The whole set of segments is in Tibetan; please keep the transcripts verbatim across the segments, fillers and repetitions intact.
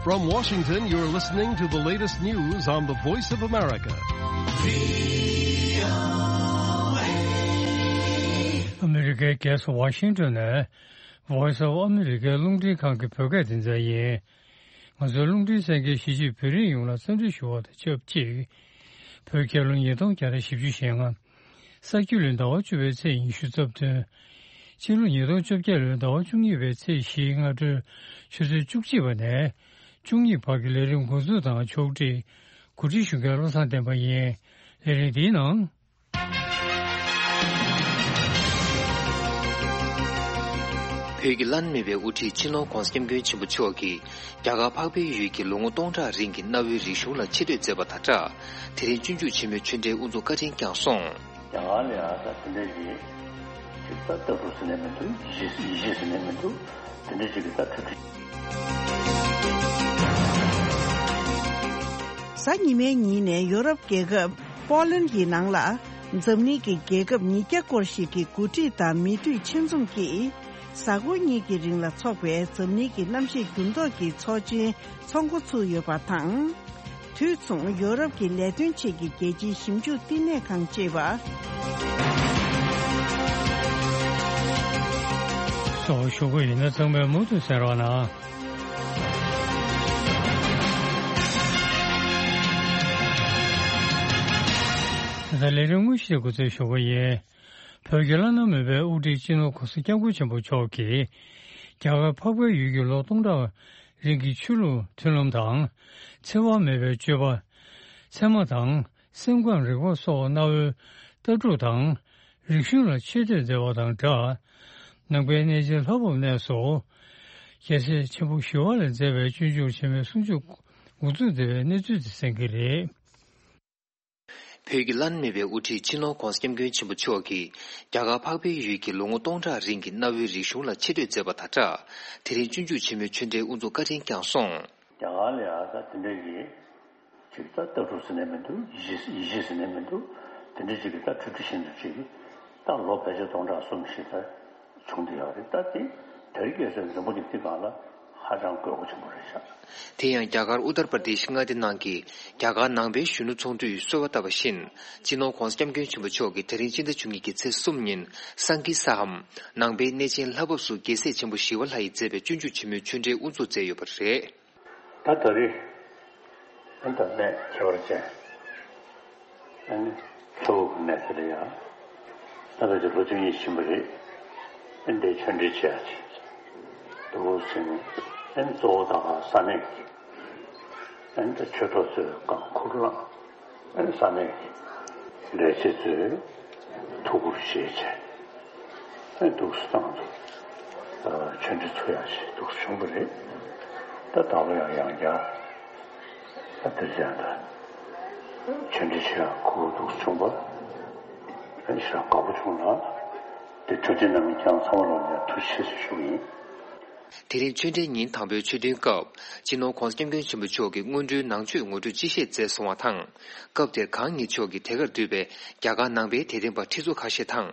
From Washington, you're listening to the latest news on the Voice of America. ཨ་མི་རི་ཀའི་རྒྱལ་ས་ཝ་ཤིང་ཏོན་ནས་Voice of America རླུང་འཕྲིན་ཁང་གི་བོད་སྐད་སྡེ་ཚན་ཡིན། ང་ཚོའི་རླུང་འཕྲིན་གསན་མཁན་གཞིས་བྱེས་བོད་རིགས་ཡོངས་ལ་འཚམས་འདྲི་ཞུ་བ་དང་ཆབས་ཅིག་བོད་རྒྱལ་ལོ་ཉིས་སྟོང་བརྒྱ་དང་བཞི་བཅུ་ཞེ་ལྔ། ས་ཁྱི་ལོའི་ཟླ་བ་བཅུ་པའི་ཚེས་ཉི་ཤུ་རྩ་བདུན། ཕྱི་ལོ་ཉིས་སྟོང་བཅོ་བརྒྱད་ལོའི་ཟླ་བ་བཅུ་གཉིས་པའི་ཚེས་བཞིའི་སྔ་དྲོའི་ཆུ་ཚོད་བཅུ་གཅིག་པ་ནས་བཅུ་གཉིས་བར་གྱི་ལས་རིམ་འགོ་འཛུགས་དང་ཕྱོགས་སྒྲིག་གོ་སྒྲིག་ཞུ་མཁན་བློ་བཟང་བསྟན་པ་ཡིན། ལས་རིམ་འདིའི་ནང་། བོད་ཀྱི་བླ་ན་མེད་པའི་དབུ་ཁྲིད་སྤྱི་ནོར་༧གོང་ས་༧སྐྱབས་མགོན་ཆེན་པོ་མཆོག་གིས་རྒྱ་གར་འཕགས་པའི་ཡུལ་གྱི་ལོ་ངོ་སྟོང་ཕྲག་རིང་གི་གནའ་བོའི་རིག་གཞུང་ལ་ཆེ་བསྟོད་མཛད་པ་དང་སྦྲགས། དེ་རིང་སྤྱོད་འཇུག་ཆེན་མོའི་ཆོས་འབྲེལ་དབུ་འཛུགས་བཀའ་དྲིན་བསྐྱངས་སོང་། རྒྱ་གར་ལ་ཡང་ད་དེ་འདྲ་ཞིག་ཅིག་ད་ལྟ་བུ་ཟེར་ནས་མི་འདུག་ཡིད་ཆེས་ཡིད་ཆེས་ཟེར་ནས་མི་འདུག་དེ་འདྲ་ཞིག་གི་ད་གྲ་སྒྲིག་གཟའ་ཉི་མའི་ཉིན་ནས་ཡོ་རོབ་རྒྱལ་ཁབ་པོ་ལན་གྱི་ནང་ལ་འཛམ་གླིང་གི་རྒྱལ་ཁབ་ཉིས་བརྒྱ་སྐོར་ཞིག་གི་འགོ་ཁྲིད་དང་མི་འཐུས་ཆེད་འཛོམས་ཀྱིས་གཟའ་འཁོར་གཉིས་ཀྱི་རིང་ལ་འཚོགས་པའི་འཛམ་གླིང་གི་གནམ་གཤིས་འགྱུར་ལྡོག་གི་ཚོགས་ཆེན་འཚོགས་འགོ་ཚུགས་ཡོད་པ་དང་། དུས་མཚུངས་ཡོ་རོབ་ཀྱི་ལས་དོན་ཆེད་ཀྱི་རྒྱལ་སྤྱིའི་ཞིབ་འཇུག་བསྟི་གནས་ཁང་ཅེས་པ། སོགས་ཞུ་གི་ཡིན་ན་ཚང་མས་མུ་མཐུད་གསན་རོགས་གནང་། ད་ལྟ་ལས་རིམ་དངོས་གཞི་དེ་འགོ་འཛུགས་ཞུ་གི་ཡིན། བོད་ཀྱི་བླ་ན་མེད་པའི་དབུ་ཁྲིད་སྤྱི་ནོར་༧གོང་ས་༧སྐྱབས་མགོན་ཆེན་པོ་མཆོག་གིས་རྒྱ་གར་འཕགས་པའི་ཡུལ་གྱི་ལོ་སྟོང་ཕྲག་རིང་གི་ཆོས་ལུགས་མཐུན་ལམ་དང་། འཚེ་བ་མེད་པའི་སྤྱོད་པ། ཚད་མ་དང་སེམས་ཁམས་རིག་པ་སོགས་གནའ་བོའི་ལྟ་གྲུབ་དང་རིག་གཞུང་ལ་ཆེ་བསྟོད་མཛད་པ་དང་སྦྲགས། ནང་པའི་གནས་ཆེན་ལྷ་བབས་གནས་སུ་རྒྱལ་སྲས་ཆེན་པོ་ཞི་བ་ལྷས་མཛད་པའི་སྤྱོད་འཇུག་ཆེན་མོའི་གསུང་ཆོས་འགོ་འཛུགས་མཛད་པའི་གནས་ཚུལ་དེ་གསན་གྱི་རེད། བོད་ཀྱི་བླ་ན་མེད་པའི་དབུ་ཁྲིད་སྤྱི་ནོར་༧གོང་ས་༧སྐྱབས་མགོན་ཆེན་པོ་མཆོག་གིས་རྒྱ་གར་འཕགས་པའི་ཡུལ་གྱི་ལོ་ངོ་སྟོང་ཕྲག་རིང་གི་གནའ་བོའི་རིག་གཞུང་ལ་ཆེ་བསྟོད་མཛད་པ་དང་སྦྲགས། དེ་རིང་སྤྱོད་འཇུག་ཆེན་མོའི་ཆོས་འབྲེལ་དབུ་འཛུགས་བཀའ་དྲིན་བསྐྱངས་སོང་། རྒྱ་གར་ལ་ཡང་ད་དེ་འདྲ་ཡིན། ཅིག་ད་ལྟ་གྲུབ་ཟེར་ནས་མི་འདུག་ཡིད་ཆེས་ཡིད་ཆེས་ཟེར་ནས་མི་འདུག་དེ་འདྲ་ཅིག་གི་ད་གྲ་སྒྲིག་བཞིན་དུ་ཅིག་ད་ལོ་ཕལ་ཆེར་སྟོང་ཕྲག་གསུམ་བཞི་ད་བྱུང་བསྡད་ཡོད་རེད། ད་དེ་དེ་རིང་ཁ་སང་འཛམ་བུ་གླིང་འདི་སྒང་ལ་ཧ་ཅང་དགོས་མཁོ་ཆེན་པོ་རེད་ཤག་དེ་ཡང་རྒྱ་གར་ཨུ་ཏར་པར་དེཤ་མངའ་སྡེ་ནང་གི་རྒྱ་གར་ནང་པའི་གཞོན་ནུ་ཚོགས་འདུས་གསོལ་བ་བཏབ་པ་བཞིན། སྤྱི་ནོར་༧གོང་ས་༧སྐྱབས་མགོན་ཆེན་པོ་མཆོག་གིས་དེ་རིང་སྤྱི་ཟླ་བཅུ་གཉིས་ཀྱི་ཚེས་གསུམ་ཉིན་སང་ཀི་སྭ་ཧམ་ནང་པའི་གནས་ཆེན་ལྷ་བབས་སུ་རྒྱལ་སྲས་ཆེན་པོ་ཞི་བ་ལྷ་ཡིས་མཛད་པའི་སྤྱོད་འཇུག་ཆེན་མོའི་ཆོས་འབྲེལ་དབུ་འཛུགས་མཛད་ཡོད་པ་རེད། ད་ད་རེས་ཨ་ནི་ད་གནས་ཁྱད་པར་ཅན་ཨ་ནི་ལྷོ་ཁ་གནས་དེ་ལ་ཡང་ད་ཕལ་ཆེར་ལོ་བཅུ་གཉིས་ཕྱིན་པ་རེད། ཨ་ནི་འདིར་ཆོས་འབྲེལ་བྱེད་ཡག་ཅིག་འདུག་ཟེར་ནས། ཨ་ནི་གཙོ་བོ་ད་ག་ས་གནས་ཀྱི་ཨ་ནི་ད་ཆོས་གྲོགས་ཚོས་གང་ཁུར་བླངས། ཨ་ནི་ས་གནས་ཀྱི་ལས་བྱེད་ཚོས་ཐུགས་ཁུར་བཞེས་བྱས། ཨ་ནི་འདུག་སེ་བཏང་འདུག་ཨ་ཆོས་འབྲེལ་ཚུགས་ཡག་ཞིག་འདུག་སེ་བྱུང་བ་རེད། ད་ད་ལོ་ཡང་ཡང་བསྐྱར་ཨ་དེ་རིང་ད་ཆོས་འབྲེལ་བྱེད་ཡག་ཁུར་འདུག་སེ་བྱུང་བ་ཨ་ནི་ཞེ་དྲག་དགའ་པོ་བྱུང་ལ། དེ་གྲ་སྒྲིག་གནང་མཁན་རྐྱང་ཚང་མ་ལ་ཡང་ཐུགས་རྗེ་ཆེ་ཞུ་གི་ཡིན། དེ་རིང་ཆོས་འབྲེལ་ཉིན་དང་པོའི་ཆོས་ཐུན་སྐབས། སྤྱི་ནོར་༧གོང་ས་༧སྐྱབས་མགོན་ཆེན་པོ་མཆོག་གིས་སྔོན་འགྲོའི་ནང་ཆོས་ངོ་སྤྲོད་སྤྱི་བཤད་མཛད་སོང་བ་དང་། སྐབས་དེར་གང་ཉིད་མཆོག་གིས་དེ་གར་འདུས་པའི་རྒྱ་གར་ནང་པའི་དད་ལྡན་པ་ཁྲི་ཚོ་ཁ་ཤས་དང་།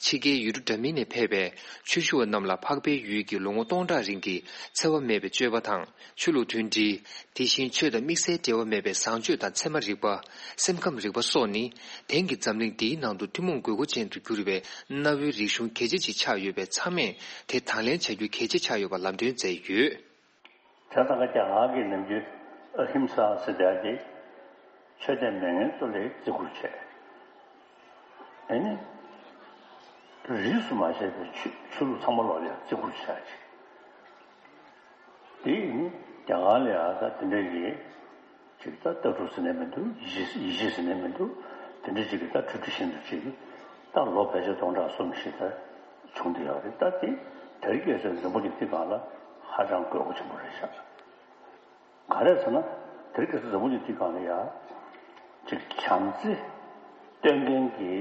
ཕྱི་རྒྱལ་ཡུལ་གྲུ་འདྲ་མིན་ནས་ཕེབས་པའི་ཆོས་ཞུ་བ་རྣམས་ལ་འཕགས་པའི་ཡུལ་གྱི་ལོ་ངོ་སྟོང་ཕྲག་རིང་གི་འཚེ་བ་མེད་པའི་སྤྱོད་པ་དང་ཆོས་ལུགས་མཐུན་སྒྲིལ། དེ་བཞིན་ཆོས་དང་དམིགས་བསལ་འབྲེལ་བ་མེད་པའི་བཟང་སྤྱོད་དང་ཚད་མ་རིག་པ། སེམས་ཁམས་རིག་པ་སོགས་ནི། དེང་གི་འཛམ་གླིང་འདིའི་ནང་དུ་ཐུན་མོང་དགོས་མཁོ་ཅན་དུ་གྱུར་བའི་གནའ་བོའི་རིག་གཞུང་གལ་ཆེ་ཅིག་ཆགས་ཡོད་པས། ཚང་མས་དེ་དང་ལེན་བྱ་རྒྱུ་གལ་ཆེ་ཆགས་ཡོད་པ་ལམ་སྟོན་མཛད་ཡོད། ད་ལྟ་རྒྱ་གར་གྱི་ནམ་རྒྱུན་ཨ་ཧིམ་ས་ཟེར་ཡག་དེ་ཆོས་དད་མེད་མཁན་ཚོ་ལ་བརྩི་བཀུར་བྱས། ཨ་ནི་རིས་སུ་མ་ཆད་པའི་ཆོས་ཆོས་ལུགས་ཚང་མ་ལོག་ལ་བརྩི་བཀུར་བྱས་ཅིག་དེ་ཡིན་རྒྱ་གར་ལ་ཡང་ད་དེ་འདྲ་གི་ཅིག་ད་ལྟ་གྲུབ་ཟེར་ནས་མི་འདུག་ཡིད་ཆེས་ཡིད་ཆེས་ཟེར་ནས་མི་འདུག་དེ་འདྲ་ཅིག་གི་ད་གྲ་སྒྲིག་བཞིན་དུ་ཅིག་ད་ལོ་ཕལ་ཆེར་སྟོང་ཕྲག་གསུམ་བཞི་ད་བྱུང་བསྡད་ཡོད་རེད། ད་དེ་དེ་རིང་ཁ་སང་འཛམ་བུ་གླིང་འདི་སྒང་ལ་ཧ་ཅང་དགོས་མཁོ་ཆེན་པོ་རེད་ཤག་ག་རེ་ཟེར་ན། དེ་རིང་ཁ་སང་འཛམ་བུ་གླིང་འདི་སྒང་ལ་ཡང་ཅིག་བྱམས་བརྩེ་སྟོན་མཁན་གྱི་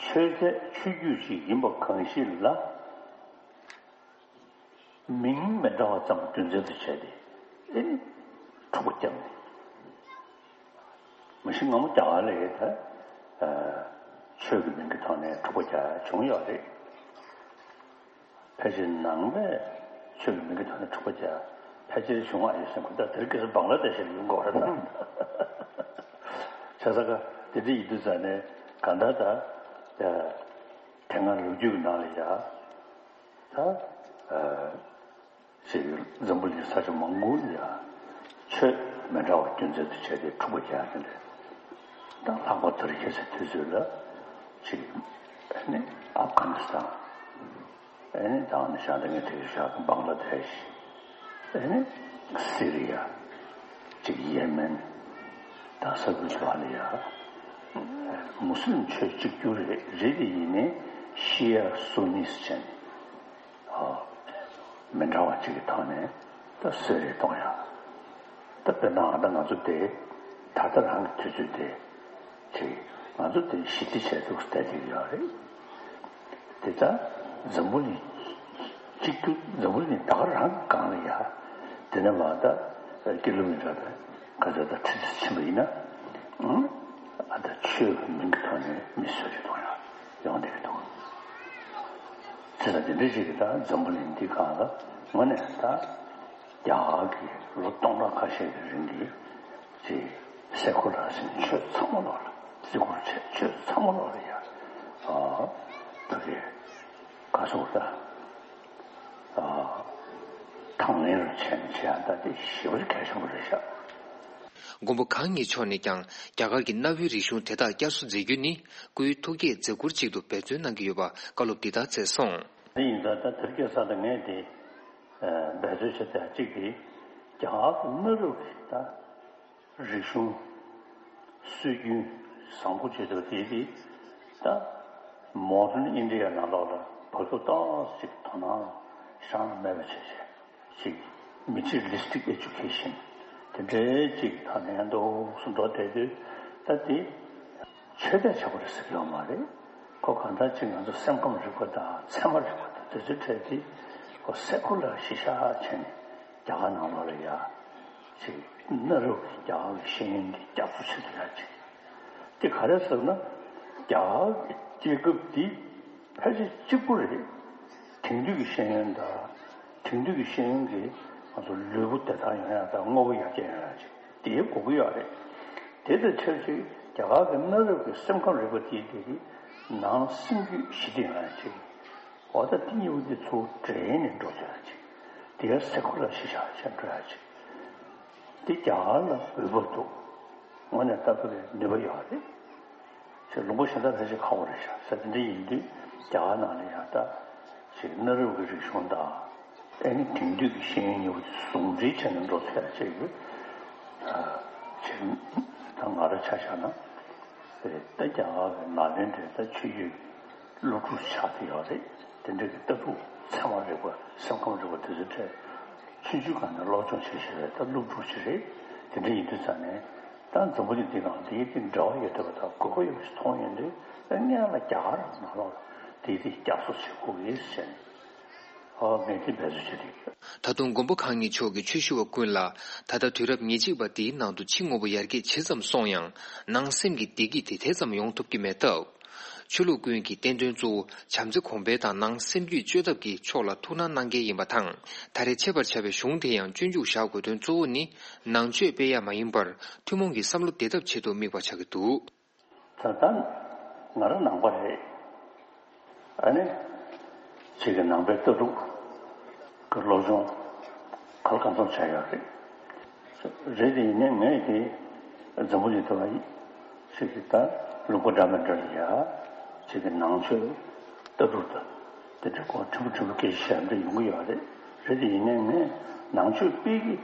ཆོས་མཛད་ཆོས་བརྒྱུད་ཅིག་ཡིན་པ་གང་ཞིག་ལ། མིང་མི་འདྲ་བ་ཙམ་རྒྱུ་མཚན་དུ་བྱས་ཏེ་ཨེ་ནི་འཁྲུག་པ་བརྒྱབ་ནས། མ་གཞི་སྔ་མོ་རྒྱ་གར་ལ་ཡོད་ད་ཆོས་ཀྱི་མིང་གི་ཐོག་ནས་འཁྲུག་པ་རྒྱག་བྱུང་ཡོད་རེད། ཕལ་ཆེར་ནང་པས་ཆོས་ཀྱི་མིང་གི་ཐོག་ནས་འཁྲུག་པ་རྒྱག་ ཕལ་ཆེར་བྱུང་བ་ཡིན་ཟེར་གོ། ད་དེར་སྐད་ཆ་བང་ལ་དེ་ཞིག་ཡོང་དགོས་རེད་ད། ཆ་ས་ཀ་དེ་འདྲ་ཡིན་དུས་ཙང་ནས་གང་ལྟར་ད་དེ་སྔ་ལོ་རྒྱུས་ཀྱི་ནང་ལ་ཡ་ད་ཅིག་འཛམ་བུ་གླིང་ས་ཆ་མང་པོ་ལ་ཡ་ཆོས་མི་འདྲ་བ་སྐྱོན་འཛིན་དུ་བྱས་ཏེ་འཁྲུག་པ་རྒྱག་དེ་འདྲ། ད་ལྷག་པར་དུ་རིག་ཁྱད་ཚད་དུས་ཚོད་ལ་ཅིག་ཨ་ནི་ཨབ་གྷ་ནི་སི་ཐན། ཨ་ནི་ད་ནི་ཤང་ད་ངས་དེ་ཤག་བང་ལ་དེ་ཤི། ཨ་ནི་སི་རི་ཡ། ཅིག་ཡེ་མེན། ད་ས་ཁུལ་བ་ལ་ཡ། མུ་སི་ལིམ་ཆོས་གཅིག་གྱུར་རེད་རེད་དེ་ཡིན་ནའི་ཤི་ཡ་སུ་ནིས་ཅན། མི་འདྲ་བ་གཅིག་གི་ཐོག་ནས་ད་སུ་རེད་གཏོང་ཡ། ད་དཔེར་ན་ཨ་ད་ང་ཚོ་དེ་ད་ལྟ་རང་གི་དུས་ཚོད་དེ་ཅིག་ང་ཚོ་དེ་ཞི་བདེ་བྱས་འདུག་བསྡད་ཀྱི་ཡོད་རེད། དེ་ལྟར་འཛམ་བུ་གླིང་གཅིག་གྱུར་འཛམ་བུ་གླིང་ད་ག་རང་གི་སྒང་ལ་ཡ། དེ་ནས་མ་ད་ཀི་ལོ་མི་ཊར་དང་ག་ཚོད་ད་ཁྲི་ཚོ་ཕྱིན་པ་ཡིན་ན། ཨ་ད་ཆོས་ཀྱི་མིང་གི་ཐོག་ནས་མི་གསོད་རེ་གཏོང་ཡ་ཡོང་བསྡད་ཀྱི་འདུག་ཚེ་ལ་དེ་འདྲ་ཞིག་གིས་ད་འཛམ་བུ་གླིང་འདི་སྒང་ལ་དངོས་གནས་ད་རྒྱ་གར་གྱི་ལོ་སྟོང་ཕྲག་ཁ་ཤས་ཀྱི་རིང་གི་ཅིག་སེ་ཁུ་ལར་ཟིན་ཆོས་ཚང་མ་ལོག་ལ་བརྩི་བཀུར་བྱས་ཆོས་ཚང་མ་ལོག་ལ་ཡ་ཨ་ཕ་གི་ག་སོགས་ད་ཨ་དང་ལེན་རུ་བྱས་ནས་བྱས་ཡ་ད་དེ་ཞེ་པོ་ཅིག་གལ་ཆེན་པོ་རེད་ཤག་མགོན་པོ་གང་ཉིད་མཆོག་ནས་ཀྱང་རྒྱ་གར་གྱི་གནའ་བོའི་རིག་གཞུང་དེ་དག་བསྐྱར་གསོ་མཛད་རྒྱུ་ནི་སྐུའི་ཐུགས་བསྐྱེད་མཛད་ཁུར་ཅིག་ཏུ་འབད་བརྩོན་གནང་གི་ཡོད་པ་བཀའ་སློབ་འདི་དག་སྩལ་སོང་། དེ་ཡིན་ཙང་ད་དེར་སྐྱེས་ས་དང་ངས་དེ་འབད་རྩོལ་བྱེད་ཐབས་གཅིག་དེ་རྒྱ་གར་གྱི་གནའ་རབས་ཀྱི་ད་རིག་གཞུང་སྲོལ་རྒྱུན་བཟང་པོ་བྱེད་ཐབས་དེ་དེ་ད་མོ་ཌན་ཨིན་ཌི་ཡ་ནང་ལོགས་ལ་བབ་ཐུབ་ཏོག་ཙམ་ཅིག་དོ་སྣང་བཞག་མེད་པ་བྱས་བྱས། ཅིག་མི་ཊི་རི་ལི་སི་ཊིག་ཨེ་ཌུ་ཀེ་ཤན་དེ་འདྲའི་ཅིག་ཐ་སྙད་འདུག་སུ་འགྲོ་བསྡད་དུས་ད་དེ་ཆོས་དད་བྱ་བ་རེད་ཟེར་གྱི་ཡོད་མ་རེད། ཁོ་གང་ལྟར་ཅིག་ང་ཚོ་སེམས་ཁམས་རིག་པ་དང་ཚད་མ་རིག་པ་དང་དེ་ཚོའི་གྲས་དེ་ཁོ་སེ་ཁུ་ལར་གཞི་བཞག་བྱས་ནས་རྒྱ་གར་ནང་ལོགས་ལ་ཡ་ཅིག་གནའ་རབས་ཀྱི་རྒྱ་གར་གྱི་ཤེས་ཡོན་འདི་བསྐྱར་གསོ་བྱེད་ཐུབ་ཡ་ཅིག་དེ་ག་རེ་ཟེར་ན་རྒྱ་གར་གྱི་རྒྱལ་ཁབ་འདི་ཕལ་ཆེར་གཅིག་པུ་རེད། དེང་དུས་ཀྱི་ཤེས་ཡོན་དང་། དེང་དུས་ཀྱི་ཤེས་ཡོན་གྱིས་ང་ཚོ་ལུས་པོ་བདེ་ཐང་ཡོང་ཡག་དང་དངོས་པོ་ཡར་རྒྱས་ཡོང་ཡག་ཅིག་དེའི་དགོས་ཀྱི་ཡོད་རེད། དེ་དང་ཆབས་ཅིག་རྒྱ་གར་གྱི་གནའ་རབས་ཀྱི་སེམས་ཁམས་རིག་པ་དེའི་དེ་གི་ནང་སེམས་རྒྱུད་ཞི་བདེ་ཡོང་ཡག་ཅིག་འོ་ད་དེ་གཉིས་པོ་དེ་ཚུར་འདྲེས་ནས་འགྲོ་ཐུབ་ཡག་ཅིག་དེ་ཡང་སེ་ཁུ་ལར་གཞི་བཞག་བྱས་འགྲོ་ཡག་ཅིག་དེ་རྒྱ་གར་ལ་འོས་བབ་འདུག་དངོས་གནས་ལྟ་བུ་རེད། ནུས་པ་ཡོད་རེད། ཅེས་ལུང་པ་གཞན་དག་ཕལ་ཆེར་ཁག་པོ་རེད་ཤག་ཟེར། དེ་འདྲ་ཡིན་དུས་རྒྱ་གར་ནང་ལ་ཡང་ད་ཅིག་གནའ་རབས་ཀྱི་རིག་གཞུང་དང་ཨེ་ནི་དེང་དུས་ཀྱི་ཤེས་ཡོན་གཉིས་པོ་དེ་ཟུང་འབྲེལ་བྱས་ནས་འགྲོ་ཐུབ་ཡག་ཅིག་ཡོད། ཅིག་ད་ང་རང་ཆ་བཞག་ན་རེད། ད་རྒྱ་གར་གྱི་ནཱ་ལེནྡྲའི་ད་ཆོས་བརྒྱུད་སློབ་ཕྲུག་ཆགས་བསྡད་ཡོད་རེད། དེ་འདྲ་གི་ལྟ་གྲུབ་ཚད་མ་རིག་པ་སེམས་ཁམས་རིག་པ་དེ་ཚོའི་གྲས་ཆུང་ཆུང་སྒང་ནས་སློབ་སྦྱོང་བྱེད་བཞིན་པའི་ད་སློབ་ཕྲུག་ཅིག་རེད། དེ་འདྲ་ཡིན་དུས་ཙང་ནས་ད་འཛམ་བུ་གླིང་འདི་སྒང་དེའི་སྟེང་འབྲེལ་བ་ཡོད་བསྡད་པ་དང་དགོས་པ་ཡོད་པ་ཞིག་མཐོང་ཡོང་དུས་ད་སྔོན་ལ་རྒྱ་གར་ནང་ལོགས་ལ་དེའི་སྟེང་བསྐྱར་གསོ་བྱེད་དགོས་ཀྱི་ཟེར་ནས་ཨོ་ངས་དེ་འབད་རྩོལ་བྱེད་ཀྱི་ཡོད། ད་དུང་མགོན་པོ་གང་ཉིད་མཆོག་གིས་ཆོས་ཞུ་བ་ཀུན་ལ་ད་ལྟ་དུས་རབས་ཉེར་གཅིག་པ་འདིའི་ནང་དུ་ཕྱི་དངོས་པོ་ཡར་རྒྱས་ཇི་ཙམ་སོང་ཡང་ནང་སེམས་ཀྱི་བདེ་སྐྱིད་དེ་དེ་ཙམ་ཡོང་ཐུབ་ཀྱི་མེད་སྟབས། ཆོས་ལུགས་ཀུན་གྱི་བསྟན་དོན་གཙོ་བོ་བྱམས་བརྩེ་གོང་འཕེལ་དང་ནང་སེམས་རྒྱུད་བཅོས་ཐབས་ཀྱི་ཕྱོགས་ལ་ཐུགས་སྣང་གནང་གལ་ཡིན་པ་དང་། ད་རེས་ཆད་པར་བྱ་བའི་གཞུང་དེ་ཡང་སྤྱོད་འཇུག་བཞག་དགོས་དོན་གཙོ་བོ་ནི་ནང་ཆོས་སྤེལ་ཡག་མ་ཡིན་པར་ཐུན་མོང་གི་བསམ་བློ་བདེ་ཐབས་ཆེད་དུ་དམིགས་པ་ཆགས་ཀྱི་འདུག་ད་ལྟ་ང་རང་ནང་པ་རེད། ཨ་ནི་ཅིག་གི་ནང་པའི་ལྟ་གྲུབ་ཀྱི་སློབ་སྦྱོང་ག་ལ་གང་འཚམ་བྱས་ཡོད་རེད། རེད་དེ་ཡིན་ནའི་ངས་དེ་འཛམ་བུ་གླིང་དུ་ཅིག་གི་ད་ལུང་པ་འདྲ་མི་འདྲ་ལ་ཡ་ཅིག་གི་ནང་ཆོས་ལྟ་གྲུབ་དང་དེ་འདྲ་སྐོར་ཕྲན་བུ་ཕྲན་བུ་སྐད་ཆ་བཤད་འདྲ་ཡོང་གི་ཡོད་རེད། རེད་དེ་ཡིན་ནའི་ངས་ནང་ཆོས་སྤེལ་གྱི་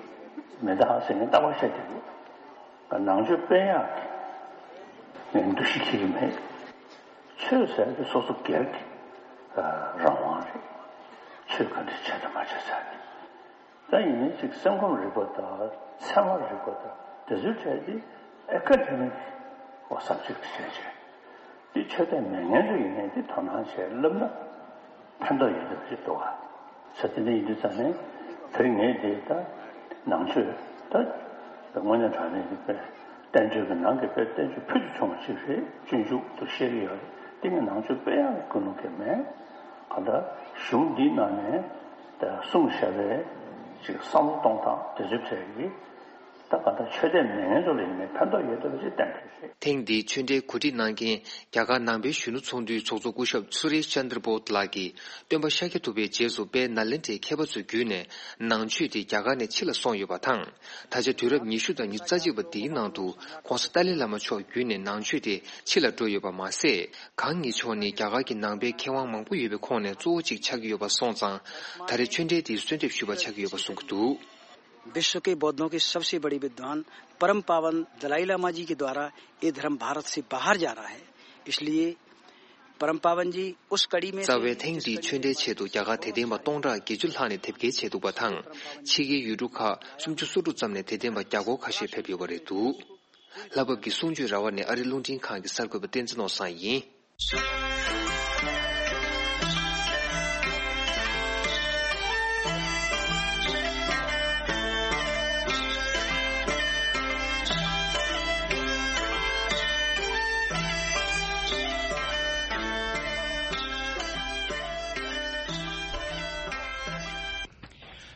མི་འདུག་ཟེར་ནས་རྟག་པར་བཤད་བསྡད་ཡོད། ནང་ཆོས་སྤེལ་ཡག་ངས་འདུ་ཤེས་འཁྱེར་གྱི་མེད། ཆོས་ཟེར་དེ་སོ་སོ་སྒེར་གྱི་རང་དབང་རེད། ཆོས་ག་འདྲ་བྱས་དང་མ་བྱས་ཟེར་ནས། ད་ཡིན་ནའི་ཅིག་སེམས་ཁམས་རིག་པ་དང་ཚད་མ་རིག་པ་དང་དེ་ཚོའི་གྲས་དེ་ཨེ་ཀ་ཌེ་མིག་སབ་ཇེག་ཊི་བྱས་བྱས། དེ་ཆོས་དད་མེད་མཁན་ཚོ་ཡིན་ནའི་དེ་དོ་སྣང་བྱས་བསླབ་ན་ཕན་ཐོགས་ཡོད་འདུག་ཅེས་འདུག་ག་ས་དེ་འདྲ་ཡིན་དུས་ཙང་ནས་དེ་རིང་ངས་དེ་ད་ནང་ཆོས་ད་དངོས་གནས་དྲང་གནས་ཀྱི་དཔེ་བསྟན་བཅོས་ཀྱི་ནང་གི་དཔེ་བསྟན་བཅོས་ཕུལ་དུ་བྱུང་བ་ཅིག་རེད། སྤྱོད་འཇུག་ཏུ་བཤད་ཀྱི་ཡོད་རེད། དེ་ངས་ནང་ཆོས་སྤེལ་ཡག་གི་ཀུན་སློང་གང་ཡང་མེད། གང་ལྟར་གཞུང་འདིའི་ནང་ནས་ད་གསུངས་བཞག་པའི་ ཅིག་བསམ་བློ་གཏོང་སྟངས་དེ་ཚོའི་གྲས་ཀྱིས་ད་ག་ད་ཆོས་དད་མེད་མཁན་ཚོ་ལ་ཡིན་ནའི་ཕན་ཐོགས་ཡོད་བསྡད་པ་ཅིག་གཏན་འཁེལ་རེད། ཐེངས་འདིའི་ཆོས་འབྲེལ་གོ་སྒྲིག་གནང་མཁན་རྒྱ་གར་ནང་པའི་གཞོན་ནུ་ཚོགས་འདུའི་ཚོགས་གཙོ་སྐུ་ཞབས་སུ་རེཤ་ཅན་དྲ་བོད་ལགས་ཀྱིས་སྟོན་པ་ཤཱཀྱ་ཐུབ་པའི་རྗེས་སུ་དཔལ་ནཱ་ལེནྡྲའི་མཁས་པ་ཚོ་བརྒྱུད་ནས་ནང་ཆོས་དེ་རྒྱ་གར་ནས་ཕྱི་ལ་སོང་ཡོད་པ་དང་། ད་ཆ་དུས་རབས་ཉི་ཤུ་དང་ཉི་ཤུ་རྩ་གཅིག་པ་འདིའི་ནང་དུ་༸གོང་ས་ཏཱ་ལའི་བླ་མ་མཆོག་བརྒྱུད་ནས་ནང་ཆོས་དེ་ཕྱི་ལ་འགྲོ་ཡོད་པ་མ་ཟད། གང་ཉིད་མཆོག་ནི་རྒྱ་གར་གྱི་ནང་པའི་མཁས་དབང་མང་པོ་ཡོད་པའི་ཁོངས་ནས་གཙོ་བོ་གཅིག་ཆགས་ཀྱི་ཡོད་པ་སོང་ཙང་། ད་རེས་ཆོས་འབྲེལ་དེའི་གསོལ་འདེབས་ཞུས་པ་ཆགས་ཀྱི་ཡོད་པ་གསུང་གི་འདུག། विश्व के बौद्धों के सबसे बड़े विद्वान परम पावन दलाई लामा जी के द्वारा ये धर्म भारत से बाहर जा रहा है, इसलिए परम पावन जी उस कड़ी में རྩ་བའི་ཐེངས་འདིའི་ཆོས་འབྲེལ་ཆེད་དུ་རྒྱ་གར་དད་ལྡན་པ་སྟོང་ཕྲག་བརྒྱད་ཅུ་ལྷག་ནས་དེབ་སྐྱེལ་བྱས་འདུག་པ་དང་། ཕྱི་རྒྱལ་ཡུལ་གྲུ་ཁག་སུམ་ཅུ་སོ་དྲུག་ཙམ་ནས་དད་ལྡན་པ་བརྒྱ་སྐོར་ཁ་ཤས་ཕེབས་ཡོད་པ་རེད་འདུག། ལྷ་བབས་ཀྱི་གསུང་ཆོས་ར་བ་ནས་ཨ་རི་རླུང་འཕྲིན་ཁང་གི་གསར་འགོད་པ་བསྟན་འཛིན་ནོར་བཟང་ཡིན།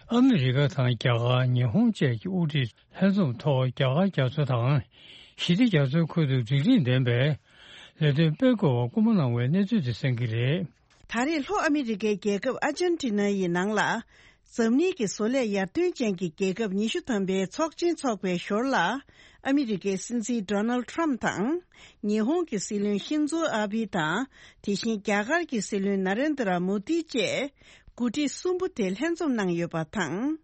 ཨ་མི་རི་ཀ་དང་རྒྱ་གར། ཉི་ཧོང་བཅས་ཀྱི་དབུ་ཁྲིད་ལྷན་འཛོམས་ཐོག་རྒྱ་གར་རྒྱ་མཚོ་དང་ཞི་བདེ་རྒྱ་མཚོའི་ཁུལ་དུ་སྒྲིག་ཁྲིམས་ལྡན་པའི་ལས་དོན་སྤེལ་དགོས་པ་སྐུལ་མ་གནང་བའི་གནས་ཚུལ་དེ་གསན་གྱི་རེད། ད་རེས་ལྷོ་ཨ་མི་རི་ཀའི་རྒྱལ་ཁབ་ཨར་ཇན་ཊི་ན་ཡི་ནང་ལ། འཛམ་གླིང་གི་བཟོ་ལས་ཡར་ཐོན་ཅན་གྱི་རྒྱལ་ཁབ་ཉི་ཤུ་ཐམ་པའི་ཚོགས་ཆེན་འཚོགས་པའི་ཞོར་ལ། ཨ་མི་རི་ཀའི་སྲིད་འཛིན་ཌོ་ནལ་ཌི་ཊརམ་ཕི་དང་། ཉི་ཧོང་གི་སྲིད་བློན་ཤིན་ཛོ་ཨ་བྷི་དང་། དེ་བཞིན་རྒྱ་གར་གྱི་སྲིད་བློན་ན་རེན་དྲ་མོ་དི་བཅས། འགོ་ཁྲིད་གསུམ་པོ་དེ་ལྷན་འཛོམས་གནང་ཡོད་པ་དང་།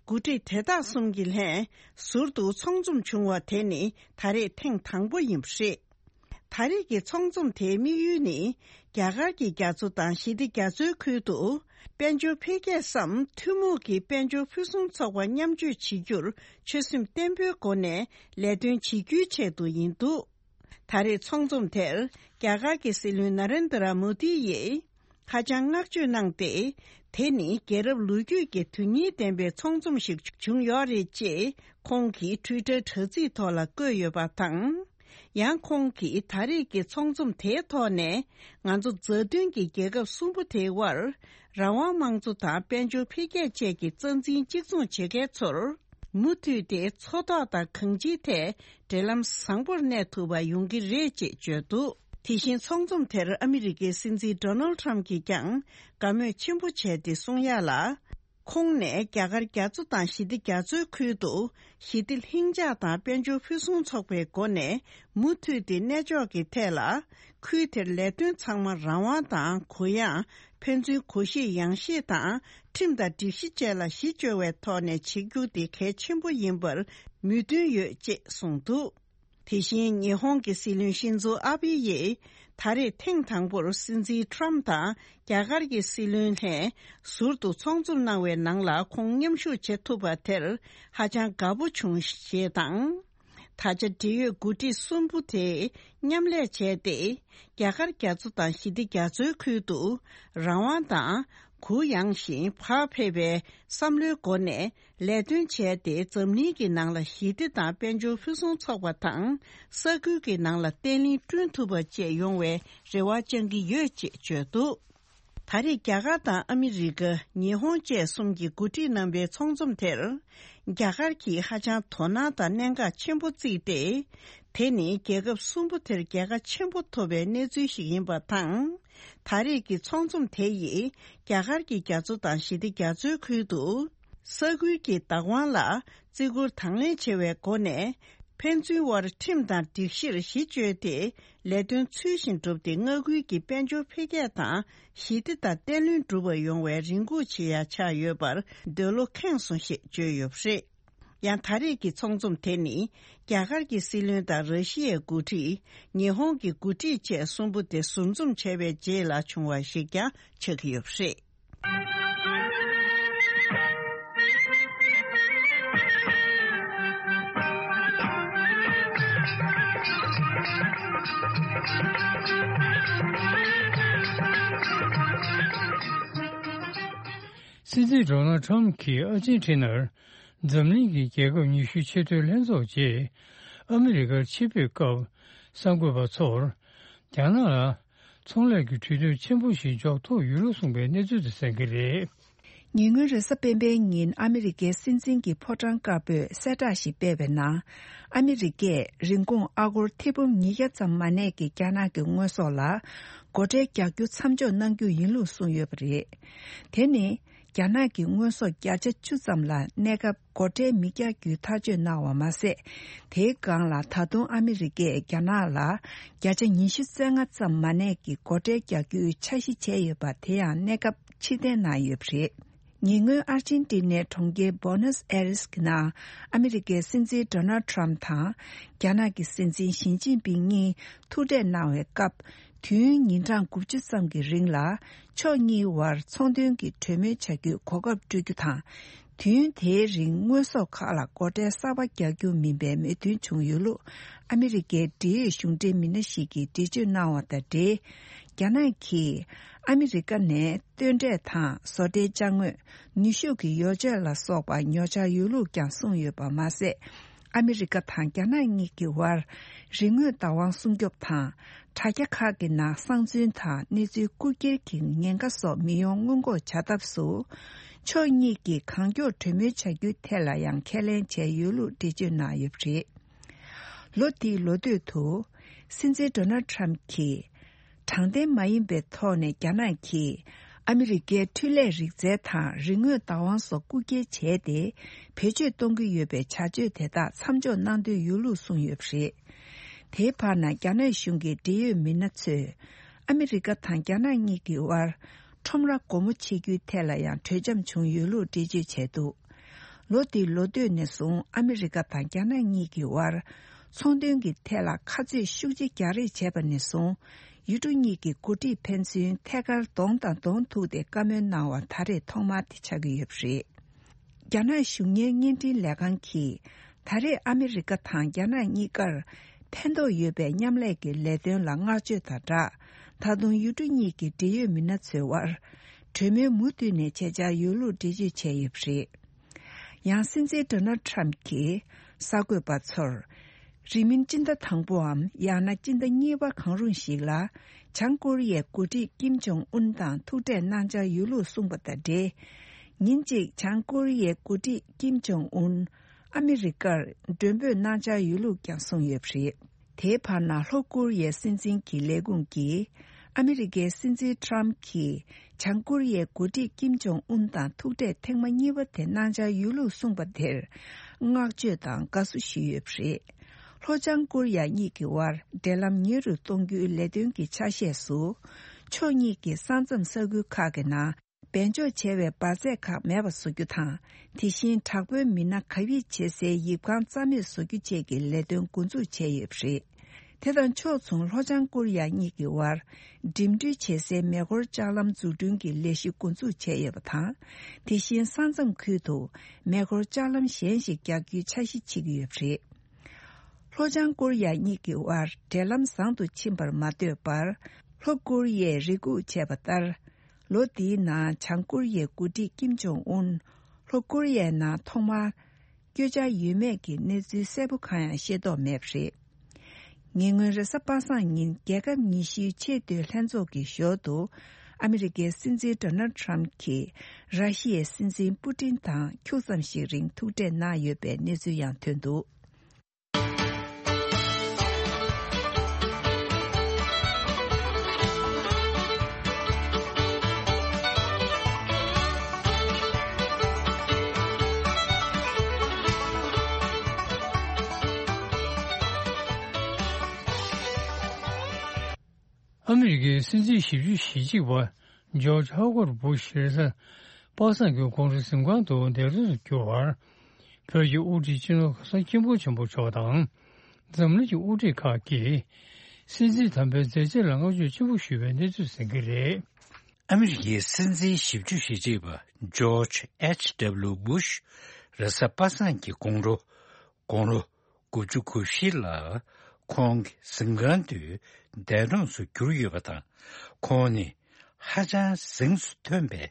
འགོ་ཁྲིད་དེ་དག་གསུམ་གྱི་ལྷན་ཟུར་དུ་ཚོགས་འཛོམས་བྱུང་བ་དེ་ནི་ད་རེས་ཐེངས་དང་པོ་ཡིན་པ་རེད། ད་རེས་ཀྱི་ཚོགས་འཛོམས་དེའི་དམིགས་ཡུལ་ནི། རྒྱ་གར་གྱི་རྒྱ་མཚོ་དང་ཞི་བདེ་རྒྱ་མཚོའི་ཁུལ་དུ། དཔལ་འབྱོར་འཕེལ་རྒྱས་སམ་ཐུན་མོང་གི་དཔལ་འབྱོར་ཕུན་སུམ་ཚོགས་པ་མཉམ་སྤྱོད་བྱེད་རྒྱུར་ཆོད་སེམས་བརྟན་པོའི་སྒོ་ནས་ལས་དོན་བྱེད་རྒྱུའི་ཆེད་དུ་ཡིན་འདུག། ད་རེས་ཚོགས་འཛོམས་དེར་རྒྱ་གར་གྱི་སྲིད་བློན་ན་རེན་དྲ་མོ་དི་ཡིས་ཧ་ཅང་བསྔགས་བརྗོད་གནང་སྟེ། དེ་ནི་རྒྱལ་རབས་ལོ་རྒྱུས་ཀྱི་དོན་སྙིང་ལྡན་པའི་ཚོགས་འཛོམས་ཤིག་བྱུང་ཡོད་རེད་ཅེས་ཁོང་གིས་ཊུའི་ཊར་དྲ་ཚིགས་ཐོག་ལ་བཀོད་ཡོད་པ་དང་། ཡང་ཁོང་གིས་ད་རེས་ཀྱི་ཚོགས་འཛོམས་དེའི་ཐོག་ནས་ང་ཚོ་མཛའ་མཐུན་གྱི་རྒྱལ་ཁབ་གསུམ་པོ་དེའི་དབར་རང་དབང་དམངས་གཙོ་དང་དཔལ་འབྱོར་འཕེལ་རྒྱས་བཅས་ཀྱི་རྩ་འཛིན་གཅིག་མཚུངས་བྱེད་མཁན་ཚོར། མུ་མཐུད་དེ་མཚོ་ཐོག་དང་གང་ཅིའི་ཐད་འབྲེལ་ལམ་བཟང་པོར་གནས་ཐུབ་པ་ཡོང་གི་རེད་ཅེས་བརྗོད་འདུག། དེ་བཞིན་ཚོགས་འཛོམས་དེར་ཨ་མི་རི་ཀའི་སྲིད་འཛིན་ཌོ་ནལ་ཌི་ཊརམ་ཕི་གྱིས་ཀྱང་དགའ་མོས་ཆེན་པོ་བྱས་ཏེ་གསུང་ཡག་ལ། ཁོང་ནས་རྒྱ་གར་རྒྱ་མཚོ་དང་ཞི་བདེ་རྒྱ་མཚོའི་ཁུལ་དུ་ཞི་བདེ་ལྷིང་འཇགས་དང་དཔལ་འབྱོར་ཕུན་སུམ་ཚོགས་པའི་སྒོ་ནས་མུ་མཐུད་དེ་གནས་ཕྱོགས་ཀྱི་ཐད་ལ། ཁུལ་དེར་ལས་དོན་ཚང་མ་རང་དབང་དང་གུ་ཡངས། ཕན་ཚུན་གུ་ཤེས་ཡངས་ཤེས་དང་ཁྲིམས་དང་སྒྲིག་གཞི་བཅས་ལ་གཞི་བཅོལ་བའི་ཐོག་ནས་བྱེད་རྒྱུ་དེ་གལ་ཆེན་པོ་ཡིན་པར་མོས་མཐུན་ཡོད་ཅེས་གསུངས་འདུག། དེ་བཞིན་ཉི་ཧོང་གི་སྲིད་བློན་ཤིན་ཛོ་ཨ་བྷི་ཡིས་ད་རེས་ཐེངས་དང་པོར་སྲིད་འཛིན་ཊརམ་ཕི་དང་རྒྱ་གར་གྱི་སྲིད་བློན་ལྷན་ཟུར་དུ་ཚོགས་འཛོམས་གནང་བའི་ནང་ལ་ཁོང་མཉམ་ཞུགས་བྱེད་ཐུབ་པ་དེར་ཧ་ཅང་དགའ་པོ་བྱུང་ཞེས་དང་། ད་ཆ་འབྲེལ་ཡོད་འགོ་ཁྲིད་གསུམ་པོ་དེས་མཉམ་ལས་བྱས་ཏེ། རྒྱ་གར་རྒྱ་མཚོ་དང་ཞི་བདེ་རྒྱ་མཚོའི་ཁུལ་དུ་རང་དབང་དང་གུ་ཡངས་ཤིང་བག་ཕེབས་པའི་བསམ་བློའི་སྒོ་ནས་ལས་དོན་བྱས་ཏེ། འཛམ་གླིང་གི་ནང་ལ་ཞི་བདེ་དང་དཔལ་འབྱོར་ཕུན་སུམ་ཚོགས་པ་དང་། ས་ཁུལ་གྱི་ནང་ལ་བརྟན་ལྷིང་བསྐྲུན་ཐུབ་པ་བཅས་ཡོང་བའི་རེ་བ་བཅང་གི་ཡོད་ཅེས་བརྗོད་འདུག། ད་རེས་རྒྱ་གར་དང་ཨ་མི་རི་ཀ། ཉི་ཧོང་བཅས་གསུམ་གྱིས་འགོ་ཁྲིད་རྣམ་པའི་ཚོགས་འཛོམས་དེར། རྒྱ་གར་གྱིས་ཧ་ཅང་དོ་སྣང་དང་གནད་འགག་ཆེན་པོ་བརྩིས་ཏེ། དེ་ནི་རྒྱལ་ཁབ་གསུམ་པོ་དེར་རྒྱལ་ཁ་ཆེན་པོ་ཐོབ་པའི་གནས་ཚུལ་ཞིག་ཡིན་པ་དང་། ད་རེས་ཀྱི་ཚོགས་འཛོམས་དེ་ཡིས་རྒྱ་གར་གྱི་རྒྱ་མཚོ་དང་ཞི་བདེ་རྒྱ་མཚོའི་ཁུལ་དུ། ས་ཁུལ་གྱི་བདག་དབང་ལ་བརྩི་བཀུར་དང་ལེན་བྱེད་པའི་སྒོ་ནས། ཕན་ཚུན་དབར་ཁྲིམས་དང་སྒྲིག་གཞིར་གཞི་བཅོལ་ཏེ། ལས་དོན་ཚུལ་བཞིན་བསྒྲུབས་ཏེ། མངའ་ཁུལ་གྱི་དཔལ་འབྱོར་འཕེལ་རྒྱས་དང་། ཞི་བདེ་དང་བརྟན་ལྷིང་འགྲུབ་པ་ཡོང་བའི་རེ་སྒུག་བྱེད་ཡ་ཆགས་ཡོད་པར་འདོད་བློ་ཁེངས་སོང་ཞེས་བརྗོད་ཡོད་པ་རེད། ཡང་ད་རེས་ཀྱི་ཚོགས་འཛོམས་དེ་ནི། རྒྱ་གར་གྱི་སྲིད་བློན་དང་ར་ཤི་ཡའི་འགོ་ཁྲིད། ཉི་ཧོང་གི་འགོ་ཁྲིད་བཅས་གསུམ་པོ་དེ་ཟུར་འཛོམས་བྱས་པའི་རྗེས་ལ་བྱུང་བ་ཞིག་ཀྱང་ཆགས་ཀྱི་ཡོད་པ་རེད། སྲིད་འཛིན་ཌོ་ནལ་ཁྲམ་གྱིས་ཨར་ཇེན་ཁྲི་ནར་འཛམ་གླིང་གི་རྒྱལ་ཁབ་ཉི་ཤུའི་ཆེས་མཐོའི་ལྷན་ཚོགས་རྗེས་ཨ་མི་རི་ཀར་ཆེད་ཕེབས་སྐབས་གསར་འགོད་པ་ཚོར། རྒྱ་ནག་ལ་ཚོང་ལས་ཀྱི་གྲོས་མཐུན་ཆེན་པོ་ཞིག་འཇོག་ཐུབ་ཡོད་ལུགས་གསུངས་པའི་གནས་ཚུལ་དེ་གསན་གྱི་རེད། ཉེ་སྔོན་རེས་གཟའ་སྤེན་པའི་ཉིན་ཨ་མི་རི་ཀའི་སྲིད་འཛིན་གྱི་ཕོ་བྲང་དཀར་པོས་གསལ་བསྒྲགས་ཤིག་སྤེལ་བའི་ནང་། ཨ་མི་རི་ཀས་རིན་གོང་ཨ་སྒོར་ཐེར་འབུམ་ཉིས་བརྒྱ་ཙམ་མ་གནས་ཀྱི་རྒྱ་ནག་གི་དངོས་ཟོག་ལ་སྒོ་ཁྲལ་རྒྱག་རྒྱུ་མཚམས་འཇོག་གནང་རྒྱུ་ཡིན་ལུགས་གསུངས་ཡོད་པ་རེད། དེ་ནི། རྒྱ་ནག་གི་དངོས་ཟོག་བརྒྱ་ཆ་བཅུ་ཙམ་ལ་གནས་སྐབས་སྒོ་ཁྲལ་མི་རྒྱག་རྒྱུའི་ཐག་གཅོད་གནང་བ་མ་ཟད། དེའི་སྒང་ལ་ད་དུང་ཨ་མི་རི་ཀས་རྒྱ་ནག་ལ་བརྒྱ་ཆ་ཉི་ཤུ་རྩ་ལྔ་ཙམ་མ་གནས་ཀྱི་སྒོ་ཁྲལ་རྒྱག་རྒྱུའི་འཆར་གཞི་བྱས་ཡོད་པ་དེ་ཡང་གནས་སྐབས་ཕྱིར་འཐེན་གནང་ཡོད་པ་རེད། ཉེ་སྔོན་ཨར་ཅན་ཏི་ནའི་གྲོང་ཁྱེར་བྷོ་ནས་ཨེ་རིས་ཀྱི་ནང་ཨ་མི་རི་ཀའི་སྲིད་འཛིན་ཌོ་ནལ་ཁྲམ་དང་རྒྱ་ནག་གི་སྲིད་འཛིན་ཞི་ཅིན་ཕིང་གཉིས་ཐུག་འཕྲད་གནང་བའི་སྐབས། དུས་ཡུན་ཉིན་གྲངས་དགུ་བཅུ་ཙམ་གྱི་རིང་ལ་ཕྱོགས་གཉིས་བར་ཚོང་དོན་གྱི་གྲོས་མོལ་བྱ་རྒྱུའི་གོ་སྐབས་སྤྲོད་རྒྱུ་དང་། དུས་ཡུན་དེའི་རིང་དངོས་ཟོག་ཁག་ལ་སྒོ་ཁྲལ་གསར་པ་རྒྱག་རྒྱུ་མིན་པའི་མོས་མཐུན་བྱུང་ཡོད་ལུགས་ཨ་མི་རི་ཀའི་འབྲེལ་ཡོད་གཞུང་འབྲེལ་མི་སྣ་ཞིག་གིས་འགྲེལ་བརྗོད་གནང་བ་དང་འབྲེལ། རྒྱ་ནག་གིས་ཨ་མི་རི་ཀ་ནས་སྟོན་འབྲས་དང་བཟོ་གྲྭའི་ཅ་དངོས། ནུས་ཤུགས་ཀྱི་ཡོ་བྱད་ལ་སོགས་པ་ཉོ་འཆར་ཡོད་ལུགས་ཀྱང་གསུངས་ཡོད་པ་མ་ཟད། ཨ་མི་རི་ཀ་དང་རྒྱ་ནག་གཉིས་ཀྱི་དབར་རིག་དངོས་བདག་དབང་སྲུང་སྐྱོབ་དང་། དྲ་རྒྱ་ཁག་གི་ནང་གསང་འཛུལ་དང་གནས་ཚུལ་རྐུ་འཁྱེར་གྱི་ཉེན་ཁ་སོགས་མི་ཡོང་སྔོན་འགོག་བྱ་ཐབས་སུ། ཕྱོགས་གཉིས་ཀྱིས་གང་མགྱོགས་གྲོས་མོལ་བྱ་རྒྱུའི་ཐད་ལ་ཡང་ཁས་ལེན་བྱས་ཡོད་ལུགས་འགྲེལ་བརྗོད་གནང་ཡོད་པ་རེད། ལོ་འདིའི་ལོ་སྟོད་དུ། སྲིད་འཛིན་ཌོ་ནལ་ཁྲམ་གྱིས། དྲང་བདེན་མ་ཡིན་པའི་ཐོག་ནས་རྒྱ་ནག་གིས་ཨ་མི་རི་ཀའི་འཕྲུལ་ལས་རིག་རྩལ་དང་རིག་དངོས་བདག་དབང་སོགས་རྐུ་འཁྱེར་བྱས་ཏེ་བེད་སྤྱོད་གཏོང་གི་ཡོད་པའི་བྱ་སྤྱོད་དེ་དག་མཚམས་འཇོག་གནང་འདོད་ཡོད་ལུགས་གསུངས་ཡོད་པ་རེད། དེའི་བར་ན་རྒྱ་ནག་གཞུང་གི་འབྲེལ་ཡོད་མི་སྣ་ཚོས་ཨ་མི་རི་ཀ་དང་རྒྱ་ནག་གཉིས་ཀྱི་དབར་ཁྲོམ་ར་སྒོ་མོ་ཕྱེ་རྒྱུའི་ཐད་ལ་ཡང་གྲོས་འཆམ་བྱུང་ཡོད་ལུགས་འགྲེལ་བརྗོད་བྱས་འདུག་ལོ་འདིའི་ལོ་སྟོད་ནས་བཟུང་ཨ་མི་རི་ཀ་དང་རྒྱ་ནག་གཉིས་ཀྱི་དབར་ཚོང་དོན་གྱི་ཐད་ལ་ཁ་རྩོད་ཤུགས་ཆེ་རྒྱག་རེས་བྱས་པ་ནས་བཟུང་། ཡུལ་གྲུ་གཉིས་ཀྱི་འགོ་ཁྲིད་ཕན་ཚུན་ཐད་ཀར་གདོང་དང་གདོང་ཐུག་སྟེ་བཀའ་མོལ་གནང་བ་ད་རེས་ཐོག་མ་དེ་ཆགས་ཀྱི་ཡོད་པ་རེད། རྒྱ་ནག་གཞུང་གཉེར་བརྙན་འཕྲིན་ལས་ཁང་གིས་ད་རེས་ཨ་མི་རི་ཀ་དང་རྒྱ་ནག་གཉིས་ཀར་ཕན་ཐོགས་ཡོད་པའི་མཉམ་ལས་ཀྱི་ལས་དོན་ལ་བསྔགས་བརྗོད་དང་སྦྲགས། ད་དུང་ཡུལ་གྲུ་གཉིས་ཀྱི་འབྲེལ་ཡོད་མི་སྣ་ཚོའི་དབར་གྲོས་མོལ་མུ་མཐུད་ནས་བྱེད་འཆར་ཡོད་ལུགས་འགྲེལ་བརྗོད་བྱས་ཡོད་པ་རེད། ཡང་སྲིད་འཛིན་ཌོ་ནལ་ཁྲམ་གྱིས་གསར་འགོད་པ་ཚོར། རིང་མིན་སྤྱི་ཟླ་དང་པོའམ་ཡང་ན་སྤྱི་ཟླ་གཉིས་པ་གང་རུང་ཞིག་ལ། བྱང་ཀོ་རི་ཡའི་འགོ་ཁྲིད་ཀིམ་ཇོང་ཨུན་དང་ཐུག་འཕྲད་གནང་འཆར་ཡོད་ལུགས་གསུངས་པ་དང་འབྲེལ། ཉིན་གཅིག་བྱང་ཀོ་རི་ཡའི་འགོ་ཁྲིད་ཀིམ་ཇོང་ཨུན་ཨ་མི་རི་ཀར་མགྲོན་འབོད་གནང་འཆར་ཡོད་ལུགས་ཀྱང་གསུངས་ཡོད་པ་རེད། དེའི་བར་ན་ལྷོ་ཀོ་རི་ཡའི་སྲིད་འཛིན་གྱི་ལས་ཁུངས་ཀྱིས། ཨ་མི་རི་ཀའི་སྲིད་འཛིན་ཁྲམ་གྱིས་བྱང་ཀོ་རི་ཡའི་འགོ་ཁྲིད་ཀིམ་ཇོང་ཨུན་དང་ཐུག་འཕྲད་ཐེངས་མ་གཉིས་པ་དེ་གནང་འཆར་ཡོད་ལུགས་གསུངས་པ་དེར་བསྔགས་བརྗོད་དང་དགའ་བསུ་ཞུས་ཡོད་པ་རེད། ལྷོ་བྱང་ཀོ་རི་ཡ་གཉིས་ཀྱི་དབར་འབྲེལ་ལམ་ཉེ་རུ་གཏོང་རྒྱུའི་ལས་དོན་གྱི་ཆ་ཤས་སུ། ཕྱོགས་གཉིས་ཀྱི་ས་མཚམས་ས་ཁུལ་ཁག་གི་ནང་། སྦས་འཇོག་བྱས་པའི་འབར་རྫས་ཁག་མེད་པ་བཟོ་རྒྱུ་དང་། དེ་བཞིན་དྲག་པོའི་མི་སྣ་གབ་ཡིབ་བྱེད་སའི་ཡིབ་ཁང་རྩ་མེད་བཟོ་རྒྱུ་བཅས་ཀྱི་ལས་དོན་འགོ་འཛུགས་བྱས་ཡོད་པ་རེད། དེ་དང་ཕྱོགས་མཚུངས་ལྷོ་བྱང་ཀོ་རི་ཡ་གཉིས་ཀྱི་དབར་འགྲིམ་འགྲུལ་བྱེད་སའི་མེ་འཁོར་ལྕགས་ལམ་འཛུགས་སྐྲུན་གྱི་ལས་གཞི་འགོ་འཛུགས་བྱས་ཡོད་པ་དང་། དེ་བཞིན་ས་མཚམས་ཁུལ་དུ་མེ་འཁོར་ལྕགས་ལམ་གཞན་ཞིག་རྒྱག་རྒྱུའི་འཆར་གཞི་བྱེད་ཀྱི་ཡོད་པ་རེད། ལྷོ་བྱང་ཀོ་རི་ཡ་གཉིས་ཀྱི་དབར་འབྲེལ་ལམ་བཟང་དུ་ཕྱིན་པར་མ་ལྟོས་པར། ལྷོ་ཀོ་རི་ཡས་རེ་སྒུག་བྱས་པ་ལྟར། ལོ་འདིའི་ནང་བྱང་ཀོ་རི་ཡའི་འགོ་ཁྲིད་ཀིམ་ཇོང་ཨུན། ལྷོ་ཀོ་རི་ཡའི་ནང་ཐོག་མར། བསྐྱོད་འཆར་ཡོད་མེད་ཀྱི་གནས་ཚུལ་གསལ་པོ་གང་ཡང་ཤེས་རྟོགས་མེད་པ་རེད། ཉེ་སྔོན་རེས་གཟའ་པ་སངས་ཉིན་རྒྱལ་ཁབ་ཉི་ཤུའི་ཆེས་མཐོའི་ལྷན་ཚོགས་ཀྱི་ཞོར་དུ། ཨ་མི་རི་ཀའི་སྲིད་འཛིན་ཌོ་ནལ་ཁྲམ་གྱིས་ར་ཤི་ཡའི་སྲིད་འཛིན་པུ་ཏིན་དང་ཁྱུག་ཙམ་ཞིག་རིང་ཐུག་འཕྲད་གནང་ཡོད་པའི་གནས་ཚུལ་ཡང་ཐོན་འདུག་ཨ་མི་རི་ཀའི་སྲིད་འཛིན་ཞེ་བཅུ་ཞེ་གཅིག་པ་ཇོརྗ་ཧོ་ཝར་སྦུ་ཤ་རེས་གཟའ་པ་སངས་ཀྱི་དགོང་དྲོ་གཟིམ་ཁང་དུ་འདས་གྲོངས་སུ་གྱུར་བར། བོད་ཀྱི་དབུ་ཁྲིད་སྤྱི་ནོར་གོང་ས་སྐྱབས་མགོན་ཆེན་པོ་མཆོག་དང་། འཛམ་གླིང་གི་དབུ་ཁྲིད་ཁག་གིས་སྲིད་འཛིན་དམ་པའི་མཛད་རྗེས་ལ་བསྔགས་བརྗོད་ཆེན་པོ་ཞུས་པའི་གནས་ཚུལ་གསན་གྱི་རེད། ཨ་མི་རི་ཀའི་སྲིད་འཛིན་ཞེ་བཅུ་ཞེ་གཅིག་པ་ཇོརྗ་ཨེཆ་ཌབ་ལིའུ་སྦུ་ཤ་རེས་གཟའ་པ་སངས་ཀྱི་དགོང་དྲོ་དགུང་ལོ་དགུ་བཅུ་གོ་བཞི་ལ་ཁོང་གི་གཟིམ་ཁང་དུ་འདས་གྲོངས་སུ་གྱུར་ཡོད་པ་དང་། ཁོང་ནི་ཧ་ཅང་གཟེངས་སུ་ཐོན་པའི་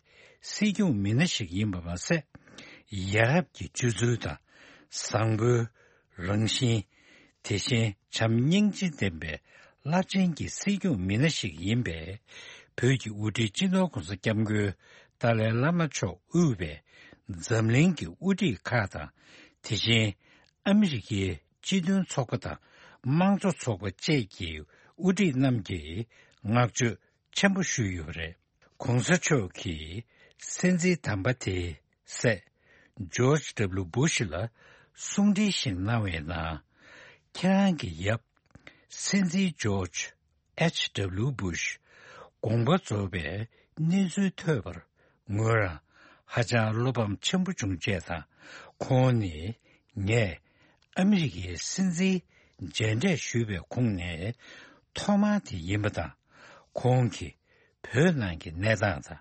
སྲིད་སྐྱོང་མི་སྣ་ཞིག་ཡིན་པ་མ་ཟད། ཡ་རབས་ཀྱི་སྤྱོད་ཚུལ་དང་བཟང་པོའི་རང་བཞིན། དེ་བཞིན་བྱམས་སྙིང་རྗེ་ལྡན་པའི་རླབས་ཆེན་གྱི་སྲིད་སྐྱོང་མི་སྣ་ཞིག་ཡིན་པས། བོད་ཀྱི་དབུ་ཁྲིད་སྤྱི་ནོར་གོང་ས་སྐྱབས་མགོན་ ཏཱ་ལའི་བླ་མ་མཆོག་དབུས་པའི་འཛམ་གླིང་གི་དབུ་ཁྲིད་ཁག་དང་། དེ་བཞིན་ཨ་མི་རི་ཀའི་སྤྱི་མཐུན་ཚོགས་པ་དང་དམངས་གཙོ་ཚོགས་པ་བཅས་ཀྱི་དབུ་ཁྲིད་རྣམས་ཀྱིས་བསྔགས་བརྗོད་ཆེན་པོ་ཞུས་ཡོད་པ་རེད། ྋགོང་ས་མཆོག་གིས་སྲིད་འཛིན་དམ་པ་དེའི་སྲས་ཇོརྗ་ཌབ་ལུ་བུ་ཤི་ལ་གསུང་འཕྲིན་ཞིག་གནང་བའི་ནང་། ཁྱེད་རང་གི་ཡབ་སྲིད་འཛིན་ཇོརྗ་ཨེཆ་ཌབ་ལུ་བུ་ཤི་དགོངས་པ་རྫོགས་པའི་གནས་ཚུལ་ཐོས་པར་ངོས་རང་ཧ་ཅང་བློ་ཕམ་ཆེན་པོ་བྱུང་བྱས་དང་། ཁོང་ནི་ངས་ཨ་མི་རི་ཀའི་སྲིད་འཛིན་མཇལ་འཕྲད་ཞུས་པའི་ཁོངས་ནས་ཐོག་མ་དེ་ཡིན་པ་དང་། ཁོང་གིས་བོད་ནང་གི་གནས་སྟངས་དང་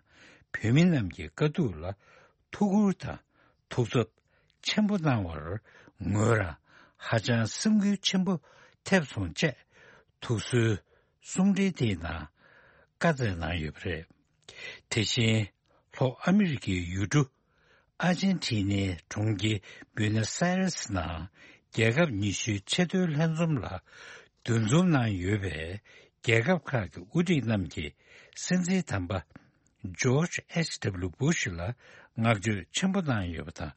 བོད་མི་རྣམས་ཀྱི་དཀའ་སྡུག་ལ་ཐུགས་ཁུར་དང་ཐུགས་འཚབ་ཆེན་པོ་གནང་བར་ངོས་རང་ཧ་ཅང་སེམས་འགུལ་ཆེན་པོ་ཐེབས་སོང་བཅས་ཐུགས་གསོའི་གསུང་འཕྲིན་དེའི་ནང་བཀའ་སྩལ་གནང་ཡོད་པ་རེད། དེ་བཞིན་ལྷོ་ཨ་མི་རི་ཀའི་ཡུལ་གྲུ་ཨར་ཇན་ཊི་ནའི་གྲོང་ཁྱེར་བུ་ནོ་སི་ཨ་རེ་སི་ནང་རྒྱལ་ཁབ་ཉི་ཤུའི་ཆེས་མཐོའི་ལྷན་འཛོམས་ལ་འདུ་འཛོམས་གནང་ཡོད་པའི་རྒྱལ་ཁབ་ཁག་གི་དབུ་ཁྲིད་རྣམས་ཀྱིས་སྲིད་འཛིན་དམ་པ་ཇོརྗ་ཨེཆ་ཌབ་ལུ་བུ་ཤི་ལ་བསྔགས་བརྗོད་ཆེན་པོ་གནང་ཡོད་པ་དང་།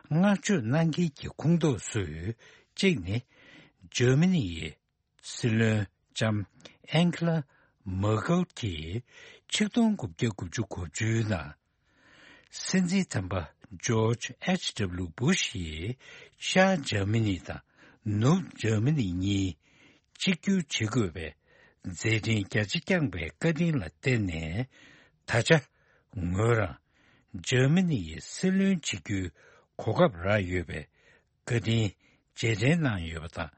བསྔགས་བརྗོད་གནང་མཁན་གྱི་ཁོངས་གཏོགས་སུ་གཅིག་ནི་འཇར་མ་ནི་ཡི་སྲིད་བློན་ལྕམ་ཨན་ཁི་ལ་མར་ཀལ་གྱིས་ཆིག་སྟོང་དགུ་བརྒྱ་དགུ་བཅུ་གོ་བཅུའི་ནང་། སྲིད་འཛིན་དམ་པ་ཇོརྗ་ཨེཆ་ཌབ་ལུ་བུ་ཤི་ཡིས་ཤར་འཇར་མ་ནི་དང་ནུབ་འཇར་མ་ནི་གཉིས་གཅིག་གྱུར་བྱེད་དགོས་པའི་མཛད་འཕྲིན་རྒྱ་ཆེ་བསྐྱངས་པའི་བཀའ་དྲིན་ལ་བརྟེན་ནས། ད་ཆ་ངོས་རང་འཇར་མ་ནི་ཡི་སྲིད་བློན་བྱེད་རྒྱུའི་གོ་སྐབས་རག་ཡོད་པའི་བཀའ་དྲིན་རྗེས་དྲན་གནང་ཡོད་པ་དང་།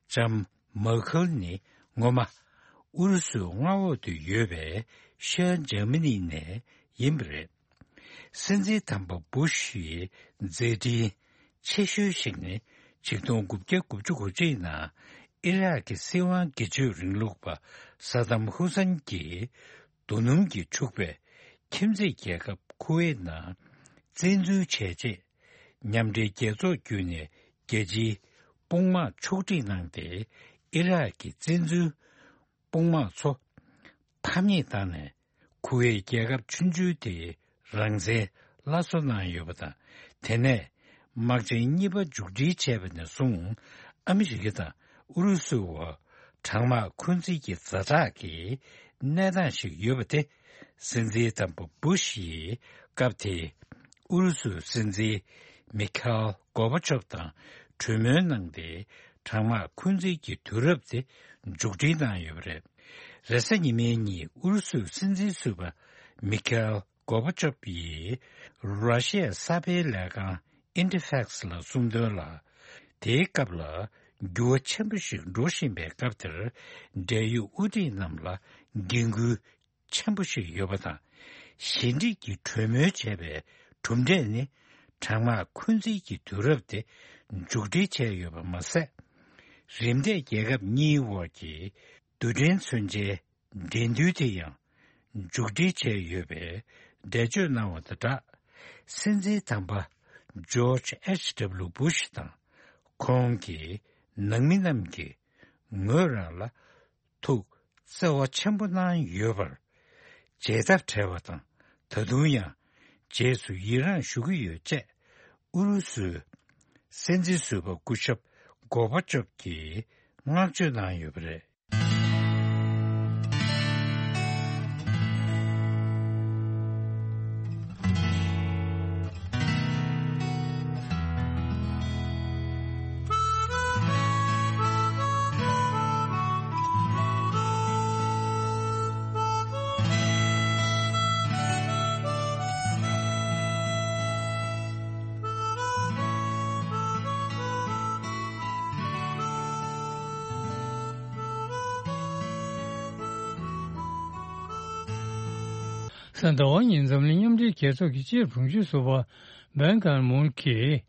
ལྕམ་མར་ཁལ་ནི་སྔོན་མ་ཨུ་རུ་སུའི་མངའ་འོག་ཏུ་ཡོད་པའི་ཤར་འཇར་མ་ནི་ནས་ཡིན་པ་རེད། སྲིད་འཛིན་དམ་པ་བུ་ཤི་ཡི་མཛད་འཕྲིན་ཆེ་ཤོས་ཤིག་ནི། ཆིག་སྟོང་དགུ་བརྒྱ་དགུ་བཅུ་གོ་གཅིག་ནང་ཨི་རག་གི་སྲིད་དབང་སྒེར་གཅོད་རིང་ལུགས་པ་ས་དམ་ཧུ་སན་གྱིས་རྡོ་སྣུམ་གྱིས་ཕྱུག་པའི་ཁྱིམ་མཚེས་རྒྱལ་ཁབ་ཁུ་ཝེད་ནང་བཙན་འཛུལ་བྱས་རྗེས། མཉམ་འབྲེལ་རྒྱལ་ཚོགས་བརྒྱུད་ནས་རྒྱལ་སྤྱིའི་དཔུང་དམག་ཕྱོགས་སྒྲིག་གནང་སྟེ། ཨི་རག་གི་བཙན་འཛུལ་དཔུང་དམག་ཚོ་ཕམ་ཉེས་བཏང་ནས། ཁུ་ཝེད་རྒྱལ་ཁབ་ཆུང་ཆུང་དེའི་རང་བཙན་སླར་གསོ་གནང་ཡོད་པ་དང་། དེ་ནས་དམག་ཆེན་གཉིས་པ་མཇུག་སྒྲིལ་བྱས་པ་ནས་བཟུང་། ཨ་མི་རི་ཀ་དང་ཨུ་རུ་སུའི་བར་གྲང་དམག་འཁོན་འཛིན་གྱི་ཛ་དྲག་གི་གནས་སྟངས་ཤིག་ཡོད་པ་དེ། སྲིད་འཛིན་དམ་པ་བུ་ཤི་ཡིས་སྐབས་དེའི་ཨུ་རུ་སུའི་སྲིད་འཛིན་མི་ཁ་ཨེལ་གོར་བྷ་ཆོབ་དང་གྲོས་མོལ་གནང་སྟེ། གྲང་དམག་འཁོན་འཛིན་གྱི་དུས་རབས་དེ་མཇུག་སྒྲིལ་གནང་ཡོད་པ་རེད། རེས་གཟའ་ཉི་མའི་ཉིན་ཨུ་རུ་སུའི་སྲིད་འཛིན་ཟུར་པ་མི་ཁ་ཨེལ་གོར་བྷ་ཆོབ་ཡིས་ར་ཤི་ཡའི་གསར་སྤེལ་ལས་ཁང་ཨིན་ཊི་ཕེག་སི་ལ་གསུངས་དོན་ལ། དེའི་སྐབས་ལ་འགྱུར་བ་ཆེན་པོ་ཞིག་འགྲོ་བཞིན་པའི་སྐབས་དེར། འབྲེལ་ཡོད་དབུ་ཁྲིད་རྣམས་ལ་འགན་ཁུར་ཆེན་པོ་ཞིག་ཡོད་པ་དང་། ཞི་འགྲིག་གི་གྲོས་མོལ་བྱས་པའི་གྲུབ་འབྲས་ནི། གྲང་དམག་འཁོན་འཛིན་གྱི་དུས་རབས་དེ་མཇུག་སྒྲིལ་བྱས་ཡོད་པ་མ་ཟད། རིམ་འདས་རྒྱལ་ཁབ་གཉིས་དབར་གྱི་རྡུལ་ཕྲན་མཚོན་ཆའི་འགྲན་བསྡུར་དེ་ཡང་མཇུག་སྒྲིལ་བྱས་ཡོད་པའི་འགྲེལ་བརྗོད་གནང་བ་དང་སྦྲགས། སྲིད་འཛིན་དམ་པ་ཇོརྗ་ཨེཆ་ཌབ་ལུ་བུ་ཤི་དང་། ཁོང་གི་ནང་མི་རྣམས་ཀྱིས་ངོས་རང་ལ་ཐུགས་བརྩེ་བ་ཆེན་པོ་གནང་ཡོད་པར་བརྗེད་ཐབས་བྲལ་བ་དང་། ད་དུང་ཡང་རྗེས་སུ་ཡི་རངས་ཞུ་གི་ཡོད་ཅེས་ཨུ་རུ་སུའི་སྲིད་འཛིན་ཟུར་པ་སྐུ་ཞབས་གོར་བྷ་ཆོབ་ཀྱིས་བསྔགས་བརྗོད་གནང་ཡོད་པ་རེད། གཟའ་ཟླ་བ་ཉིན་འཛམ་གླིང་མཉམ་འབྲེལ་རྒྱལ་ཚོགས་ཀྱི་སྤྱིར་དྲུང་ཆེ་ཟུར་པ་བན་ཀར་མུན་གྱིས།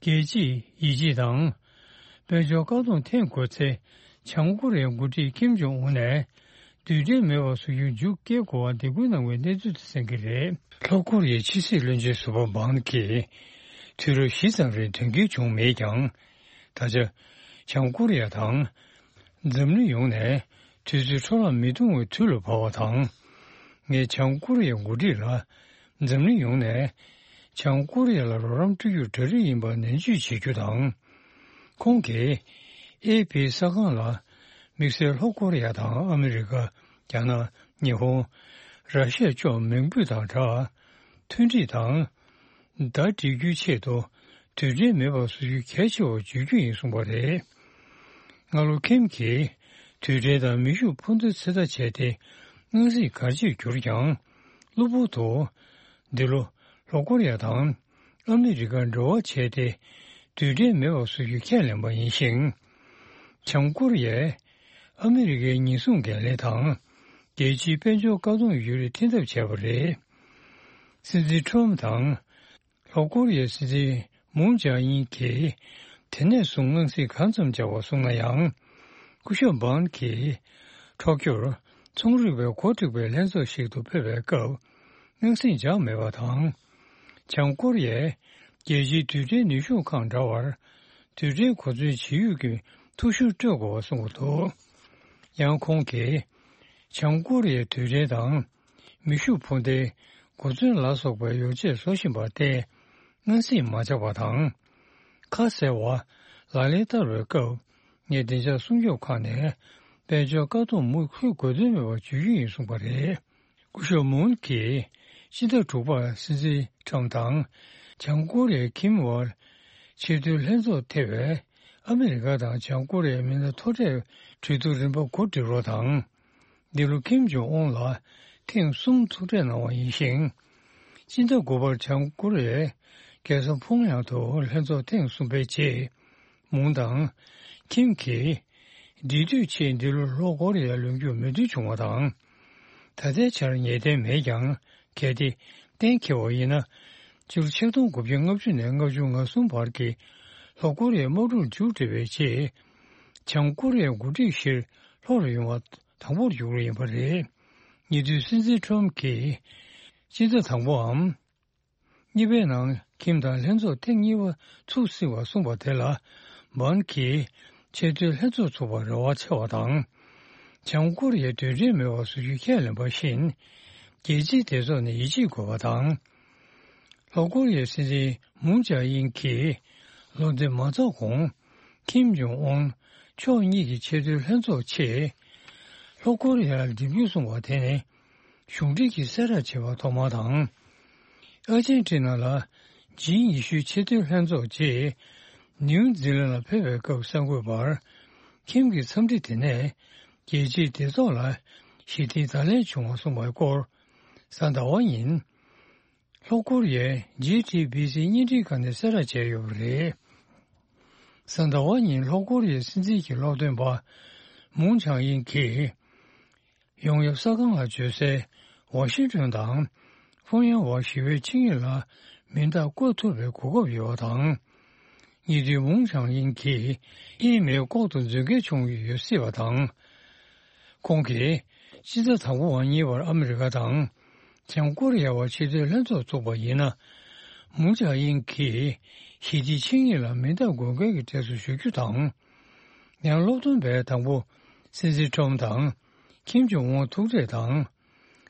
རྒྱལ་སྤྱིའི་ཡིད་ཆེས་དང་། དཔལ་འབྱོར་བཀག་སྡོམ་འཐེན་དགོས་ཚེ། བྱང་ཀོ་རི་ཡའི་འགོ་ཁྲིད་ཀིམ་ཇོང་ཨུན་ནས། རྡུལ་ཕྲན་མེད་པ་བཟོ་རྒྱུར་མཇུག་སྐྱེལ་དགོས་པར་འདེད་སྐུལ་གནང་བའི་གནས་ཚུལ་དེ་གསན་གྱི་རེད། ལྷོ་ཀོ་རི་ཡའི་ཕྱི་སྲིད་བློན་ཆེན་ཟུར་པ་བང་གིས། དུས་རབས་བཞི་ཙམ་རིང་དོན་འཁྱོལ་བྱུང་མེད་ཀྱང་། ད་ཆ། བྱང་ཀོ་རི་ཡ་དང་། འཛམ་གླིང་ཡོངས་ནས་དུས་ཚོད་འཕྲོ་བརླག་མི་གཏོང་བའི་དུས་ལ་བབས་པ་དང་། ངས་བྱང་ཀོ་རི་ཡའི་འགོ་ཁྲིད་ལ་ འཛམ་གླིང་ཡོངས་ནས་བྱང་ཀོ་རི་ཡ་ལ་རོགས་རམ་སྤྲོད་རྒྱུར་གྲ་སྒྲིག་ཡིན་པ་ནན་བརྗོད་བྱེད་རྒྱུ་དང་། ཁོང་གིས་ཨེ་ཕི་གསར་ཁང་ལ་དམིགས་བསལ་ལྷོ་ཀོ་རི་ཡ་དང་ཨ་མི་རི་ཀ། རྒྱ་ནག་ཉི་ཧོང་། ར་ཤི་ཡ་བཅས་མིང་འབོད་དང་སྦྲགས། མཐུན་སྒྲིལ་དང་། ཟླ་སྒྲིལ་རྒྱུའི་ཆེད་དུ་དུས་དྲན་མེད་པར་བཟོ་རྒྱུ་གལ་ཆེ་བར་བརྗོད་རྒྱུ་ཡིན་གསུངས་པ་རེད། སྔ་ལོ་ཁིམ་གྱིས་དུས་དྲན་དང་མེ་ཤུགས་འཕུར་མདེལ་ཚོད་ལྟ་བྱས་ཏེ། སྔ་ཕྱི་གར་ཆེར་གྱུར་ཀྱང་། གློ་བུར་དུ་འདི་ལོ་ལྷོ་ཀོ་རི་ཡ་དང་ཨ་མི་རི་ཀ་འབྲེལ་བ་བྱས་ཏེ། དུས་དྲན་མེད་པར་བཟོ་རྒྱུ་ཁས་ལེན་པ་ཡིན་ཞིང་། བྱང་ཀོ་རི་ཡས་ཨ་མི་རི་ཀའི་ཉེན་སྲུང་འགན་ལེན་དང་། རྒྱལ་སྤྱིའི་དཔལ་འབྱོར་བཀག་སྡོམ་ཡོད་རིགས་འཕྲི་འདེབས་བྱས་པ་རེད། སྲིད་འཛིན་ཁྲོམ་དང་། ལྷོ་ཀོ་རི་ཡའི་སྲིད་འཛིན་མུན་ཇཱ་ཨིན་གྱིས་དེ་ནས་བཟུང་སྔགས་སྲིད་གང་ཙམ་བཅག་པ་སོང་ན་ཡང་། སྐུ་ཞབས་བཱན་གྱིས་ཊོ་ཀྱོར་ཚོང་རིག་པའི་གོ་སྒྲིག་པའི་ལྷན་ཚོགས་ཤིག་ཏུ་ཕེབས་པའི་སྐབས། སྔགས་སྲིད་བཅག་མེད་པ་དང་། བྱང་ཀོ་རི་ཡས་རྒྱལ་སྤྱིའི་དུས་དྲན་ནུས་ཤུགས་ཁང་འདྲ་བར་དུས་དྲན་གོ་མཚོན་བྱེད་ཡུལ་གྱི་ཐུགས་ཤུགས་སྤྲོད་དགོས་པ་གསུངས་པ་འདུག། ཡང་ཁོང་གིས་བྱང་ཀོ་རི་ཡའི་དུས་དྲན་དང་། མེ་ཤུགས་འཕུར་མདེལ། གོ་མཚོན་ལ་སོགས་པའི་ཡོ་བྱད་བཟོ་བཞིན་པར་བརྟེན། སྔགས་སྲིད་མ་ཆག་པ་དང་། ཁ་གསལ་བ། ལག་ལེན་བསྟར་བའི་སྐབས། ངས་བདེ་འཇགས་སྲུང་སྐྱོབ་ཁང་ནས་དཔལ་འབྱོར་བཀག་སྡོམ་མུ་མཐུད་དགོས་དོན་མེད་པར་བརྗོད་རྒྱུ་ཡིན་གསུངས་པ་རེད། སྐུ་ཞབས་མུན་གྱིས་སྤྱི་ཟླ་དྲུག་པར་སྲིད་འཛིན་ཁྲམ་དང་། བྱང་ཀོ་རི་ཡའི་ཁིམ་དབར་ཆེས་མཐོའི་ལྷན་ཚོགས་ཐེ་བའི་ཨ་མི་རི་ཀ་དང་བྱང་ཀོ་རི་ཡའི་མི་སྣ་མཐོ་གྲས་གྲོས་བསྡུར་རིམ་པ་གོ་སྒྲིག་རོགས་དང་། འདི་ལོ་ཁིམ་ཇོང་ཨུན་ལ་ཐེངས་གསུམ་ཐུག་འཕྲད་གནང་བ་ཡིན་ཞིང་། སྤྱི་ཟླ་དགུ་པར་བྱང་ཀོ་རི་ཡའི་རྒྱལ་ས་ཕུང་ཡང་དུ་ལྷན་ཚོགས་ཐེངས་གསུམ་པའི་རྗེས། མུན་དང་། ཁིམ་གྱིས། འབྲེལ་མཐུད་ཆེད་འདི་ལོ་ལྷོ་ཀོ་རི་ཡར་ལོག་རྒྱུར་མོས་མཐུན་བྱུང་བ་དང་། ད་ལྟའི་ཆར་ངེས་གཏན་མེད་ཀྱང་། གལ་ཏེ་གཏན་འཁེལ་བ་ཡིན་ན། སྤྱི་ལོ་ཆིག་སྟོང་དགུ་བརྒྱ་ལྔ་བཅུ་ནས་ལྔ་བཅུ་ང་གསུམ་བར་གྱི་ལྷོ་ཀོ་རི་ཡའི་དམག་འཁྲུག་མཇུག་སྒྲིལ་བའི་རྗེས། བྱང་ཀོ་རི་ཡའི་འགོ་ཁྲིད་ཕྱིར་ལྷོ་རུ་ཡོང་བ་དང་པོར་འགྱུར་ཡིན་པ་རེད། ཉེ་དུས་སྲིད་འཛིན་ཁྲོམ་གྱིས་སྤྱི་ཟླ་དང་པོའམ། གཉིས་པའི་ནང་ཁིམ་དང་ལྷན་ཚོགས་ཐེངས་གཉིས་པ་ཚུགས་སྲིད་པ་གསུངས་པ་དེ་ལ། བཱན་གྱིས་ཆེས་མཐོའི་ལྷན་ཚོགས་ཚུགས་པར་རེ་བ་ཆེ་བ་དང་། བྱང་ཀོ་རི་ཡའི་དུས་དྲན་མེད་པར་བཟོ་རྒྱུ་ཁས་ལེན་པ་བཞིན། རྒྱལ་སྤྱིའི་སྡེ་ཚོགས་ནས་ཡིད་ཆེས་དགོས་པ་དང་། ལྷོ་ཀོ་རི་ཡའི་སྲིད་འཛིན་མུན་ཇཱ་ཨིན་གྱིས་ལོ་འདི་མ་རྫོགས་གོང་། ཁིམ་ཇོང་ཨུན་ཕྱོགས་གཉིས་ཀྱི་ཆེས་མཐོའི་ལྷན་ཚོགས་ཆེད། ལྷོ་ཀོ་རི་ཡར་འགྲིམ་རྒྱུ་གསུངས་པ་དེ་ནི། གཞུང་འབྲེལ་གྱིས་གསལ་བསྒྲགས་བྱས་པ་ཐོག་མ་དང་། ཨར་ཇེན་ཊི་ན་ལ་ཇི་ཉི་ཤུའི་ཆེས་མཐོའི་ལྷན་ཚོགས་རྗེས། ནིའུ་ཛི་ལན་ལ་ཕེབས་པའི་སྐབས་གསར་འགོད་པར། ཁིམ་གྱི་འཚམས་འདྲི་དེ་ནས་རྒྱལ་སྤྱིའི་སྡེ་ཚོགས་ལ་ཞི་བདེའི་བརྡ་ལན་བྱུང་བ་གསུངས་པའི་སྐོར། གཟའ་ཟླ་བ་ཉིན། ལྷོ་ཀོ་རི་ཡའི་ཇི་ཊི་བི་སི་བརྙན་འཕྲིན་ཁང་ནས་གསལ་བསྒྲགས་བྱས་ཡོད་པ་རེད། གཟའ་ཟླ་བ་ཉིན་ལྷོ་ཀོ་རི་ཡའི་སྲིད་འཛིན་གྱི་སློབ་སྟོན་པ་མུན་ཆང་ཡིན་གྱིས། ཡོང་ཡབ་གསར་ཁང་ལ་བརྗོད་གསལ། ཝ་ཤིང་ཏོན་དང་ཕོང་ཡང་ཝ་ཞི་བའི་ཆིངས་ཡིག་ལ་མིང་རྟགས་བཀོད་ཐུབ་པའི་གོ་སྐབས་ཡོད་པ་དང་། ཉེ་དུས་མུང་ཆང་ཡིན་གྱིས་ཨི་མེལ་ལྐོག་ཏུ་མཛོད་འགེལ་བྱུང་ཡོད་སྲིད་པ་དང་། ཁོང་གིས་སྤྱི་ཟླ་དང་པོ་བ་གཉིས་པར་ཨ་མི་རི་ཀ་དང་བྱང་ཀོ་རི་ཡ་བར་ཆེས་མཐོའི་ལྷན་ཚོགས་ཚུགས་པ་ཡིན་ན། མུང་ཆང་ཡིན་གྱིས་ཞི་བདེའི་ཆིངས་ཡིག་ལ་མིང་རྟགས་འགོད་མཁན་གྱི་གྲས་སུ་ཞུགས་རྒྱུ་དང་། ཡང་སློབ་སྟོན་པས་དང་པོ་སྲིད་འཛིན་ཁྲོམ་དང་ཁིམ་ཇོང་ཨུན་ཐུག་འཕྲད་དང་།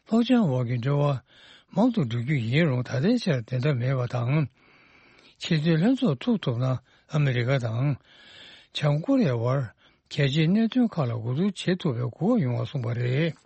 ལྷོ་བྱང་དབར་གྱི་འབྲེལ་བ་མང་དུ་འགྲོ་རྒྱུ་ཡིན་རུང་ད་ལྟའི་ཆར་དེ་འདྲ་མེད་པ་དང་། ཆེས་མཐོའི་ལྷན་ཚོགས་ཚུགས་ཐུབ་ན་ཨ་མི་རི་ཀ་དང་། བྱང་ཀོ་རི་ཡ་བར་རྒྱལ་སྤྱིའི་གནད་དོན་ཁག་ལ་གོ་བསྡུར་བྱེད་ཐུབ་པའི་གོ་སྐབས་ཡོང་བ་གསུངས་པ་རེད།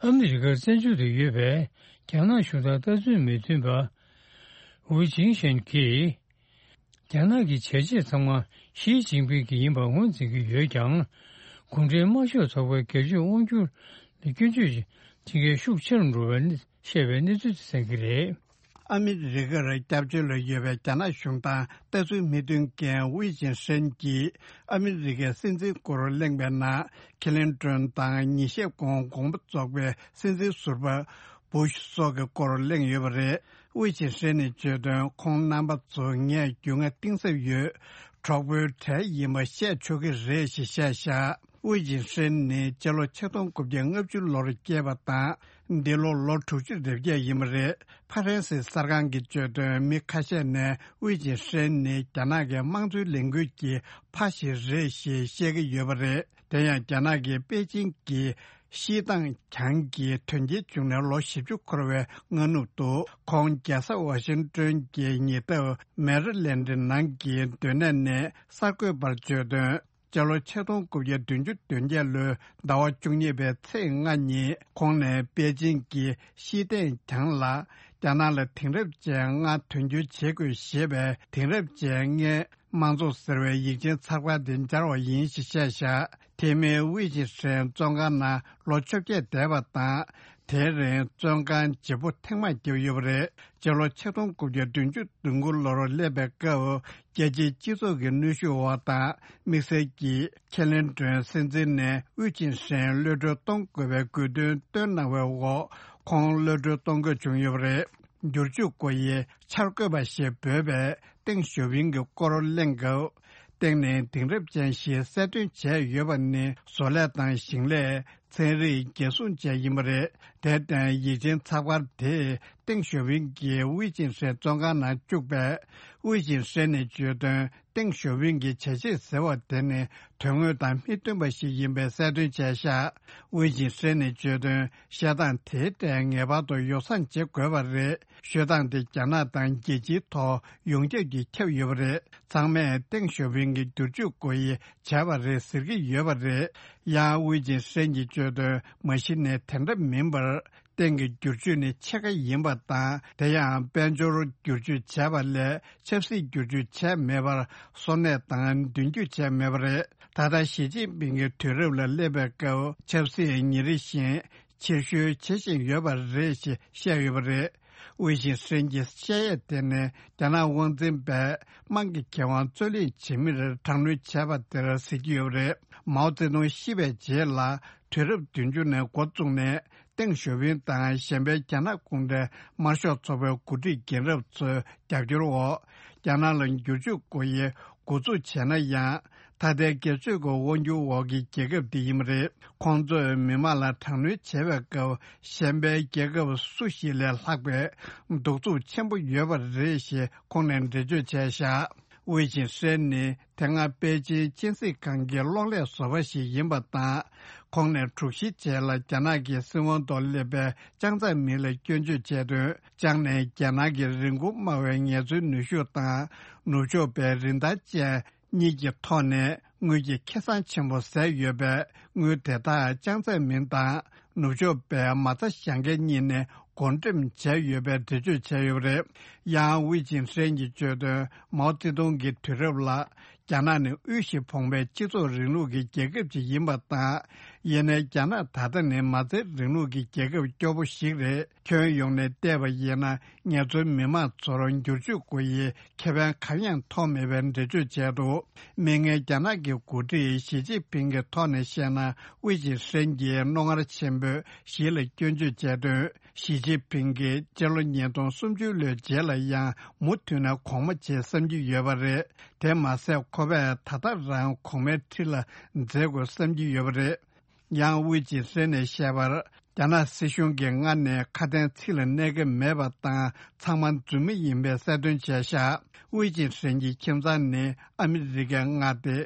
ཨ་མི་རི་ཀར་བཙན་བྱོལ་དུ་ཡོད་པའི་རྒྱ་ནག་གཞུང་དང་ལྟ་ཚུལ་མི་མཐུན་པ། ཝུའུ་ཅིན་ཧྲེན་གྱིས། རྒྱ་ནག་གི་བྱས་རྗེས་ཚང་མ་ཞི་ཅིན་ཕིང་གི་ཡིན་པ་ངོས་འཛིན་གྱི་ཡོད་ཀྱང་། གུང་ཁྲན་དམར་ཤོག་ཚོགས་པའི་སྒེར་གཅོད་དབང་སྒྱུར་ལ་སྐྱོན་བརྗོད་བྱེད་མཁན་ཤུགས་ཆེ་རུ་འགྲོ་བའི་གནས་བཤད་པའི་གནས་ཚུལ་དེ་གསན་གྱི་རེད། ཨ་མི་རི་ཀར་སྐྱབས་བཅོལ་ལ་ཡོད་པའི་རྒྱ་ནག་གཞུང་དང་ལྟ་ཚུལ་མི་མཐུན་མཁན་ཝུའུ་ཅིན་ཧྲེན་གྱིས་ཨ་མི་རི་ཀའི་སྲིད་འཛིན་སྐོར་གླེང་བའི་ནང་། ཁི་ལིན་ཏོན་དང་ཉིན་ཤས་གོང་དགོངས་པ་རྫོགས་པའི་སྲིད་འཛིན་ཟུར་པ་བུ་ཤི་སོགས་ཀྱི་སྐོར་གླེང་ཡོད་པ་རེད། ཝུའུ་ཅིན་ཧྲེན་ནས་བརྗོད་དོན། ཁོང་རྣམ་པ་ཚོ་ངས་རྒྱུས་མངའ་གཏིང་ཟབ་ཡོད། གྲོགས་པོའི་གྲས་ཡིན་པ་བཤད་ཆོག་གི་རེད་ཞེས་བཤད་བཞག། ཝེ་ཅིན་ཧྲེན་ནི་སྤྱི་ལོ་ཆིག་སྟོང་དགུ་བརྒྱ་ལྔ་བཅུ་ལོར་སྐྱེས་པ་དང་། འདི་ལོ་ལོ་དྲུག་ཅུ་རེ་བརྒྱད་ཡིན་པ་རེད། ཧྥ་རན་སིའི་གསར་ཁང་གིས་བརྗོད་དོན། མི་ཁ་ཤས་ནས་ཝེ་ཅིན་ཧྲེན་ནི་རྒྱ་ནག་གི་དམངས་གཙོའི་ལས་འགུལ་གྱི་ཕ་ཞིག་རེད་ཞེས་བཤད་ཀྱི་ཡོད་པ་རེད། དེ་ཡང་རྒྱ་ནག་གི་པེ་ཅིང་གི་ཤིས་ཏང་གྱང་གི་དོན་རྐྱེན་བྱུང་ནས་ལོ་བཞི་བཅུ་འཁོར་བའི་སྔ་ནུབ་ཏུ། ཁོང་རྒྱལ་ས་ཝ་ཤིང་ཏོན་གྱི་ཉེ་འདབས་མེ་རི་ལན་ཌི་ནང་གི་སྡོད་གནས་ནས་གསར་འགོད་པར་བརྗོད་དོན། སྤྱི་ལོ་ཆིག་སྟོང་དགུ་བརྒྱ་བདུན་ཅུ་དོན་བརྒྱད་ལོའི་ཟླ་བ་བཅུ་གཉིས་པའི་ཚེས་ལྔ་ཉིན་ཁོང་ནས་པེ་ཅིང་གི་ཤིས་ཏེན་གྱང་ལ། རྒྱ་ནག་ལ་དེང་རབས་ཅན་ལྔ་དོན་འཁྱོལ་བྱེད་དགོས་ཞེས་པའི་དེང་རབས་ཅན་ལྔའི་དམངས་གཙོ་ཟེར་བའི་ཡིག་ཆེན་ཚགས་པར་དེ་སྦྱར་བ་ཡིན་ཞེས་བཤད་བཞག། དེ་མིན་ཝེ་ཅིན་ཧྲེན་བཙོན་ཁང་ནང་ལོ་བཅོ་བརྒྱད་བསྡད་པ་དང་། དེའི་རིང་བཙོན་ཁང་བརྗེ་པོ་ཐེངས་མང་བརྒྱབ་ཡོད་པ་རེད། སྤྱི་ལོ་ཆིག་སྟོང་དགུ་བརྒྱ་བདུན་ཅུ་དོན་དགུ་ལོར་སླེབས་པའི་སྐབས། རྒྱལ་སྤྱིའི་སྤྱི་ཚོགས་ཀྱི་གནོན་ཤུགས་འོག་དང་། དམིགས་བསལ་གྱིས་ཁེ་ལན་ཀྲོན་སྲིད་འཛིན་ནས་ཝེ་ཅིན་ཧྲེན་གློད་གྲོལ་གཏོང་དགོས་པའི་དགོས་འདུན་བཏོན་གནང་བའི་འོག་ཁོང་གློད་གྲོལ་གཏོང་དགོས་བྱུང་ཡོད་པ་རེད། བསྒྱུར་བཅོས་སྒོ་དབྱེའི་འཆར་འགོད་པ་ཞེས་འབོད་པས་ཏེང་ཞའོ་ཕིང་གི་སྐོར་གླེང་སྐབས། ཏེང་ནི་དེང་རབས་ཅན་ཞེས་གསལ་སྟོན་བྱས་ཡོད་པ་ནི། བཟོ་ལས་དང་ཞིང་ལས། ཚན་རིག་རྒྱལ་སྲུང་བཅས་ཡིན་པ་རེད། དེར་བརྟེན་ཡིག་ཆེན་ཚགས་པར་དེས་ཏེང་ཞའོ་ཕིང་གིས་ཝེ་ཅིན་ཧྲེན་བཙོན་ཁང་ནང་བཅུག་པས། ཝེ་ཅིན་ཧྲེན་ནས་བརྗོད་དོན། ཏེང་ཞའོ་ཕིང་གི་བྱས་རྗེས་ཟེར་བ་དེ་ནི་དོན་དངོས་དང་མི་མཐུན་པ་ཞིག་ཡིན་པའི་གསལ་སྟོན་བྱས་བཞག། ཝེ་ཅིན་ཧྲེན་ནས་བརྗོད་དོན། བཤད་སྟངས་དེའི་གྲས་ངེས་པར་དུ་ཡོ་བསྲང་བྱེད་དགོས་པ་རེད། ཤོད་སྟངས་དེ་རྒྱ་ནག་དང་རྒྱལ་སྤྱིའི་ཐོག་ཡོངས་ཁྱབ་ཀྱིས་ཁྱབ་ཡོད་པ་རེད། ཚང་མས་ཏེང་ཞའོ་ཕིང་གི་བསྒྱུར་བཅོས་སྒོ་དབྱེ་བྱས་པ་རེད་ཟེར་གྱི་ཡོད་པ་རེད། ཡང་ཝེ་ཅིན་ཧྲེན་གྱིས་བརྗོད་དོན། མ་གཞི་ནས་དེ་འདྲ་མིན་པར། ཏེང་གི་བསྒྱུར་བཅོས་ནི་ཕྱེད་ཀ་ཡིན་པ་དང་། དེ་ཡང་དཔལ་འབྱོར་བསྒྱུར་བཅོས་བྱས་པ་ལས་ཆབ་སྲིད་བསྒྱུར་བཅོས་བྱས་མེད་པར། གསོ་གནས་དང་མདུན་སྐྱོད་བྱས་མེད་པ་རེད། ད་ལྟ་ཞི་ཅིན་ཕིང་གི་དུས་རབས་ལ་སླེབས་པའི་སྐབས། ཆབ་སྲིད་ཉིན་རེ་བཞིན་ཕྱིར་བཤོལ་བྱེད་བཞིན་ཡོད་པ་རེད་ཅེས་བཤད་ཡོད་པ་རེད། ཝེ་ཅིན་ཧྲེན་གྱི་བཤད་ཡས་དེ་ནི་རྒྱ་ནག་དབང་འཛིན་པས་དམངས་ཀྱི་ཁེ་དབང་རྩོད་ལེན་བྱེད་མིར་དྲག་གནོན་བྱས་པ་དེར་ཟེར་གྱི་ཡོད་པ་རེད། མའོ་ཙེ་ཏུང་ཤི་བའི་རྗེས་ལ་དུས་རབས་བདུན་ཅུ་ནས་འགོ་བཙུགས་ནས། ཏེང་ཞའོ་ཕིང་དང་གཞན་པའི་རྒྱ་ནག་གུང་ཁྲན་དམར་ཤོག་ཚོགས་པའི་འགོ་ཁྲིད་རྒན་རབས་ཚོའི་རྒྱབ་སྐྱོར་འོག་རྒྱ་ནག་ལ་བསྒྱུར་བཅོས་སྒོ་དབྱེ་འགོ་འཛུགས་བྱས་ན་ཡང་། ད་ལྟའི་སྒེར་གཅོད་ཀྱི་དབང་སྒྱུར་འོག་གི་རྒྱལ་ཁབ་འདི་ཡིན་པ་རེད། ཁོང་ཚོས་མི་མང་ལ་དྲག་གནོན་བྱེད་པའི་སྐབས། གཞན་པའི་རྒྱལ་ཁབ་སུ་ཞིག་ལས་ལྷག་པའི་གདུག་རྩུབ་ཆེན་པོ་ཡོད་པ་རེད་ཞེས་ཁོང་ནས་འགྲེལ་བརྗོད་བྱས་བཞག། ཝེ་ཅིན་ཧྲེན་ནི་དེ་སྔ་པེ་ཅིན་སྤྱན་གཟིགས་ཁང་གི་གློག་ཀླད་བཟོ་པ་ཞིག་ཡིན་པ་དང་། ཁོང་ནས་དྲུག་བཞིའི་རྗེས་ལ་རྒྱ་ནག་གི་སྲིད་དབང་ཐོག་སླེབས་པའི་ཅང་ཙེ་མིན་ལ་སྐྱོན་བརྗོད་བྱས་དོན། ཅང་ནས་རྒྱ་ནག་གི་རིན་གོང་དམའ་བའི་ངལ་རྩོལ་ནུས་ཤུགས་དང་། ནུབ་ཕྱོགས་པའི་རིན་ཐང་ཅན་གཉིས་ཀྱི་ཐོག་ནས་དངུལ་གྱི་ཁེ་བཟང་ཆེན་པོ་ཟད་ཡོད་པས། དངུལ་དེ་དག་ཅང་ཙེ་མིན་དང་ནུབ་ཕྱོགས་པའི་མ་རྩ་བཞག་མཁན་གཉིས་ནས་བགོ་འགྲེམས་བྱས་ཡོད་པའི་འགྲེལ་བརྗོད་བྱས་ཡོད་པ་རེད། ཡང་ཝེ་ཅིན་ཧྲེན་གྱིས་བརྗོད་དོན། མའོ་ཙེ་ཏུང་གི་དུས་རབས་ལ། རྒྱ་ནག་ནི་དབུལ་ཞིང་ཕོངས་པའི་སྤྱི་ཚོགས་རིང་ལུགས་ཀྱི་རྒྱལ་ཁབ་ཅིག་ཡིན་པ་དང་། ཡིན་ནའི་རྒྱ་ནག་ད་ལྟ་ནི་མ་རྩའི་རིང་ལུགས་ཀྱི་རྒྱལ་ཁབ་སྐྱོ་པོ་ཞིག་རེད། ཁྱོན་ཡོངས་ནས་བལྟས་པ་ཡིན་ན། ངལ་རྩོལ་མི་མང་ཚོར་བསྒྱུར་བཅོས་སྒོ་དབྱེའི་ཁེ་ཕན་གང་ཡང་ཐོགས་མེད་པའི་འགྲེལ་བརྗོད་བྱས་འདུག། མིག་སྔའི་རྒྱ་ནག་གི་འགོ་ཁྲིད་ཞི་ཅིན་ཕིང་གི་ཐོག་ནས་བཤད་ན། ཝེ་ཅིན་ཧྲེན་གྱིས་རྣོ་ངར་ཆེན་པོས་ཞི་ལ་སྐྱོན་བརྗོད་བྱས་དོན། ཞི་ཅིན་ཕིང་གིས་སྤྱི་ལོ་ཉིས་སྟོང་སུམ་ཅུ་ལོའི་རྗེས་ལ་ཡང་མུ་མཐུད་ནས་གོང་མ་བྱེད་བསམ་གྱི་ཡོད་པ་རེད། དེ་མ་ཟད་ཁོ་པས་ད་ལྟ་རང་གོང་མའི་ཁྲི་ལ་འཛེག་དགོས་བསམ་གྱི་ཡོད་པ་རེད། ཡང་ཝེ་ཅིན་ཧྲེན་ནས་བཤད་པར། རྒྱ་ནག་སྲིད་གཞུང་གིས་སྔར་ནས་ཁ་དན་ཚིག་ལ་གནས་ཀྱི་མེད་པ་དང་། ཚང་མ་རྫུན་མ་ཡིན་པའི་གསལ་སྟོན་བྱས་བཞག། ཝེ་ཅིན་ཧྲེན་གྱི་ཁྱིམ་ཚང་ནི་ཨ་མི་རི་ཀའི་མངའ་སྡེ་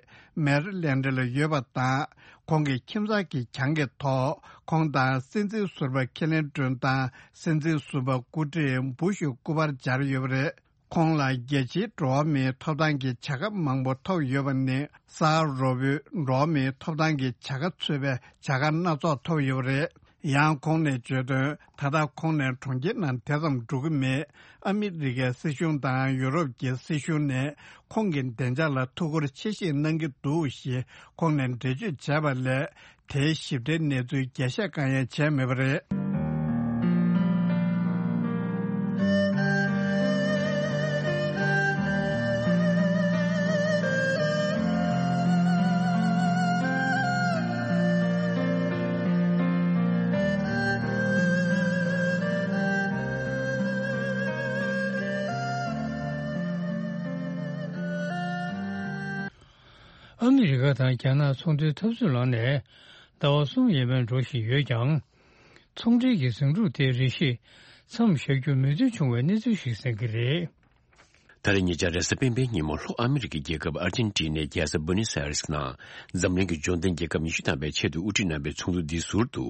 མེ་རི་ལན་ཌི་ལ་ཡོད་པ་དང་། ཁོང་གི་ཁྱིམ་ཚང་གི་གྱང་གི་ཐོག་ཁོང་དང་སྲིད་འཛིན་ཟུར་པ་ཁེ་ལེན་ཀྲུན་དང་སྲིད་འཛིན་ཟུར་པ་སྐུ་བགྲེས་བུ་ཤུ་སྐུ་པར་སྦྱར་ཡོད་པ་རེད། ཁོང་ལ་རྒྱལ་སྤྱིའི་འགྲོ་བ་མིའི་ཐོབ་ཐང་གི་བྱ་དགའ་མང་པོ་ཐོབ་ཡོད་པ་ནི། ས་རོ་བོད་འགྲོ་བ་མིའི་ཐོབ་ཐང་གི་བྱ་དགའ་ཚུད་པའི་བྱ་དགའ་སྣ་ཚོགས་ཐོབ་ཡོད་པ་རེད། ཡང་ཁོང་ནས་བརྗོད་དོན། ད་ལྟ་ཁོང་ནས་གྲོང་ཁྱེར་ནང་དེ་ཙམ་འགྲོ་གི་མེད། ཨ་མི་རི་ཀའི་སྲིད་གཞུང་དང་ཡུ་རོབ་ཀྱི་སྲིད་གཞུང་ནས་ཁོང་གི་བདེ་འཇགས་ལ་ཐུགས་ཁུར་ཆེ་བཞེས་གནང་གི་འདུག་ཞེས་ཁོང་ནས་འགྲེལ་བརྗོད་བྱས་པ་ལས། དེའི་ཞིབ་ཕྲའི་གནས་ཚུལ་རྒྱས་བཤད་གང་ཡང་བྱས་མེད་པ་རེད། ཨ་མི་རི་ཀ་དང་རྒྱ་ནག་ཚོང་དོན་འཐབ་རྩོད་ལངས་ནས་ཟླ་བ་གསུམ་ཡས་མས་འགྲོ་བཞིན་ཡོད་ཀྱང་། ཚོང་འབྲེལ་གྱི་ཟིང་འཁྲུག་དེ་རེ་ཞིག་མཚམས་བཞག་རྒྱུར་མོས་མཐུན་བྱུང་བའི་གནས་ཚུལ་ཞིག་གསན་གྱི་རེད། ད་རེས་ཉེ་ཆར་རེས་གཟའ་སྤེན་པའི་ཉིན་མོ་ལྷོ་ཨ་མི་རི་ཀའི་རྒྱལ་ཁབ་ཨར་ཇེན་ཊི་ནའི་རྒྱལ་ས་བུ་ནེ་སི་ཨ་རེས་ནང་འཛམ་གླིང་གི་འབྱོར་ལྡན་རྒྱལ་ཁབ་ཉི་ཤུ་ཐམ་པའི་ཆེད་དུ་དབུ་ཁྲིད་གནང་བའི་ཚོགས་འདུ་འདིའི་ཟུར་དུ་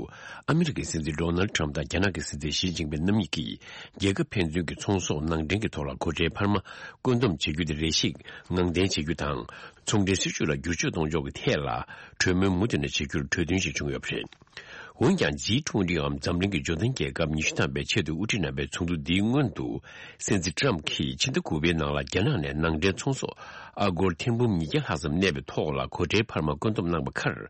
ཨ་མི་རི་ཀའི་སྲིད་འཛིན་ཌོ་ནལ་ཌི་ཊརམ་ཕི་དང་རྒྱ་ནག་གི་སྲིད་འཛིན་ཞི་ཅིན་ཕིན་རྣམ་གཉིས་ཀྱིས་རྒྱལ་ཁབ་ཕན་ཚུན་གྱི་ཚོང་ཟོག་ནང་འདྲེན་གྱི་ཐོག་ལ་སྒོ་ཁྲལ་འཕར་མ་བཀོད་འདོམས་བྱེད་རྒྱུ་དེ་རེ་ཞིག་ངང་འཐེན་བྱེད་རྒྱུ་དང་། ཚོང་འབྲེལ་སྲིད་ཇུས་ལ་བསྒྱུར་བཅོས་གཏོང་ཕྱོགས་ཀྱི་ཐད་ལ་གྲོས་མོལ་མུ་མཐུད་ནས་བྱེད་རྒྱུར་གྲོས་མཐུན་ཞིག་བྱུང་ཡོད་པ་རེད། འོན་ཀྱང་ཇི་ཊུ་ཝེན་ཊི་འམ་འཛམ་གླིང་གི་འབྱོར་ལྡན་རྒྱལ་ཁབ་ཉི་ཤུ་ཐམ་པའི་ཆེད་དུ་དབུ་ཁྲིད་གནང་བའི་ཚོགས་འདུ་འདིའི་སྔོན་དུ། སྲིད་འཛིན་ཊརམ་ཕི་གྱིས་ཕྱི་ཟླ་དགུ་པའི་ནང་ལ་རྒྱ་ནག་ནས་ནང་འདྲེན་ཚོང་ཟོག་ཨ་སྒོར་ཐེར་འབུམ་ཉིས་བརྒྱ་ལྷག་ཙམ་གནས་པའི་ཐོག་ལ་སྒོ་ཁྲལ་འཕར་མ་བཀོད་འདོམས་གནང་བ་ཁར།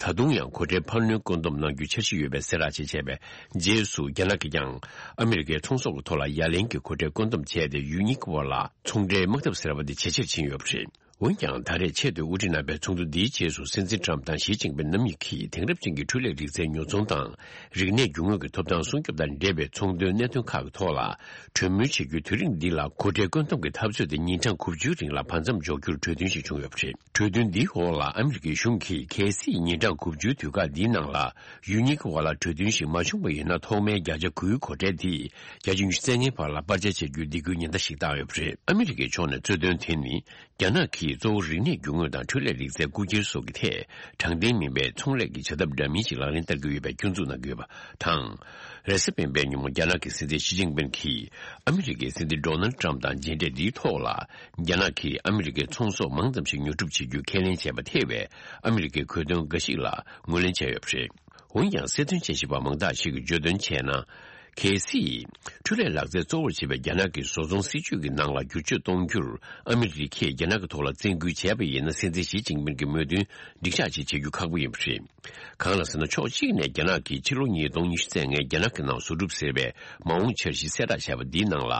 ད་དུང་ཡང་སྒོ་ཁྲལ་འཕར་སྣོན་བཀོད་འདོམས་གནང་རྒྱུའི་འཆར་གཞི་ཡོད་པའི་གསལ་བསྒྲགས་ཤིག་བྱས་པའི་རྗེས་སུ། རྒྱ་ནག་གིས་ཀྱང་ཨ་མི་རི་ཀའི་ཚོང་ཟོག་གི་ཐོག་ལ་ཡ་ལན་གྱི་སྒོ་ཁྲལ་བཀོད་འདོམས་བྱས་ཏེ། ཡུལ་གཉིས་ཀྱི་དབར་ལ་ཚོང་འབྲེལ་དམག་འཐབ་ཟེར་བ་འདི་ཇེ་ཆེར་ཕྱིན་ཡོད་པ་རེད། འོན་ཀྱང་ད་རེས་ཆེད་དུ་དབུ་ཁྲིད་གནང་པའི་ཚོགས་འདུ་འདིའི་རྗེས་སུ། སྲིད་འཛིན་ཊརམ་ཕི་དང་ཞི་ཅིན་ཕིན་རྣམ་གཉིས་ཀྱིས་དེང་རབས་ཅན་གྱི་འཕྲུལ་ལས་རིག་རྩལ་ཉོ་ཚོང་དང་། རིག་གནས་རྒྱུ་དངོས་ཀྱི་ཐོབ་ཐང་སྲུང་སྐྱོབ་དང་འབྲེལ་བའི་ཚོང་དོན་གནད་དོན་ཁག་གི་ཐོག་ལ་གྲོས་མོལ་བྱེད་རྒྱུའི་དུས་རིམ་འདི་ལ་སྒོ་ཁྲལ་བཀོད་འདོམས་ཀྱི་འཐབ་རྩོད་དེ་ཉིན་གྲངས་དགུ་བཅུའི་རིང་ལ་བར་མཚམས་འཇོག་རྒྱུར་གྲོས་མཐུན་ཞིག་བྱུང་ཡོད་པ་རེད། གྲོས་མཐུན་འདིའི་འོག་ལ་ཨ་མི་རི་ཀའི་གཞུང་གིས་གལ་སྲིད་ཉིན་གྲངས་དགུ་བཅུའི་དུས་བཀག་འདིའི་ནང་ལ་ཡུལ་གཉིས་ཀྱི་དབར་ལ་གྲོས་མཐུན་ཞིག་མ་བྱུང་བ་ཡིན་ན། ཐོག་མའི་བརྒྱ་ཆ་དགུའི་སྒོ་ཁྲལ་དེ་བརྒྱ་ཆ་ཉི་ཤུ་རྩ་ལྔའི་བར་ལ་སྤར་ཆ་བྱ་རྒྱུའི་སྡིགས་སྐུལ་ཉེན་བརྡ་ཞིག་བཏང་ཡོད་པ་རེད། ཨ་མི་རི་ཀའི་ཕྱོགས་ནས་རྩོད་དོན་དེ་ནི། རྒྱ་ནག་གིས་གཙོ་བོ་རིག་གནས་རྒྱུ་དངོས་དང་འཕྲུལ་ལས་རིག་རྩལ་རྐུ་འཁྱེར་སོགས་ཀྱི་ཐད་དྲང་བདེན་མིན་པའི་ཚོང་ལས་ཀྱི་བྱ་ཐབས་འདྲ་མིན་ཞིག་ལག་ལེན་བསྟར་གྱི་ཡོད་པའི་སྐྱོན་འཛུགས་གནང་གི་ཡོད་པ་དང་། རེས་གཟའ་སྤེན་པའི་ཉིན་མོ་རྒྱ་ནག་གི་སྲིད་འཛིན་ཞི་ཅིན་ཕིན་གྱིས་ཨ་མི་རི་ཀའི་སྲིད་འཛིན་ཌོ་ནལ་ཊརམ་ཕི་དང་མཇལ་འཕྲད་འདིའི་ཐོག་ལ། རྒྱ་ནག་གིས་ཨ་མི་རི་ཀའི་ཚོང་ཟོག་མང་ཙམ་ཞིག་ཉོ་སྒྲུབ་བྱེད་རྒྱུ་ཁས་ལེན་བྱས་པ་ཐེ་བའི་ཨ་མི་རི་ཀའི་གོ་དོན་འགའ་ཞིག་ལ་ངོས་ལེན་བྱས་ཡོད་པ་རེད། འོན་ཀྱང་། སྲིད་དོན་དཔྱད་ཞིབ་པ་མང་དག་ཞིག་གིས་བརྗོད་དོན་བྱས་ན། གལ་སྲིད། འཕྲུལ་ལས་ལག་རྩལ་གཙོ་བོར་བྱེད་པའི་རྒྱ་ནག་གི་བཟོ་ཚོང་སྲིད་ཇུས་ཀྱི་ནང་ལ་བསྒྱུར་བཅོས་གཏོང་རྒྱུར་ཨ་མི་རི་ཀས་རྒྱ་ནག་གི་ཐོག་ལ་བཙན་སྐུལ་བྱས་པ་ཡིན་ན། སྲིད་འཛིན་ཞི་ཅིན་ཕིན་གྱི་མོས་མཐུན་འགྲིག་ཆགས་ཅིག་བྱེད་རྒྱུ་ཁག་པོ་ཡིན་པ་རེད། གང་ལ་ཟེར་ན། ཕྱོགས་གཅིག་ནས་རྒྱ་ནག་གིས་ཕྱི་ལོ་ཉིས་སྟོང་ཉི་ཤུ་རྩ་ལྔའི་རྒྱ་ནག་གི་ནང་བཟོ་སྒྲུབ་ཟེར་བའི་མ་འོངས་འཆར་གཞི་གསལ་བསྒྲགས་བྱས་པ་འདིའི་ནང་ལ།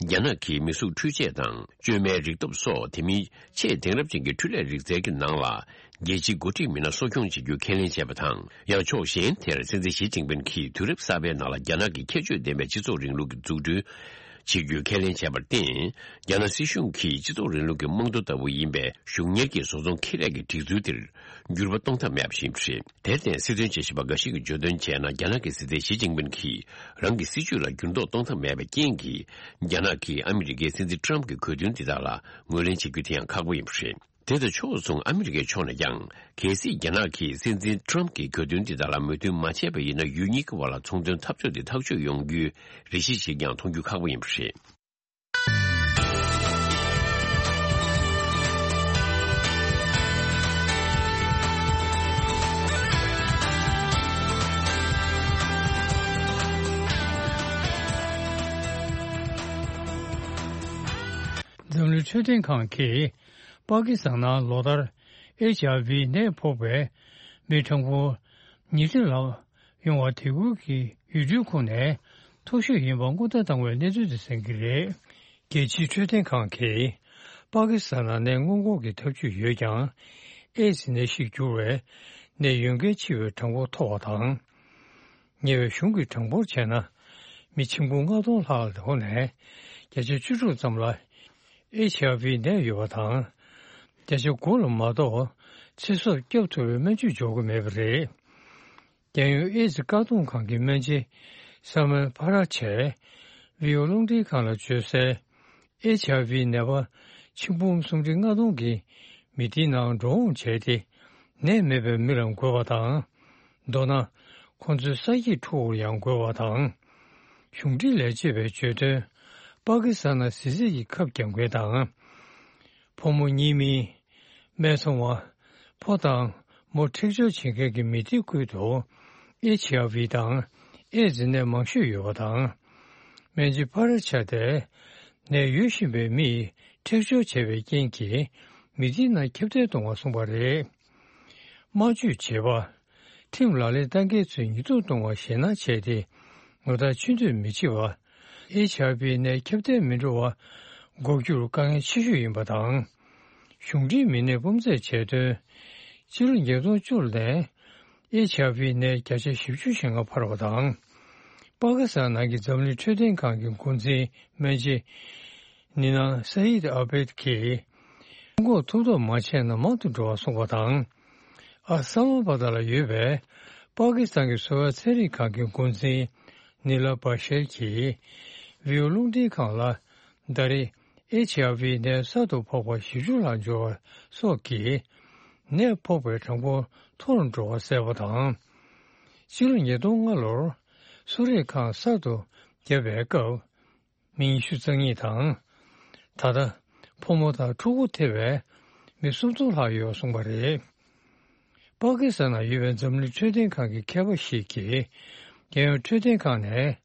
རྒྱ་ནག་གིས་མི་གཟུགས་འཕྲུལ་ཆས་དང་བཅོས་མའི་རིག་སྟོབས་སོགས། དེ་མིན་ཆེས་དེང་རབས་ཅན་གྱི་འཕྲུལ་ལས་རིག་རྩལ་གྱི་ནང་ལ། རྒྱལ་སྤྱིའི་འགོ་ཁྲིད་མི་སྣ་གསོ་སྐྱོང་བྱེད་རྒྱུ་ཁས་ལེན་བྱས་པ་དང་། ཡང་ཕྱོགས་གཞན་དེར། སྲིད་འཛིན་ཞི་ཅིན་ཕིན་གྱིས་དུས་རབས་གསར་པའི་ནང་ལ་རྒྱ་ནག་གི་ཁྱད་ཆོས་ལྡན་པའི་སྤྱི་ཚོགས་རིང་ལུགས་ཀྱི་འཛུགས་སྐྲུན་བྱེད་རྒྱུའི་ཁས་ལེན་བྱས་པར་བརྟེན། རྒྱ་ནག་སྲིད་གཞུང་གིས་སྤྱི་ཚོགས་རིང་ལུགས་ཀྱི་རྨང་རྡོ་ལྟ་བུ་ཡིན་པའི་གཞུང་གཉེར་གྱི་བཟོ་ཚོང་ཁེ་ལས་ཀྱི་སྒྲིག་འཛུགས་དེར་འགྱུར་བ་གཏོང་ཐབས་མེད་པ་ཞིག་ཡིན་པ་རེད། དེར་བརྟེན། སྲིད་དོན་དཔྱད་ཞིབ་པ་འགའ་ཞིག་གིས་བརྗོད་དོན་བྱས་ན། རྒྱ་ནག་གི་སྲིད་འཛིན་ཞི་ཅིན་ཕིན་གྱིས་རང་གི་སྲིད་ཇུས་ལ་འགྱུར་ལྡོག་གཏོང་ཐབས་མེད་པའི་རྐྱེན་གྱིས། རྒྱ་ནག་གིས་ཨ་མི་རི་ཀའི་སྲིད་འཛིན་ཊརམ་ཕི་གྱི་གོ་དོན་འདི་དག་ལ་ངོས་ལེན་བྱེད་རྒྱུ་དེ་ཡང་ཁག་པོ་ཡིན་པ་རེད། དེ་དང་ཕྱོགས་མཚུངས། ཨ་མི་རི་ཀའི་ཕྱོགས་ནས་ཀྱང་། གལ་སྲིད་རྒྱ་ནག་གིས་སྲིད་འཛིན་ཊརམ་ཕི་གྱི་གོ་དོན་འདི་དག་ལ་མོས་མཐུན་མ་བྱས་པ་ཡིན་ན། ཡུལ་གཉིས་ཀྱི་དབར་ལ་ཚོང་དོན་འཐབ་རྩོད་དེ་ཐག་གཅོད་ཡོང་རྒྱུའི་རེ་ཞིག་ཅིག་ཀྱང་མཐོང་རྒྱུ་ཁག་པོ་ཡིན་པ་རེད། འཛམ་གླིང་འཕྲོད་བསྟེན་ཁང་གིས། པ་ཀི་སི་ཐན་ནང་ལོ་ལྟར་ཨེཆ་ཨའི་ཝི་ནད་ཕོག་པའི་མི་གྲངས་འབོར་ཉིས་ཁྲི་ལྷག་ཡོང་བ་དེ་ཁུལ་གྱི་ཡུལ་གྲུའི་ཁོངས་ནས་མཐོ་ཤོས་ཡིན་པ་སྔོན་བརྡ་བཏང་བའི་གནས་ཚུལ་དེ་གསན་གྱི་རེད། རྒྱལ་སྤྱིའི་འཕྲོད་བསྟེན་ཁང་གིས་པ་ཀི་སི་ཐན་ནང་ནད་སྔོན་འགོག་གི་ཐབས་ཇུས་ཡོད་ཀྱང་། ཨེ་ཛི་ནད་གཞིར་གྱུར་བའི་ནད་ཡོང་གལ་ཆེ་བའི་གྲངས་འབོར་མཐོ་བ་དང་། ཉེ་བའི་གཞུང་གི་གྲངས་འབོར་བྱས་ན། མི་ཆིག་འབུམ་ལྔ་སྟོང་ལྷག་ལ་ལོ་ནས་བརྒྱ་ཆ་བཅུ་དྲུག་ཙམ་ལ་ཨེཆ་ཨའི་ཝི་ནད་ཡོད་པ་དང་། བརྒྱ་ཆ་དགུ་ལ་མ་གཏོགས་ཚེ་སྲོག་སྐྱོབ་ཐུབ་པའི་སྨན་བཅོས་འཇོག་གི་མེད་པ་རེད། རྒྱལ་ཡོངས་ཨེ་ཛི་བཀག་སྡོམ་ཁང་གི་སྨན་སྦྱིན་ས་མན་ཕ་ར་ཆས་བྷི་ཨོ་རླུང་འཕྲིན་ཁང་ལ་བརྗོད་གསལ། ཨེཆ་ཨའི་ཝི་ནད་པ་ཆིག་འབུམ་སུམ་ཁྲི་ལྔ་སྟོང་གིས་མི་སྡེའི་ནང་འགྲོ་འོང་བྱས་ཏེ། ནད་མེད་པའི་མི་ལ་འགོས་པ་དང་། མདོར་ན། ཁོང་ཚོའི་ས་ཡིག་འཁྲུག་པར་ཡང་འགོས་པ་དང་། གཞུང་འབྲེལ་ལས་བྱེད་པས་བརྗོད་དོན། པ་ཀི་སི་ཐན་ནང་གཟི་རྩད་ཀྱི་ཁབ་རྒྱག་མཁན་དང་། ཕོ་མོ་གཉིས་མིན། སྨད་འཚོང་བ། ཕོ་དང་མོ་འཁྲིག་སྦྱོར་བྱེད་མཁན་གྱི་མི་སྡེ་ཁུལ་དུ་ཨེཆ་ཨའི་ཝི་དང་ཨེ་ཛི་ནད་མང་ཤོས་ཡོད་པ་དང་། སྨན་སྦྱིན་ཕ་ར་ཆ་དེས་ནད་ཡོད་བཞིན་པའི་མིས་འཁྲིག་སྦྱོར་བྱས་པའི་རྐྱེན་གྱིས་མི་སྡེའི་ནང་ཁྱབ་གདལ་གཏོང་བར་གསུངས་པ་རེད། སྨྲ་བརྗོད་བྱེད་པ། ཁྲིམས་ལག་ལེན་བསྟར་མཁན་ཚོས་ཉེས་རྡུང་གཏོང་བར་ཞེད་སྣང་བྱས་ཏེ། ངོ་རྟགས་ཆུ་ཚོད་མི་བྱེད་པ། ཨེཆ་ཨའི་ཝི་ནད་ཁྱབ་གདལ་མི་འགྲོ་བ་འགོག་རྒྱུར་དཀའ་ངལ་ཆེ་ཤོས་ཡིན་པ་དང་། གཞུང་འབྲེལ་མི་སྣས་སྤོམ་རྩེད་བྱས་དོན། ཕྱི་ལོ་ཉིས་སྟོང་བཅུ་ནས་ཨེཆ་ཨའི་ཝི་ནད་བརྒྱ་ཆ་བཞི་བཅུ་ཞེ་ལྔ་འཕར་བ་དང་། པ་ཀི་སི་ཐན་ནང་གི་འཛམ་གླིང་འཕྲོད་བསྟེན་ཁང་གི་འགོ་འཛིན་སྨན་སྦྱིན་ནི་ན་སཱ་ཡིད་ཨ་བེད་ཀྱིས། སྔོན་འགོག་ཐུབ་ཐབས་མ་བྱས་ན་མང་དུ་འགྲོ་བར་སོང་བ་དང་། ཨ་སཱ་ལམ་བྷ་དྷ་ལ་ཡོད་པའི་པ་ཀི་སི་ཐན་གྱི་གསོ་བའི་ཚན་རིག་ཁང་གི་འགོ་འཛིན་ནི་ལ་བྷ་ཤེར་གྱིས་བྷི་ཡོ་རླུང་འཕྲིན་ཁང་ལ། ཟླ་རེར་ཨེཆ་ཨའི་ཝི་ནད་གསར་དུ་ཕོག་པ་བཞི་བཅུ་ལྷག་འབྱོར་བ་སོགས་ཀྱིས་ནད་ཕོག་པའི་གྲངས་འབོར་མཐོ་རུ་འགྲོ་བ་གསལ་པོ་དང་། ཕྱི་ལོ་ཉིས་སྟོང་ལྔ་ལོར་གསོ་རིག་ཁང་གསར་དུ་བརྒྱབ་པའི་སྐབས། མི་ཉི་ཤུ་རྩ་གཉིས་དང་། ད་ལྟ་ཕོ་མོ་དང་ཕྲུ་གུ་ཐེ་བའི་མི་སུམ་སྟོང་ལྷག་ཡོད་གསུངས་པ་རེད། པ་ཀི་སི་ཐན་ནང་ཡོད་པའི་འཛམ་གླིང་འཕྲོད་བསྟེན་ཁང་གི་མཁས་པ་ཞིག་གིས། རྒྱལ་ཡོངས་འཕྲོད་བསྟེན་ཁང་ནས་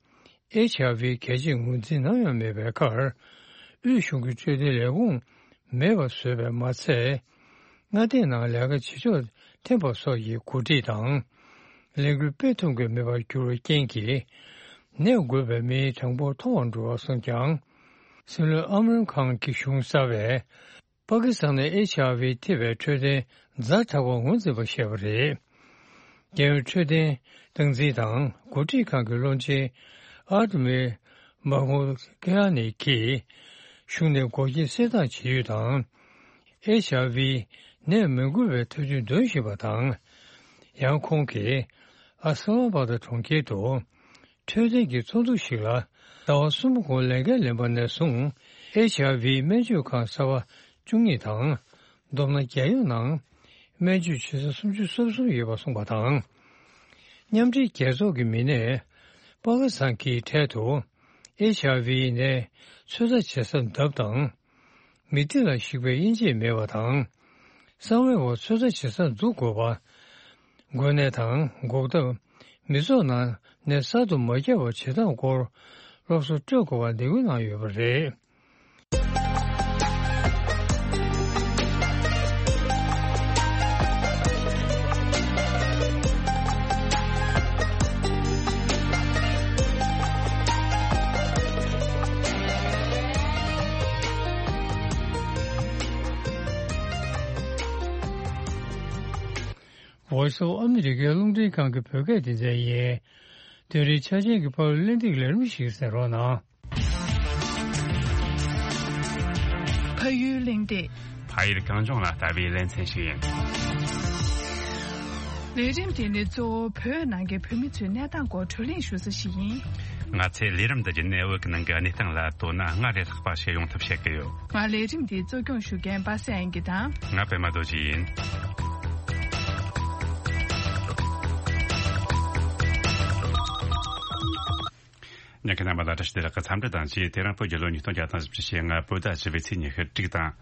ཨེཆ་ཨའི་ཝི་གལ་ཆེའི་ངོས་འཛིན་ནམ་ཡང་མེད་པའི་ཁར། དབུས་གཞུང་གི་འཕྲོད་བསྟེན་ལས་ཁུངས་མེད་པ་བཟོས་པས་མ་ཚད། མངའ་སྡེའི་ནང་ལས་ཀ་བྱེད་ཕྱོགས་འཐེན་པ་སོགས་ཀྱི་འགོ་ཁྲིད་དང་། ལས་འགུལ་སྤེལ་ཐུབ་མཁན་མེད་པར་གྱུར་བའི་རྐྱེན་གྱིས། ནད་འགོས་པའི་མིའི་གྲངས་འབོར་མཐོ་བར་འགྲོ་བར་སོང་ཀྱང་། སྲིད་བློན་ཨམ་རན་ཁཱན་གྱི་གཞུང་གསར་པས། པ་ཀི་སི་ཐན་ནས་ཨེཆ་ཨའི་ཝི་ཐེ་བའི་འཕྲོད་བསྟེན་ཛ་དྲག་པར་ངོས་འཛིན་པ་བཤད་པ་རེད། རྒྱལ་ཡོངས་འཕྲོད་བསྟེན་སྟངས་འཛིན་དང་འགོ་ཁྲིད་ཁང་གི་བློན་ཆེན་ཨར་མི་མཱ་མུ་ཀེ་ཨ་ནི་གིས། གཞུང་ནས་འགོག་རྐྱེན་སེལ་ཐབས་བྱེད་ཡུལ་དང་། ཨེཆ་ཨའི་ཝི་ནད་མི་འགོས་པའི་ཐབས་ཇུས་འདོན་བཞིན་པ་དང་། ཡང་ཁོང་གིས་ཨ་སཱ་ལམ་བྷ་དྷ་གྲོང་ཁྱེར་དུ། འཕྲོད་བསྟེན་གྱི་ཚོགས་འདུ་ཞིག་ལ་ཟླ་བ་གསུམ་གོང་ལས་འགན་ལེན་པ་ནས་བཟུང་ཨེཆ་ཨའི་ཝི་སྨན་བཅོས་ཁང་གསར་པ་བཅུ་གཉིས་དང་། བསྡོམས་ན་རྒྱལ་ཡོངས་ནང་སྨན་བཅོས་བྱེད་ས་སུམ་ཅུ་སོ་གསུམ་ཡོད་པ་གསུངས་པ་དང་། མཉམ་འབྲེལ་རྒྱལ་ཚོགས་ཀྱི་མི་སྣས་པ་ཀི་སི་ཐན་གྱི་འཕྲལ་དུ་ཨེཆ་ཨའི་ཝི་ནས་ཚོད་ལྟ་བྱེད་ས་འདབས་དང་། མི་ཐི་ལ་གཞིགས་པའི་དབྱེ་འབྱེད་མེད་པ་དང་། གསང་བའི་འོག་ཚོད་ལྟ་བྱེད་ས་འཛུགས་དགོས་པ། འགོས་ནད་དང་འགོག་ཐབས། མི་ཚོགས་ནང་ནད་གསར་དུ་མ་ཁྱབ་པ་བྱེད་སྟངས་སྐོར་སློབ་གསོ་སྤྲོད་དགོས་པ་འདེད་སྐུལ་གནང་ཡོད་པ་རེད། Voice of America རླུང་འཕྲིན་ཁང་གི་བོད་སྐད་སྡེ་ཚན་ཡིན། དེ་རིང་ཆ་ཅན་གྱི་ཕ་ཡུལ་གླེང་སྟེགས་ལས་རིམ་ཞིག་གསན་རོགས་གནང་། ཕ་ཡུལ་གླེང་སྟེགས། ཕ་ཡུལ་གངས་ལྗོངས་ལ་ལྟ་བའི་ལེ་ཚན་ཞིག་ཡིན། ལས་རིམ་དེ་ནི་གཙོ་བོ་བོད་ནང་གི་བོད་མི་ཚོའི་གནས་སྟངས་སྐོར་བགྲོ་གླེང་ཞུ་ས་ཞིག་ཡིན། ང་ཚོས་ལས་རིམ་འདི་བརྒྱུད་ནས་བོད་ཀྱི་ནང་གི་གནས་སྟངས་ལ་དོ་སྣང་སྔར་ལས་ལྷག་པ་བྱེད་ཡོང་ཐབས་བྱེད་ཀྱི་ཡོད། ང་ལས་རིམ་འདི་གཙོ་སྐྱོང་ཞུ་མཁན་པ་སངས་དབྱངས་སྐྱིད་དང་། ང་པད་མ་རྡོ་རྗེ་ཡིན། ཉན་མཁན་རྣམ་པ་ལ་བཀྲ་ཤིས་བདེ་ལེགས་ཀྱི་འཚམས་འདྲི་དང་བཅས། དེ་རིང་བོད་རྒྱལ་ལོ་ཉིས་སྟོང་བརྒྱ་དང་བཞི་བཅུ་ཞེ་ལྔ་བོད་ཟླ་བཞི་པའི་ཚེས་ཉི་ཤུ་དྲུག་དང་།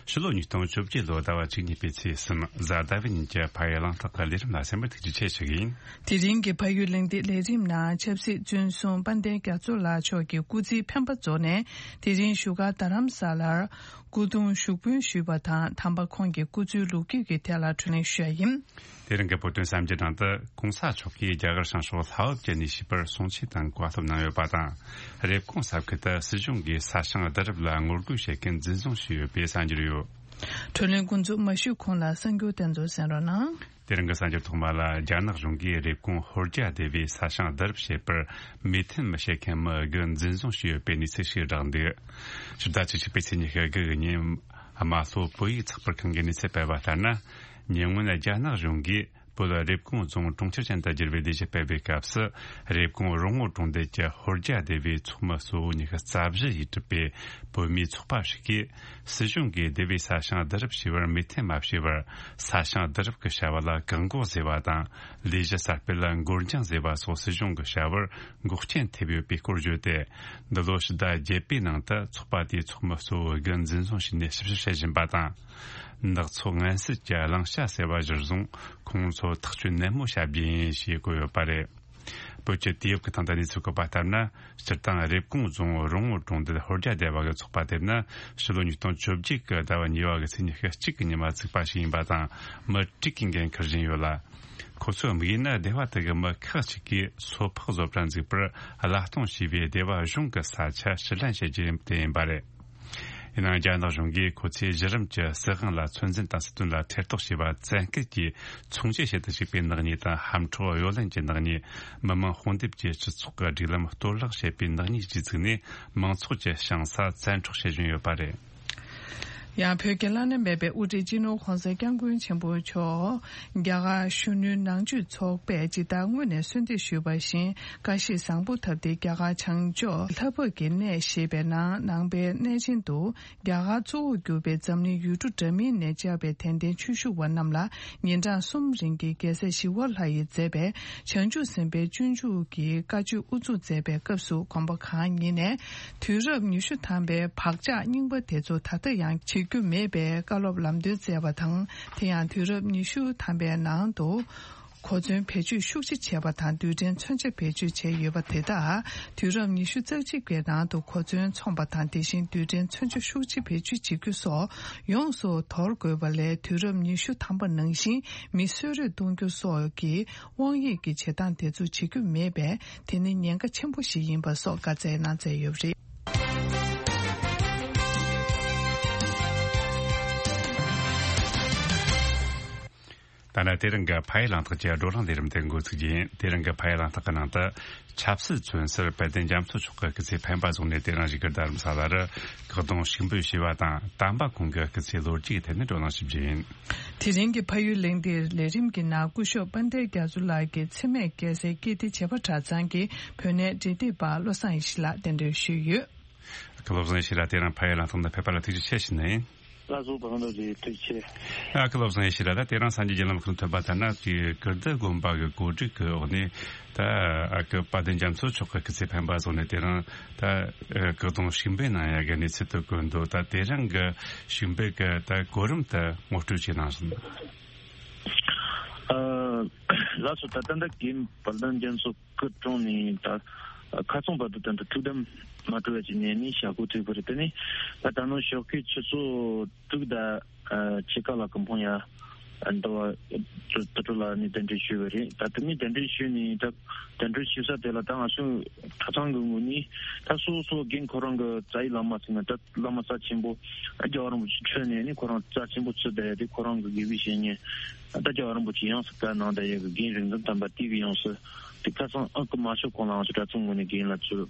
ཕྱི་ལོ་ཉིས་སྟོང་བཅོ་བརྒྱད་ལོ་ཟླ་བ་བཅུ་གཉིས་པའི་ཚེས་གསུམ་གཟའ་ཟླ་བའི་ཉིན་གྱི་ཕ་ཡུལ་གླེང་སྟེགས་ཀྱི་ལས་རིམ་ལ་གསན་པར་ཐུགས་རྗེ་ཆེ་ཞུ་གི་ཡིན། དེ་རིང་གི་ཕ་ཡུལ་གླེང་སྟེགས་ལས་རིམ་ནང་ཆབ་སྲིད་བཙོན་སྲུང་དཔལ་ལྡན་རྒྱ་མཚོ་ལགས་མཆོག་གི་སྐུ་ཚེའི་འཕེན་པ་རྫོགས་ནས་དེ་རིང་བཞུགས་སྒར་རྡ་རམ་ས་ལར་སྐུ་གདུང་ཞུགས་འབུལ་ཞུས་པ་དང་། དམ་པ་ཁོང་གི་སྐུ་ཚེའི་ལོ་རྒྱུས་ཀྱི་ཐད་ལ་བགྲོ་གླེང་ཞུ་ཡ་ཡིན། དེ་རིང་གི་བོད་དོན་གསར་འགྱུར་ནང་དུ་གོང་ས་མཆོག་གིས་རྒྱ་གར་བྱང་ཕྱོགས་ལྷ་འོབ་ཀྱི་གནས་བཤིག་པར་གསུང་ཆོས་དང་བཀའ་སློབ་གནང་ཡོད་པ་དང་། རེབ་གོང་ས་ཁུལ་དུ་སྲིད་གཞུང་གིས་ས་ཞིང་བསྡུ་རུབ་ལ་ངོ་རྒོལ་བྱེད་མཁན་འཛིན་བཟུང་བྱས་ཡོད་པའི་གསར་འགྱུར་ཡོད། བགྲོ་གླེང་འགོ་འཛུགས་མ་ཞུས་གོང་ལ་གསར་འགྱུར་དེ་ཚོ་གསན་རོགས་གནང་། དེ་རིང་གི་གསར་འགྱུར་ཐོག་མ་ལ། རྒྱ་ནག་གཞུང་གིས་རེབ་གོང་ཧོར་རྒྱ་སྡེ་བའི་ས་ཞིང་བསྡུ་རུབ་བྱེད་པར་མོས་མཐུན་མི་བྱེད་མཁན་མི་དགུ་འཛིན་བཟུང་བྱས་ཡོད་པའི་གནས་ཚུལ་ཞིག་བསྒྲགས་འདུག་ཕྱི་ཟླ་བཅུ་གཅིག་པའི་ཚེས་ཉི་ཤུ་དགུ་གི་ཉིན། རྨ་ལྷོ་བོད་ཡིག་ཚགས་པར་ཁང་གི་གནས་ཚུལ་སྤེལ་བ་ལྟར་ན། ཉེ་སྔོན་རྒྱ་ནག་གཞུང་གིས་བོད་རེབ་གོང་རྫོང་གྲོང་ཁྱེར་ཅན་དུ་བསྒྱུར་བའི་ལས་གཞི་སྤེལ་བའི་སྐབས་སུ། རེབ་གོང་རོང་བོ་གྲོང་རྡལ་གྱི་ཧོར་རྒྱ་སྡེ་བའི་ཚོགས་མི་གཙོ་བོ་ཉི་ཤུ་རྩ་བཞི་ཡིས་གྲུབ་པའི་བོད་མིའི་ཚོགས་པ་ཞིག་གིས། སྲིད་གཞུང་གིས་སྡེ་བའི་ས་ཞིང་བསྡུ་རུབ་བྱས་པར་མོས་མཐུན་མ་བྱས་པར། ས་ཞིང་བསྡུ་རུབ་ཀྱི་བྱ་བ་ལ་བཀག་འགོག་བཟོས་པ་དང་། ལས་གཞི་གསར་སྤེལ་ལ་འགོར་འགྱངས་བཟོས་པ་སོགས་སྲིད་གཞུང་གི་བྱ་བར་འགོག་རྐྱེན་ཐེབས་ཡོད་པའི་སྐོར་བརྗོད་དེ། འདི་ལོ་ཕྱི་ཟླ་བརྒྱད་པའི་ནང་དུ་ཚོགས་པ་དེའི་ཚོགས་མི་གཙོ་བོ་དགུ་འཛིན་བཟུང་བྱས་ནས་ཞིབ་བཤེར་བྱེད་བཞིན་པ་དང་། ནག་ཚོགས་ངན་སེལ་གྱི་གླེང་བྱ་ཟེར་བ་གཞིར་བཟུང་ཁོང་ཚོ་ཐག་གཅོད་ནན་མོ་བྱ་རྒྱུ་ཡིན་ཞེས་བཀོད་ཡོད་པ་རེད། བོད་ཀྱི་དུས་བབ་ཀྱི་སྟེང་དུ་གནས་ཚུལ་བཀོད་པ་ལྟར་ན། སྤྱིར་བཏང་རེབ་གོང་རྫོང་རོང་བོ་གྲོང་རྡལ་ཧོར་རྒྱ་སྡེ་བ་གི་ཚོགས་པ་དེ་ནི་ཕྱི་ལོ་ཉིས་སྟོང་བཅོ་བརྒྱད་ཀྱི་ཟླ་བ་གཉིས་པ་གི་ཚེས་ཉི་ཤུ་གཅིག་གི་ཉི་མ་བཙུགས་པ་ཞིག་ཡིན་པ་དང་། མི་དྲུག་གིས་འགན་འཁུར་བཞིན་ཡོད་ལ། ཁོ་ཚོའི་དམིགས་ཡུལ་ནི་སྡེ་བ་དེ་གི་མི་ཁག་ཅིག་གིས་སོ་ཕག་བཟོ་གྲྭ་འཛུགས་པར་གླ་གཏོང་བྱས་པའི་སྡེ་བ་གཞུང་གི་ས་ཆ་ཕྱིར་ལེན་བྱེད་རྒྱུ་དེ་ཡིན་པ་རེད། ཡིན་ནའང་རྒྱ་ནག་གཞུང་གིས་ཁོ་ཚོས་གཞི་རིམ་གྱི་སྲིད་དབང་ལ་ཚོད་འཛིན་དང་སྲིད་དོན་ལ་ཐེ་གཏོགས་བྱས་པ་བཙན་སྐུལ་གྱིས་ཚོང་བྱེད་བྱེད་དུ་བཅུག་པའི་ནག་ཉེས་དང་། ཧམ་འཕྲོག་གཡོ་ལེན་གྱི་ནག་ཉེས། མི་མང་དཔུང་སྡེབ་ཀྱིས་སྤྱི་ཚོགས་ཀྱི་སྒྲིག་ལམ་གཏོར་བརླག་བྱེད་པའི་ནག་ཉེས་བཅས་བཙུགས་ནས། མང་ཚོགས་ཀྱི་ཞིང་ས་བཙན་འཕྲོག་བྱེད་བཞིན་ཡོད་པ་རེད། ཡང་བོད་ཀྱི་བླ་ན་མེད་པའི་དབུ་ཁྲིད་སྤྱི་ནོར་༸གོང་ས་༸སྐྱབས་མགོན་ཆེན་པོ་མཆོག་རྒྱ་གར་གཞོན་ནུའི་ནང་ཆོས་ཚོགས་པས་ཇི་ལྟར་སྔོན་ནས་གསོལ་འདེབས་ཞུས་པ་བཞིན་བཀའ་བཞེས་བཟང་པོ་བཏབ་སྟེ། རྒྱ་གར་བྱང་ཕྱོགས་ལྷ་བབས་ཀྱི་གནས་ཞེས་པའི་ནང་ནང་པའི་གནས་ཆེན་དུ། རྒྱ་གར་གཙོ་བོར་གྱུར་པའི་འཛམ་གླིང་ཡུལ་གྲུ་འདྲ་མིན་ནས་བཅར་བའི་དད་ལྡན་ཆོས་ཞུ་བ་རྣམས་ལ་ཉིན་གྲངས་གསུམ་རིང་གི་རྒྱལ་སྲས་ཞི་བ་ལྷ་ཡིས་མཛད་པའི་བྱང་ཆུབ་སེམས་དཔའི་སྤྱོད་འཇུག་གི་བཀའ་ཆོས་དབུ་འཛུགས་མཛད་པའི་སྐབས་སུ། དགོན་པ་གང་ཉིད་ནས་དུས་རབས་ཉི་ཤུ་ཐམ་པའི་བག་ཆགས་རྙིང་པ་དེ་ཚོ་ད་ལྟ་ཡང་བྱེད་རྒྱུ་མེད་པའི་བཀའ་སློབ་ལམ་སྟོན་སྩལ་བ་དང་། དེ་ཡང་དུས་རབས་ཉི་ཤུ་ཐམ་པའི་ནང་དུ། གོ་མཚོན་བེད་སྤྱོད་ཤུགས་ཆེ་བྱས་པ་དང་། རྡུལ་ཕྲན་མཚོན་ཆ་བེད་སྤྱོད་བྱས་ཡོད་པ་དེ་དག་དུས་རབས་ཉི་ཤུ་རྩ་གཅིག་པའི་ནང་དུ་གོ་མཚོན་མཚོན་པ་དང་། དེ་བཞིན་རྡུལ་ཕྲན་མཚོན་ཆ་ཤུགས་ཆེ་བེད་སྤྱོད་བྱེད་རྒྱུ་སོགས་ཡོངས་སུ་དོར་དགོས་པ་ལས། དུས་རབས་ཉི་ཤུ་ཐམ་པ་ནང་བཞིན་མི་གསོད་རེས་གཏོང་རྒྱུ་སོགས་ཀྱི་དབང་ཡོད་ཀྱི་བྱེད་སྟངས་དེ་ཚོ་བྱེད་རྒྱུ་མེད་པས། དེ་ནི་ཉེན་ཁ་ཆེན་པོ་ཞིག་ཡིན་པ་སོགས་བཀའ་སྩལ་གནང་མཛད་ཡོད་པ་རེད། ད་ནི་དེ་རིང་གི་ཕ་ཡུལ་གླེང་སྟེགས་ཀྱི་བགྲོ་གླེང་ལས་རིམ་དེ་འགོ་ཚུགས་རྒྱུ་ཡིན། དེ་རིང་གི་ཕ་ཡུལ་གླེང་སྟེགས་ཀྱི་ནང་དུ། ཆབ་སྲིད་མཚོན་སར་དཔལ་ལྡན་རྒྱ་མཚོ་མཆོག་གི་སྐུ་ཚེ་འཕེན་པ་བཟུང་ནས། དེ་རིང་བཞུགས་སྒར་རྡ་རམ་ས་ལར་སྐུ་གདུང་ཕྱུག་འབུལ་ཞུས་པ་དང་། དམ་པ་ཁོང་གི་སྐུ་ཚེའི་ལོ་རྒྱུས་ཀྱི་ཐད་ནས་བགྲོ་གླེང་ཞུ་རྒྱུ་ཡིན། དེ་རིང་གི་ཕ་ཡུལ་གླེང་སྟེགས་ལས་རིམ་གྱི་ནང་སྐུ་ཞབས་དཔལ་ལྡན་རྒྱ་མཚོ་ལགས་ཀྱི་འཚེ་མེད་རྒྱལ་སྲས་ཀིརྟི་བྱེས་པ་གྲྭ་ཚང་གི་བོད་གནས་འབྲེལ་མཐུད་པ་བློ་བཟང་ཡེ་ཤེས་ལགས་གདན་འདྲེན་ཞུས་ཡོད། སྐུ་ངོ་བློ་བཟང་ཡེ་ཤེས་ལགས། དེ་རིང་ཕ་ཡུལ་གླེང་སྟེགས་ནང་ཕེབས་པ་ལ་ཐུགས་རྗེ་ཆེ་ཞུ་ནི་ཡིན། ལགས་སོ། བ་ལང་རྡོ་རྗེ། ཐུགས་རྗེ་ཆེ། ཨ། སྐུ་ངོ་བློ་བཟང་ཡེ་ཤེས་ལགས། ད་དེ་རིང་སངས་རྒྱས་བརྒྱུད་ལམ་ཁུལ་ཐོན་པ་ལྟར་ན། དེ་ཀིརྟི་དགོན་པ་གི་གོ་སྒྲིག་གི་འོག་ནས། ད་ཨ་ཀི་དཔལ་ལྡན་རྒྱ་མཚོ་མཆོག་གི་སྐུ་ཚེ་འཕེན་པ་བཟུང་ནས། དེ་རིང་ད་ཨ་སྐུ་གདུང་ཕྱུག་འབུལ་གནང་ཡག་གི་གནས་ཚུལ་དེ་བཀོད་འདུག། ད་དེ་རིང་གི་ཕྱུག་འབུལ་གི་ད་གོ་རིམ་དེ་ངོ་སྤྲོད་ཅིག་གནང་སོང་། ཨ། ལགས་སོ། ད་ད་ལྟ་རྒན་དཔལ་ལྡན་རྒྱ་མཚོ་སྐུ་གྲོངས་ནས་ད་ཁ་སང་བར་དུ་ད་ལྟ་ཐུགས་དམ་མ་གྲོལ་བ་ཅིག་ནས་ནི་ཞག་པོ་ཐུག་པ་རེད། དེ་ནི་ད་ད་ནང་ཞོགས་ཀའི་ཆུ་ཚོད་དྲུག་དང་ཕྱེད་ཀ་ལ་ཀུན་སྤངས་ཡར་འདུལ་བ་དུར་ཁྲོད་ལ་ནི་གདན་འདྲེན་ཞུས་པ་རེད། ད་དེ་ནི་གདན་འདྲེན་ཞུས་ནས། ད་གདན་འདྲེན་ཞུ་ས་དེ་ལ་ད་ང་ཚོ་གྲྭ་ཚང་གི་ངོས་ནས་ད་སོ་སོ་རྒན་ཁོ་རང་གི་རྩ་བའི་བླ་མ་ཟེར་ན། ད་བླ་མ་རྩ་ཆེན་པོ་རྒྱལ་བ་རིན་པོ་ཆེ་འཕྲོས་ནས་ནི་ཁོ་རང་རྩ་ཆེན་པོ་བརྩི་བསྡད་ཡ་དེ། ཁོ་རང་གི་དགེ་བའི་བཤེས་གཉེན་ད་རྒྱལ་བ་རིན་པོ་ཆེ་ཡོངས་སུ་བཀའ་གནང་བསྡད་ཡ་གི་རྒན་རིག་འཛིན་དམ་པ་དེ་གི་ཡོངས་སུ་དེ་ཁ་སང་ཨ་ཀི་མ་ཤོག་གོང་ལའང་ཚོ་གྲྭ་ཚང་ངོས་ནས་རྒན་ལགས་ཚོས་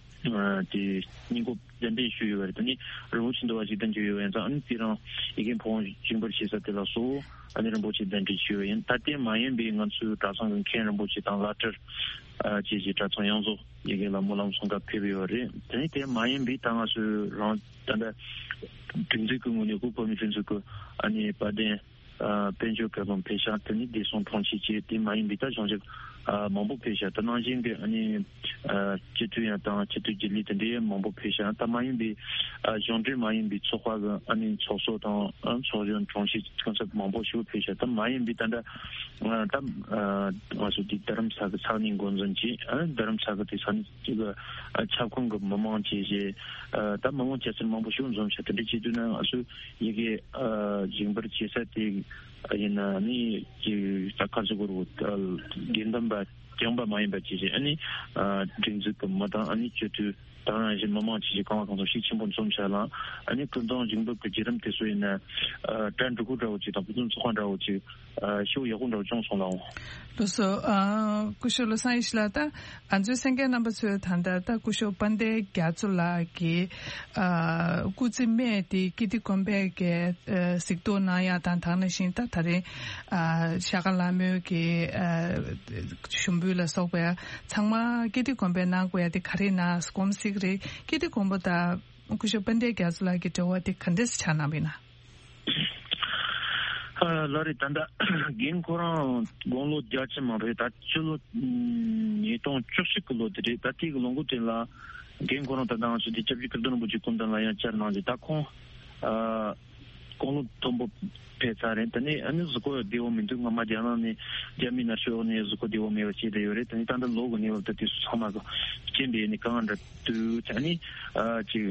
དེ་སྙིང་གོ་གདན་འདྲེན་ཞུས་ཡོད་པ་རེད། དེ་ནི་རིན་པོ་ཆེ་འདུལ་བ་ཞིག་གདན་འཇོག་ཡོད་པ་ཡིན་ཙང་། ཨ་ནི་དེ་རིང་ཡི་གེ་ཕོ་བོང་བྱིན་པར་བྱེད་ས་དེ་ལ་སོགས། ཨ་ནི་རིན་པོ་ཆེ་གདན་འདྲེན་ཞུས་པ་ཡིན། ད་དེ་མ་ཡིན་པའི་ང་ཚོའི་གྲྭ་ཚང་གི་མཁན་རིན་པོ་ཆེ་དང་བླ་སྤྲུལ་ཨ་བཅས་ཀྱི་གྲྭ་ཚང་ཡོངས་རྫོགས་ཡི་གེ་ལ་སྨོན་ལམ་གསུང་སྐབས་ཕེབས་ཡོད་རེད། དེ་ནི་དེ་མ་ཡིན་པའི་ད་ང་ཚོའི་རང་ད་ལྟ་སྒྲིག་འཛུགས་ཀྱི་ངོས་ནས་དབུས་བོད་མིའི་སྒྲིག་འཛུགས་ཀྱི་ཨ་ནི་དཔལ་ལྡན་ཨ་དཔལ་འབྱོར་བཀའ་བློན་ཕེབས་ཤག། དེ་ནི་བདེ་སྲུང་དྲུང་ཆེ་བཅས། དེ་མ་ཡིན་པའི་ད་གཞུང་ཞབས་ཨ་མང་པོ་ཕེབས་ཤག། ད་ནང་བཞིན་གྱི་ཨ་ནི་ཨ་སྤྱི་འཐུས་ཡང་དང་སྤྱི་འཐུས་རྒྱུན་ལས་དེ་འདྲའི་མང་པོ་ཕེབས་ཤག། ད་མ་ཡིན་པའི་ཨ་གཞུང་འབྲེལ་མ་ཡིན་པའི་ཚོགས་པ་གི་ཨ་ནི་ཚོགས་གཙོ་དང་ཨ་ཚོགས་གཞོན་དྲུང་ཆེ་གང་ཟག་མང་པོ་ཞིག་ཕེབས་ཤག། ད་མ་ཡིན་པའི་ད་ལྟ་ཨ་ད་ཨ་ང་ཚོ་འདི་རྡ་རམ་ས་གི་ས་གནས་འགོ་འཛིན་གྱིས། ཨ་རྡ་རམ་ས་གི་དེ་ས་གནས་གཅིག་གི་ཨ་ཁྱབ་ཁོངས་ཀྱི་མི་མང་བཅས་བྱས། ཨ་ད་མི་མང་སྐྱ་སེར་མང་པོ་ཞིག་འཛོམས་ཤག། དེ་འདྲ་བྱེད་དུས་ན་ང་ཚོས་ཡི་གེ་ཨ་བྱིན་པར་བྱེད་ས་དེ་ཡིན་ན་ནི་ཅིག་ད་ག་ཚོད་དགོས་རེད། དགེ་འདུན་པ་རྐྱང་པ་མ་ཡིན་པ་བཅས་བྱས། ཨ་ནི་ཨ་སྒྲིག་འཛུགས་ཀྱི་མི་དང་། ཨ་ནི་སྤྱི་འཐུས་དང་། ཡང་ཞིག་མི་མང་བཅས་བྱས་གང་ལ་གང་འཚམ་ཤུགས་ཆེན་པོ་འཛོམས་ཤག་ལ། ཨ་ནི་སྐུ་གདུང་བྱིན་འབུལ་གྱི་བརྒྱུད་རིམ་དེ་ཚོ་ཡིན་ན་ཨ་གྲ་འགྲིག་པོ་འདྲ་བོ་ཅིག་དང་། ཕུན་སུམ་ཚོགས་པ་འདྲ་བོ་ཅིག་ཨ་ཤུགས་ཡག་པོ་འདྲ་བོ་བྱུང་སོང་ལགས། ལགས་སོ། ཨ་སྐུ་ཞབས་བློ་བཟང་ཡེ་ཤེས་ལགས། ད་ང་ཚོའི་གསན་མཁན་རྣམ་པ་ཚོས་ད་ལྟ་ད་སྐུ་ཞབས་དཔལ་ལྡན་རྒྱ་མཚོ་ལགས་ཀྱི་ཨ་སྐུ་ཚེ་སྨད་དེ་ཀིརྟི་དགོན་པས་ཀྱི་ཨ་གཟིགས་རྟོག་གནང་ཡག་དང་། དེ་ནང་བཞིན་ད་ད་རེས་ཨ་ཤར་ཀ་ལྷ་མོའི་གི་ཨ་ཞུགས་འབུལ་ལ་སོགས་པ་ཚང་མ་ཀིརྟི་དགོན་པས་གནང་དགོས་ཡག་དེ་ག་རེ་ཡིན་ན་དགོངས་སྲིད་ཀྱི་རེད། ཀིརྟི་དགོན་པ་དང་སྐུ་ཞབས་དཔལ་ལྡན་རྒྱ་མཚོ་ལགས་ཀྱི་འབྲེལ་བ་དེ་ག་འདྲས་སེ་ཆགས་གནང་བ་ཡིན་ན། ཨ་ལགས་རེད། ད་ལྟ་རྒན་ཁོ་རང་དགུང་ལོ་བརྒྱད་ཅུ་མ་རེད། ད་སྤྱི་ལོ་ཉིས་སྟོང་བཅུ་གཅིག་གི་ལོ་དེ་རེད། ད་དེ་གི་ལོ་འགོ་དེ་ལ་རྒན་ཁོ་རང་ད་ལྟ་ང་ཚོ་དེ་སྐྱབས་རྗེ་ཀིརྟི་རིན་པོ་ཆེའི་སྐུ་མདུན་ལ་ཡང་བཅར་གནང་རྗེས། ད་ཁོང་ཨ་དགུང་ལོ་མཐོན་པོ་ཕེབས་ཚར་རེད། དེ་ནས་ཨ་ནི་གཟུགས་པོ་བདེ་བོ་མི་འདུག། སྔ་མ་རྒྱ་ནག་ནས་རྒྱ་མིའི་མནར་གཅོད་འོག་ནས་གཟུགས་པོ་བདེ་བོ་མེད་པ་བྱས་བསྡད་ཡོད་རེད། དེ་ནས་ད་ལྟ་ལོ་གི་གནས་བབ་ད་དེ་ཚོ་ཚང་མ་གི་རྐྱེན་པས་ནི་དཀའ་ངལ་འདྲ་འདུག། ཨ་ནི་ཨ་ཅིག་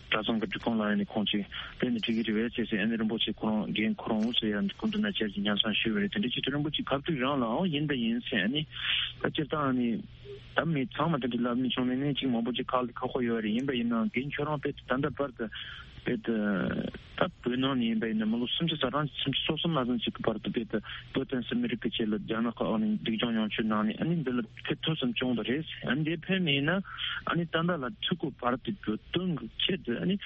གྲྭ་ཚང་གི་སྒྲིག་ཁོངས་ལ་ཡང་ནི་ཁོང་ཅིག་དེ་ནི་འགྲིག་གི་རེད་པས་ཟེར་ཟེར། ཨ་ནི་རིན་པོ་ཆེ་ཁོ་རང་རྒན་ཁོ་རང་འོ་ཟེར་ཡང་སྐུ་མདུན་ན་བཅར་གྱི་ཉན་བསམ་ཞུས་པ་རེད། དེ་འདྲ་བྱེད་དུས་རིན་པོ་ཆེ་གབ་ཚིག་རང་ལའང་ཡིན་ད་ཡིན་ཟེར། ཨ་ནི་ད་སྤྱིར་བཏང་ཨ་ནི་ད་མི་ཚང་མ་དེ་འདྲ་ལབ་ནི་བྱུང་ནས་ནི་ཅིག་མང་པོ་ཅིག་ཁག་ཁག་པོ་ཡོད་རེད། ཡིན་པ་ཡིན་ནའང་རྒན་ཁྱོད་རང་དཔེ་ད་ལྟ་བར་དུ་ དཔེ་དེ་ད་བོད་ནང་ནས་ཡིན་པ་ཡིན་ན་མི་ལོ་སུམ་ཅུ་རྩ་གྲངས་སུམ་ཅུ་སོ་གསུམ་ནང་ཙམ་ཅིག་གི་བར་དུ་དཔེ་དེ་བོད་དང་སི་མི་རིགས་ཀྱི་ཆེད་ལ་རྒྱ་ནག་གི་འོག་ནས་སྡུག་སྦྱོང་མྱོང་ཆོས་ནང་ནས་ཨ་ནི་འདི་ལ་ཐེ་ཐོབ་ཙམ་བྱུང་བ་རེད། ཨ་ནི་འདི་ཕན་མེད་ན་ཨ་ནི་ད་ལྟ་ལ་ཚུད་སྐོར་བར་དུ་བོད་དོན་གྱི་ཆེད་དུ་ཨ་ནི་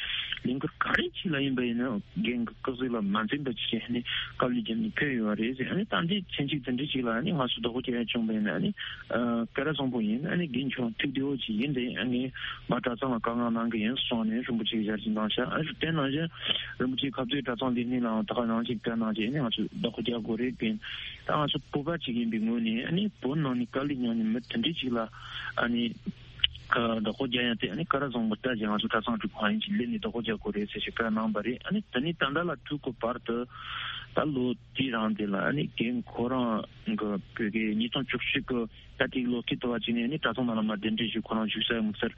ལས་འགུལ་ག་རེ་ཅིག་ལ་ཡིན་པ་ཡིན་ན་རྒན་གྱི་སྐུ་གཟུགས་ལ་མ་འཛེམ་པ་ཅིག་བྱས་ནས་དཀའ་ལས་བརྒྱབ་ནས་ཕེབས་ཡོད་པ་རེད། ཨ་ནི་ད་འདི་ཚན་གཅིག་དེ་འདྲ་ཅིག་ལ་ཨ་ནི་ང་ཚོ་བདག་པོ་རྒྱག་ཡ་བྱུང་བ་ཡིན་ན་ཨ་ནི་ཨ་སྐལ་བཟང་པོ་ཡིན། ཨ་ནི་རྒན་ཁྱོད་ཐུགས་བདེ་བོ་ཅིག་ཡིན། དེ་ཨ་ནི་ང་གྲྭ་ཚང་ལ་བཀའ་མངགས་གནང་གི་ཡིན་གསུངས་ནས་རིན་པོ་ཆེ་གིས་ཞལ་གྱིས་འདང་ཤག་ཨ་ནི་དེ་ནང་བཞིན་རིན་པོ་ཆེ་ཁ་ཚོའི་གྲྭ་ཚང་ལས་སྣེ་ལའང་ད་ག་ནང་བཞིན་བཀའ་གནང་བྱས་ཨ་ནི་ང་ཚོ་བདག་པོ་རྒྱག་དགོས་རེད་པས། ད་ང་ཚོ་བོད་པ་ཅིག་ཡིན་པའི་ངོས་ནས་ཨ་ནི་བོད་ནང་ནས་དཀའ་ལས་མྱངས་ནས་མི་དེ་འདྲ་ཅིག་ལ་ཨ་ནི། བདག་པོ་རྒྱག་ཡ་དེ་ཨ་ནི་སྐལ་བཟང་པོ་ལྟ་ཅི་ང་ཚོ་གྲྭ་ཚང་འགྲིག་གང་ཡིན་གྱི་ལས་ནས་བདག་པོ་རྒྱག་དགོས་རེད་ཟེར་ཞིག་བཀའ་གནང་བ་རེད། ཨ་ནི་དེ་ནས་ད་ལྟ་ལ་ཐུག་གོ་བར་དུ་ད་ལོ་དེའི་རིང་དེ་ལ་ཨ་ནི་རྒན་ཁོ་རང་གི་བོད་སྐད་ཉིས་སྟོང་བཅུ་གཅིག་གི་ད་ཐིག་ལོ་སྐྱིད་དུ་བ་ཅིག་ནས་ཨ་ནི་གྲྭ་ཚང་ནང་ལ་མ་གདན་འདྲེན་ཞུས། ཁོ་རང་བཞུགས་ས་ཡོང་སར་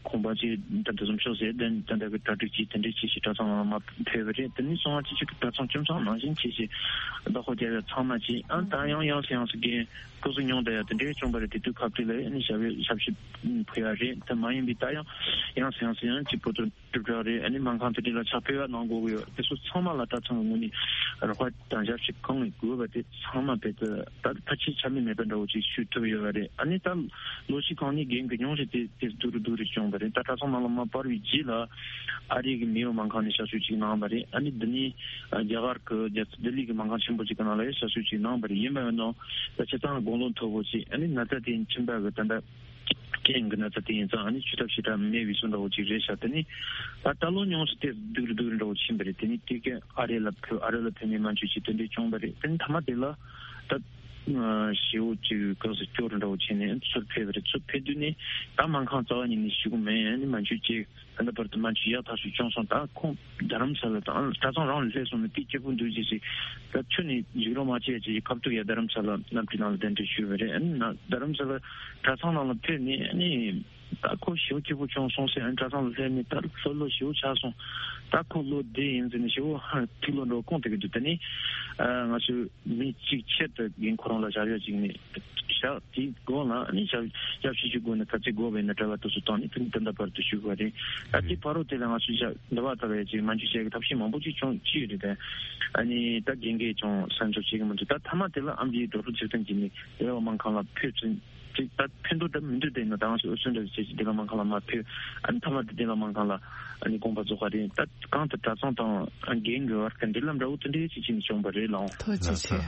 ཁོང་པ་ཅིག་ད་འདི་བཟུམ་ཤོག་ཟེར་གདན་ད་ལྟ་གི་གྲ་སྒྲིག་ཅིག་དེ་འདྲས་བྱས་ཤིག་གྲྭ་ཚང་ནང་ལ་མ་ཕེབས་པ་རེད། དེ་ནས་སོང་བ་ཅིག་ཅིག་གི་གྲྭ་ཚང་ཁྱིམ་ཚང་ནང་བཞིན་བྱས་ཤིག་བདག་པོ་རྒྱག་ཡ་ཚང་མ་ཅིག་ཨ་ད་ཡང་ཡང་སེ་ཡང་སེ་རྒན། སྐུ་གཟུགས་ཉུང་དུ་ཡང་དེ་འདྲའི་བྱུང་བ་རེད། དེ་དུས་ཁ་ཐུག་ལ་ཨ་ནི་ཞབས་ཞུ་ཞབས་ཞུ་ཕུལ་ཡ་རེད། དེ་མ་ཡིན་པའི་ད་ཡང་ཡང་སེ་ཡང་སེ་ཡང་གཅིག་པོ་དུ་གྲུབ་འདྲ་རེད། ཨ་ནི་སྨན་ཁང་དེ་འདྲ་ལ་ཕྱག་ཕེབས་ཡ་གནང་དགོས་ཀྱི་ཡོད། དེ་ཚོ་ཚང་མ་ལ་གྲྭ་ཚང་གི་ངོས་ནས་རོགས་པ་དང་ཞབས་ཞུ་གང་ཡིན་དགོས་པ་དེ་ཚང་མ་དཔེ་དེ་ད་ཕལ་ཆེར་ཆ་ལུགས་མེད་པ་འདྲ་བོ་ཅིག་ཞུ་ཐུབ་ཡོད་པ་རེད། ཨ་ནི་ད་ལོ་ཕྱེད་གང་ནས་རྒན་གྱི་མྱོང་རེད། དེ་དེ་སྡུག་རུ་སྡུག་རུ་བྱུང་བ་རེད། ད་གྲྭ་ཚང་ནང་ལ་མ་སྤར་བའི་རྗེས་ལ་ཨ་རི་གི་མེ་ཡོ་སྨན་ཁང་ནས་ཞབས་ཞུ་ཅིག་གནང་བ་རེད། ཨ་ནི་འདི་ནས་རྒྱ་གར་གི་རྒྱལ་ས་ལྡི་ལི་གི་སྨན་ཁང་ཆེན་པོ་ཅིག་གི་ནང་ལ་ཡང་ཞབས་ཞུ་ཅིག་གནང་བ་རེད། ཡིན་པ་ཡིན་ནའང་ད་ཆ་ཚང་དགུང་ལོ་མཐོ་པོ་ཅིག་ཨ་ནི་ན་ཚ་དེ་མཆིན་པ་གི་ད་ལྟ་རྐྱེན་གྱི་ན་ཚ་དེ་ཡིན་ཙང་ཨ་ནི་བཅོས་ཐབས་ཞེ་དྲག་མེད་པའི་བཟོ་འདྲ་བོ་ཅིག་རེད་ཤག་དེ་ནི་ད་ད་ལོ་ཉུང་སུ་དེ་སྡུག་རུ་སྡུག་རུ་འདྲ་བོ་ཕྱིན་པ་རེད། དེ་ནི་དེ་ག་ཨ་རི་ལ་ཕེབས། ཨ་རི་ལ་ཕེབས་ནས་སྨན་བཅོས་ཅིག་དེ་འདྲས་བྱུང་བ་རེད། དེ་ནི་མཐའ་མ་དེ་ལ་ད་ཞེ་པོ་ཅིག་ག་ཟེར་སྐྱོ་རུ་འདྲ་བོ་བྱས་ནས་ཚུར་ཕེབས་པ་རེད། ཚུར་ཕེབས་དུས་ནི་ད་སྨན་ཁང་རྩ་བ་ཉིད་ནས་ཞུ་གི་མེད། ཨ་ནི་སྨན་བཅོས་ཅིག་ད་ལྟ་བར་དུ་སྨན་བཅོས་ཡག་ཐག་ཆོད་བྱུང་སོང་། ད་ཁོང་རྡ་རམ་ས་ལ་དང་གྲྭ་ཚང་རང་ལ་སླེབས་སོང་ནས་དེ་སྐྱིད་པོ་འདུག་ཅེས་ཅིག་ད་ཁྱོད་ནས་ཡིག་རོགས་མ་བྱས་ཅེས་ཁ་ཐུག་ཡ་རྡ་རམ་ས་ལ་གནམ་གྲུའི་ནང་ལ་གདན་འདྲེན་ཞུས་པ་རེད། ཨ་ནི་ན་རྡ་རམ་ས་ལ་གྲྭ་ཚང་ནང་ལ་ཕེབས་ནས་ཨ་ནི་ད་ཁོ་ཞེ་པོ་སྐྱིད་པོ་བྱུང་སོང་ཟེར། ཨ་ནི་གྲྭ་ཚང་ལ་སླེབས་ནས་ད་ལྷོད་ལྷོད་ཞེ་པོ་ཆགས་སོང་། ད་ཁོ་ལོ་བདུན་ཡིན་ཟེར་ནས་ཞེ་པོ་ཧ་ཐིག་ལོ་འགྲོ་གོང་དེ་གི་འདུག་དེ་ནས་ང་ཚོས་མི་གཅིག་ཆེད་དུ་རྒན་ཁོ་རང་ལ་བཞག་ཡོད་ཅིག་ནས་བཞག་དེའི་སྒོ་ལ་ཨ་ནི་ཞབས་ཞབས་ཞུ་ཞུ་དགོས་ན་ག་ཚོད་དགོས་པ་ཡིན་ན་གྲྭ་པ་དེ་ཚོ་བཏང་ནས་དེ་ནས་ད་ལྟ་བར་དུ་ཞུ་དགོས་རེད། ད་དེ་བར་དུ་དེ་ལ་ང་ཚོས་ཞབས་འདི་བ་ལྟ་བ་ཡ་ཅིག་སྨན་བཅོས་བྱེད་ཀྱི་ཐབས་ཤེས་མང་པོ་ཅིག་བྱུང་ཅི་ཡོད་རེད། དེ་ཨ་ནི་ད་རྒན་གྱིས་ཀྱང་སེམས་ཚོར་བྱེད་ཀྱི་མི་འདུག་ད་མཐའ་མ་དེ་ལ་ཨ་མ་ལགས་ཀྱིས་འགྲོ་གྲོན་ཚུལ་ལྡན་བྱས་ནས་རེ་བ་སྨན་ཁང་ལ་ཕེབས་ཚུན་ཅིག་ད་ཕན་ཐོགས་འདྲ་མི་འདུག་དེ་ཡིན་ན་ད་ང་ཚོས་འོས་ཚོད་འདྲ་བྱས་ཅིག་བདེ་སློང་སྨན་ཁང་ལ་མ་ཕེབས། ཨ་ནི་མཐའ་མ་དེ་བདེ་སློང་སྨན་ཁང་ལ་ཨ་ནི་དགོངས་པ་རྫོགས་པ་རེད། ད་གང་ལྟར་གྲྭ་ཚང་དང་རྒན་གྱི་བར་གྱི་འབྲེལ་ལམ་འདྲ་བོ་དེ་འདྲའི་ཅིག་ཅིག་ནས་བྱུང་བ་རེད་ལགས། ཐུགས་རྗེ་ཆེ།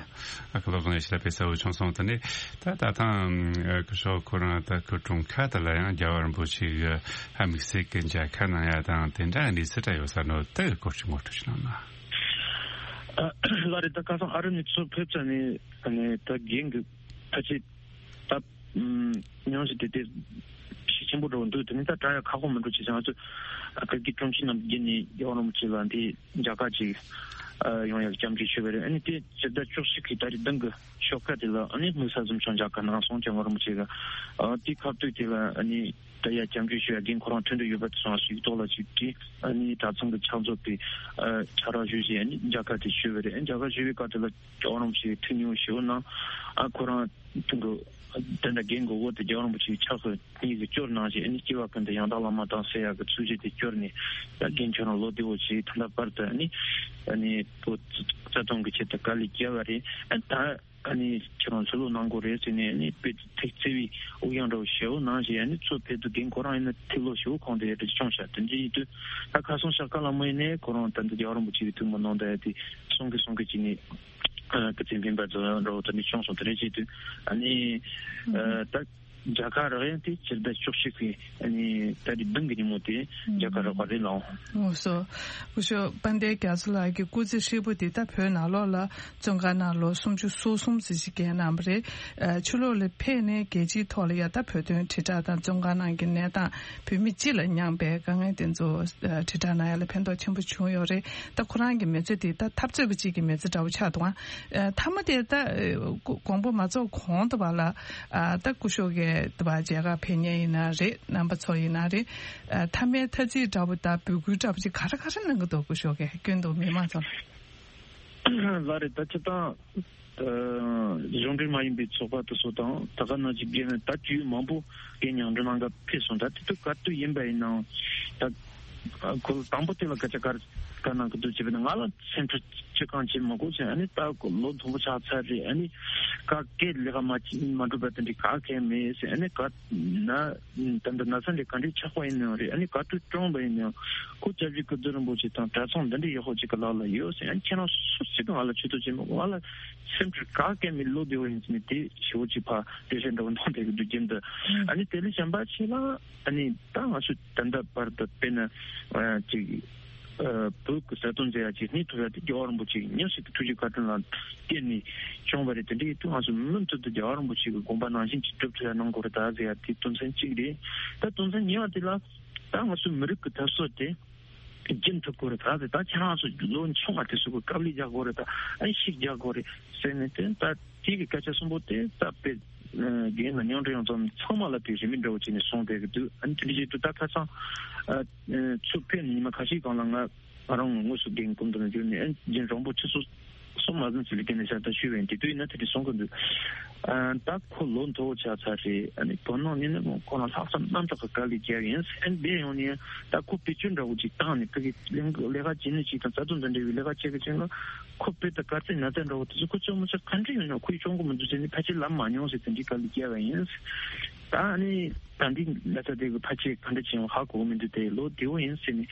ཨ་ཁུ་ལོ་གང་ཡོད་ཤེས་པའི་གསལ་བོ་བྱུང་སོང་། དེ་ནས་ད་ད་ཐང་སྐུ་ཞབས་ཁོ་རང་ད་ཁུ་ཀྲུང་ཁ་ད་ལ་ཡང་རྒྱལ་བ་རིན་པོ་ཆེ་གི་ཧ་དམིགས་བསལ་གྱི་མཇལ་ཁ་གནང་ཡ་དང་དེ་འདྲ་ནས་སི་ཏྲ་ཡོད་ས་ནོ་དེ་གི་སྐོར་ཅིག་ངོ་སྤྲོད་ཞུ་གནང་ན། ལགས་རེད། ད་ཁ་སང་ཨ་རི་ནས་ཚུར་ཕེབས་ཚར་ནས་ད་རྒན་གྱི་ཕལ་ཆེར་ད་ཉམས་ཞིབ་དེ་དེ་ཤུགས་ཆེན་པོ་འགྲོ་འདུག་དེ་ནི་ད་དྲ་ཡ་ཁག་པོ་མི་འགྲོ་ཅེས་ང་ཚོ་བོད་ཀྱི་དྲུང་ཆེ་རྣམས་བརྒྱུད་ནས་རྒྱལ་བ་རིན་པོ་ཆེ་ལ་འདི་མཇལ་ཁ་ཅིག་ཡོང་ཡག་སྐྱབས་འཇུག་ཞུས་པ་རེད། ཨ་ནི་དེ་སྤྱི་ཟླ་བཅུ་གཅིག་གི་ཏ་རིག་བདུན་གི་ཞོགས་ཀ་དེ་ལ་ཨ་ནི་དམིགས་བསལ་འཛོམས་ཞུགས་མཇལ་ཁ་གནང་སོང་རྒྱལ་བ་རིན་པོ་ཆེ་གི། དེ་ཁ་ཐུག་དེ་ལ་ཨ་ནི་ད་ཡ་སྐྱབས་འཇུག་ཞུ་ཡ་རྒན་ཁོ་རང་ཐུག་འདོད་ཡོད་པ་དེ་སོང་ཞིག་ཐོག་ལ་ཅིག་དྲིས། ཨ་ནི་གྲྭ་ཚང་གི་ཕྱག་མཛོད་པའི་ཕྱག་རོགས་ཞུས་བྱས་ཨ་ནི་མཇལ་ཁ་དེ་ཞུས་པ་རེད། ཨ་ནི་མཇལ་ཁ་ཞུས་པའི་སྐབས་དེ་ལ་རྒྱལ་བ་རིན་པོ་ཆེ་ཐུགས་མཉེས་པོ་ཞེ་པོ་གནང་། ཨ་ཁོ་རང་དེ་འདྲ་རྒན་གྱི་འོག་ཏུ་རྒྱལ་བ་རིན་པོ་ཆེའི་ཕྱག་གི་སྙིང་གི་སྐྱོར་གནང་བྱས་ཨ་ནི་སྐྱེ་བ་ཀུན་ཏུ་ཡང་དག་བླ་མ་དང་ཟེར་ཡག་གི་ཚིགས་བཅད་དེ་སྐྱོར་ནས་ད་རྒན་ཁྱོད་རང་ལོ་བདེ་བོ་བྱས། ད་ལྟ་བར་དུ་ཨ་ནི་ཨ་ནི་བོད་རྩ་དོན་གྱི་ཆེད་དུ་དཀའ་ལས་བརྒྱབ་པ་རེད། ཨ་ད་ཨ་ནི་ཁྱེད་རང་ཚུར་ལོག་གནང་དགོས་རེད་ཟེར་ནས་ཨ་ནི་དཔེ་ཐུགས་བརྩེ་བའི་དབུགས་དབྱུང་འདྲ་བོ་ཞེ་པོ་གནང་བྱས། ཨ་ནི་ཚུར་ཕེབས་དུས་རྒན་ཁོ་རང་ཡིན་ན་ཐིག་ལོ་ཞེ་པོ་གོང་དུ་ཡར་དྲག་བྱུང་ཤག་དེ་འདྲ་ཡིན་དུས་ད་ཁ་སང་ཤག་ཀ་ལ་མོ་ཡིན་ནས་ཁོ་རང་ད་འདི་རྒྱལ་བ་རིན་པོ་ཆེ་གི་ཐུགས་མོས་གནང་བསྡད་ཡ་དེ་གསུང་གི་གསུང་གི་བྱས་ནས། ཨ་ཀི་ཙི་འཕེན་པ་ཙོ་འགྲོ་དེ་ནི་བྱུང་སོང་། དེ་རེད་བྱེད་དུས་ཨ་ནི་ཨ་ད་མཇལ་ཁ་རག་ཡ་དེ་སྤྱི་ཟླ་བཅུ་གཅིག་གི་ཨ་ནི་ཏ་རིག་བདུན་གི་ཉིན་མོ་དེ་མཇལ་ཁ་རག་པ་རེད་ལགས། ཨོ་སོ། སྐུ་ཞབས་དཔལ་ལྡན་རྒྱ་མཚོ་ལགས་ཀྱི་སྐུ་ཚེ་ཧྲིལ་པོ་དེ་ད་བོད་ནང་ལོགས་ལ་བཙོན་ཁང་ནང་ལོ་སུམ་ཅུ་སོ་གསུམ་ཙམ་ཞིག་བརྒྱབ་གནང་བ་རེད། ཨ་ཕྱི་ལོགས་ལ་ཕེབས་ནས་རྒྱལ་སྤྱིའི་ཐོག་ལ་ཡ་ད་བོད་དོན་དྲིལ་བསྒྲགས་དང་བཙོན་ཁང་ནང་གི་གནས་སྟངས་བོད་མི་སྤྱི་ལ་མྱངས་པའི་དཀའ་ངལ་དེ་ཚོ་ཨ་དྲིལ་བསྒྲགས་གནང་ཡ་ལ་ཕན་ཐོགས་ཆེན་པོ་བྱུང་ཡོད་རེད། ད་ཁོ་རང་གི་མི་ཚེ་དེ་ད་འཐབ་རྩོད་པ་གཅིག་གི་མི་ཚེ་འདྲ་བོ་ཆགས་འདུག་ཨང་། ཨ་མཐའ་མ་དེ་ད་ཨ་དགོངས་པ་མ་རྫོགས་གོང་དུ་བ་ལ་ཨ་ད་སྐུ་ཞབས་ཀྱིས་ད་བ་མཇལ་ཁ་ཕེབས་མཁན་ཡིན་ན་རེད། རྣམ་པ་ཚོ་ཡིན་ན་རེད། ཨ་མཐའ་མའི་ཐ་ཚིག་འདྲ་བོ་དང་འབོད་སྐུལ་འདྲ་བོ་ཅིག་ག་རེ་ག་རེ་གནང་གི་འདུག་སྐུ་ཞབས་ཀྱིས་སྐྱོན་འདུག་མི་མང་ཚོ་ལ། ལགས་རེད། ད་སྤྱིར་བཏང་ཨ་གཞུང་འབྲེལ་མ་ཡིན་པའི་ཚོགས་པ་དེ་ཚོ་དང་ད་ག་ནང་བཞིན་རྒན་ད་དུས་མང་པོ་རྒན་མཉམ་འབྲེལ་གནང་ག་ཕེབས་སོང་། ད་དེ་དུས་ག་དུས་ཡིན་པ་ཡིན་ནའང་ད་ ཁོ་ལ་དང་པོ་དེ་ལ་སྐད་ཆ་ག་ག་གནང་གི་འདུག་ཅེས་པས་ན། ང་ལ་སེམས་ཁྲལ་ཅི་གང་བྱེད་མི་དགོས་ཟེར། ཨ་ནི་ད་ཁོ་ལོ་མཐོན་པོ་ཆགས་ཚར་རེད། ཨ་ནི་ག་སྐད་ལས་ཀ་མ་བྱེད་མ་འགྲུབ་པ་དེ་འདྲའི་ག་གེ་མེད་ཟེར། ཨ་ནི་ག་ན་ད་འདི་ན་ཚ་འདི་ག་འདྲའི་ཆགས་པ་ཡིན་ནའང་རེད། ཨ་ནི་ག་དུས་གྲོངས་པ་ཡིན་ནའང་ཁོ་སྐྱབས་རྗེ་ཀིརྟི་རིན་པོ་ཆེ་དང་གྲྭ་ཚང་འདི་འདྲའི་ཡག་པོ་ཅིག་གི་ལག་ལ་ཡོད་ཟེར། ཨ་ནི་ཁྱེད་རང་སུ་ཞིག་གིས་ང་ལ་ཇུས་གཏོགས་བྱེད་མི་དགོས། ང་ལ་སེམས་ཁྲལ་ག་གེ་མེད། ལོ་བདེ་བོ་ཡིན་ཟེར་ནས་དེ་ཞེ་པོ་ཅིག་ཕར་འགྲེལ་བཤད་འདྲ་བོ་གནང་བསྡད་ཀྱི་འདུག་རྒྱུན་དུ། ཨ་ནི་དེ་ལས་གཞན་པ་ཅིག་ལ། ཨ་ནི་ད་ང་ཚོས་ད་ལྟ་བར་དུ་དཔེར་ན་ཅིག་བོད་ཀྱི་གསར་གཏོད་མཛད་ཡ་ཅིག་རྙེད་ཐུབ་ཡ་དེ་རྒྱལ་བ་རིན་པོ་ཆེ་མཉམ་ཞིག་ཏུ་ཐུགས་རྗེ་བཀའ་དྲིན་ལ་བརྟེན་ནས་བྱུང་བ་རེད། དེ་འདྲ་ཡིན་དུས་ང་ཚོ་མུ་མཐུད་དུ་རྒྱལ་བ་རིན་པོ་ཆེ་གི་དགོངས་པ་ནང་བཞིན་ཅིག་སྒྲུབ་ཐུབ་ཡ་གནང་དགོས་རེད་ད་ཟེར་ཡ་དེ་དོན་ཚན་གཅིག་རེད། ད་དོན་ཚན་གཉིས་པ་དེ་ལ་ད་ང་ཚོའི་མི་རིགས་ཀྱི་འཐབ་རྩོད་དེ་རྒྱུན་མཐུད་དགོས་རེད་ད་ཟེར། ད་ཁྱེད་རང་ཚོ་ལོ་ཆུང་བ་དེ་ཚོ་གི་དཀའ་ལས་རྒྱག་དགོས་རེད་ད། ཨ་ནི་ཤིག་རྒྱག་དགོས་རེད་ཟེར་ནས་དེ་ད། དེ་གི་སྐད་ཆ་གསུམ་པོ་དེ་ད་དཔེ་རྒན་ལ་མཉམ་འབྲེལ་ཡོང་ཙམ་ཚང་མ་ལ་དེ་རིན་མེད་འདྲ་བོ་བྱས་ནས་གསུངས་བསྡད་ཀྱི་འདུག་ཨ་ནི་དེ་འདྲ་བྱེད་དུས་ད་ཁ་སང་ཚུར་ཕེབས་ནས་ཉི་མ་ཁ་ཤས་གོང་ལ་ང་ང་རང་དངོས་སུ་རྒན་སྐུ་མདུན་ལ་བརྒྱུད་ནས་ཨ་ནི་རྒན་རོང་པོ་ཆུ་ཚོད་གསུམ་མ་ཟིན་ཙམ་ལ་སྐད་ནས་ཤར་ད་ཞུས་པ་ཡིན། དེ་དུས་ཡིན་ན་དེ་འདྲ་གསུང་གི་འདུག་ཨ་ད་ཁོ་ལོ་མཐོ་བོ་ཆགས་ཚར་རེད། ཨ་ནི་བོད་ནང་ནས་ནི་ཁོ་རང་ལྷག་བསམ་རྣམ་དག་གི་དཀའ་ལས་བརྒྱབ་ཡིན། ཨ་ནི་འདས་ཡོང་ནས་ད་ཁོ་བེད་སྤྱོད་འདྲ་བོ་ཅིག་བཏང་ནས་ཕ་གི་ལས་ཀ་བྱེད་ནི་ཅིག་དང་རྩ་དོན་དང་འབྲེལ་བའི་ལས་ཀ་བྱེད་གི་ཅིག་ན། ཁོ་དཔེ་ད་དཀའ་ཚེགས་ན་ཚ་འདྲ་བོ་དེ་ཚོ་ཁོ་སྐྱོང་མི་ཚར། ག་འདྲ་ཡིན་ན་ཁོས་སྐྱོང་གི་མི་འདུག་ཟེར་ནས་ཕལ་ཆེར་ལབ་མ་མྱོང་ཟེར། དེ་འདྲའི་དཀའ་ལས་བརྒྱབ་པ་ཡིན། ད་ནི་ད་འདི་ན་ཚ་དེ་གི་ཕལ་ཆེར་ག་འདྲ་བྱུང་ཧ་གོ་གི་མི་འདུག་དེ་ལོ་བདེ་བོ་ཡིན་ཟེར་ནས་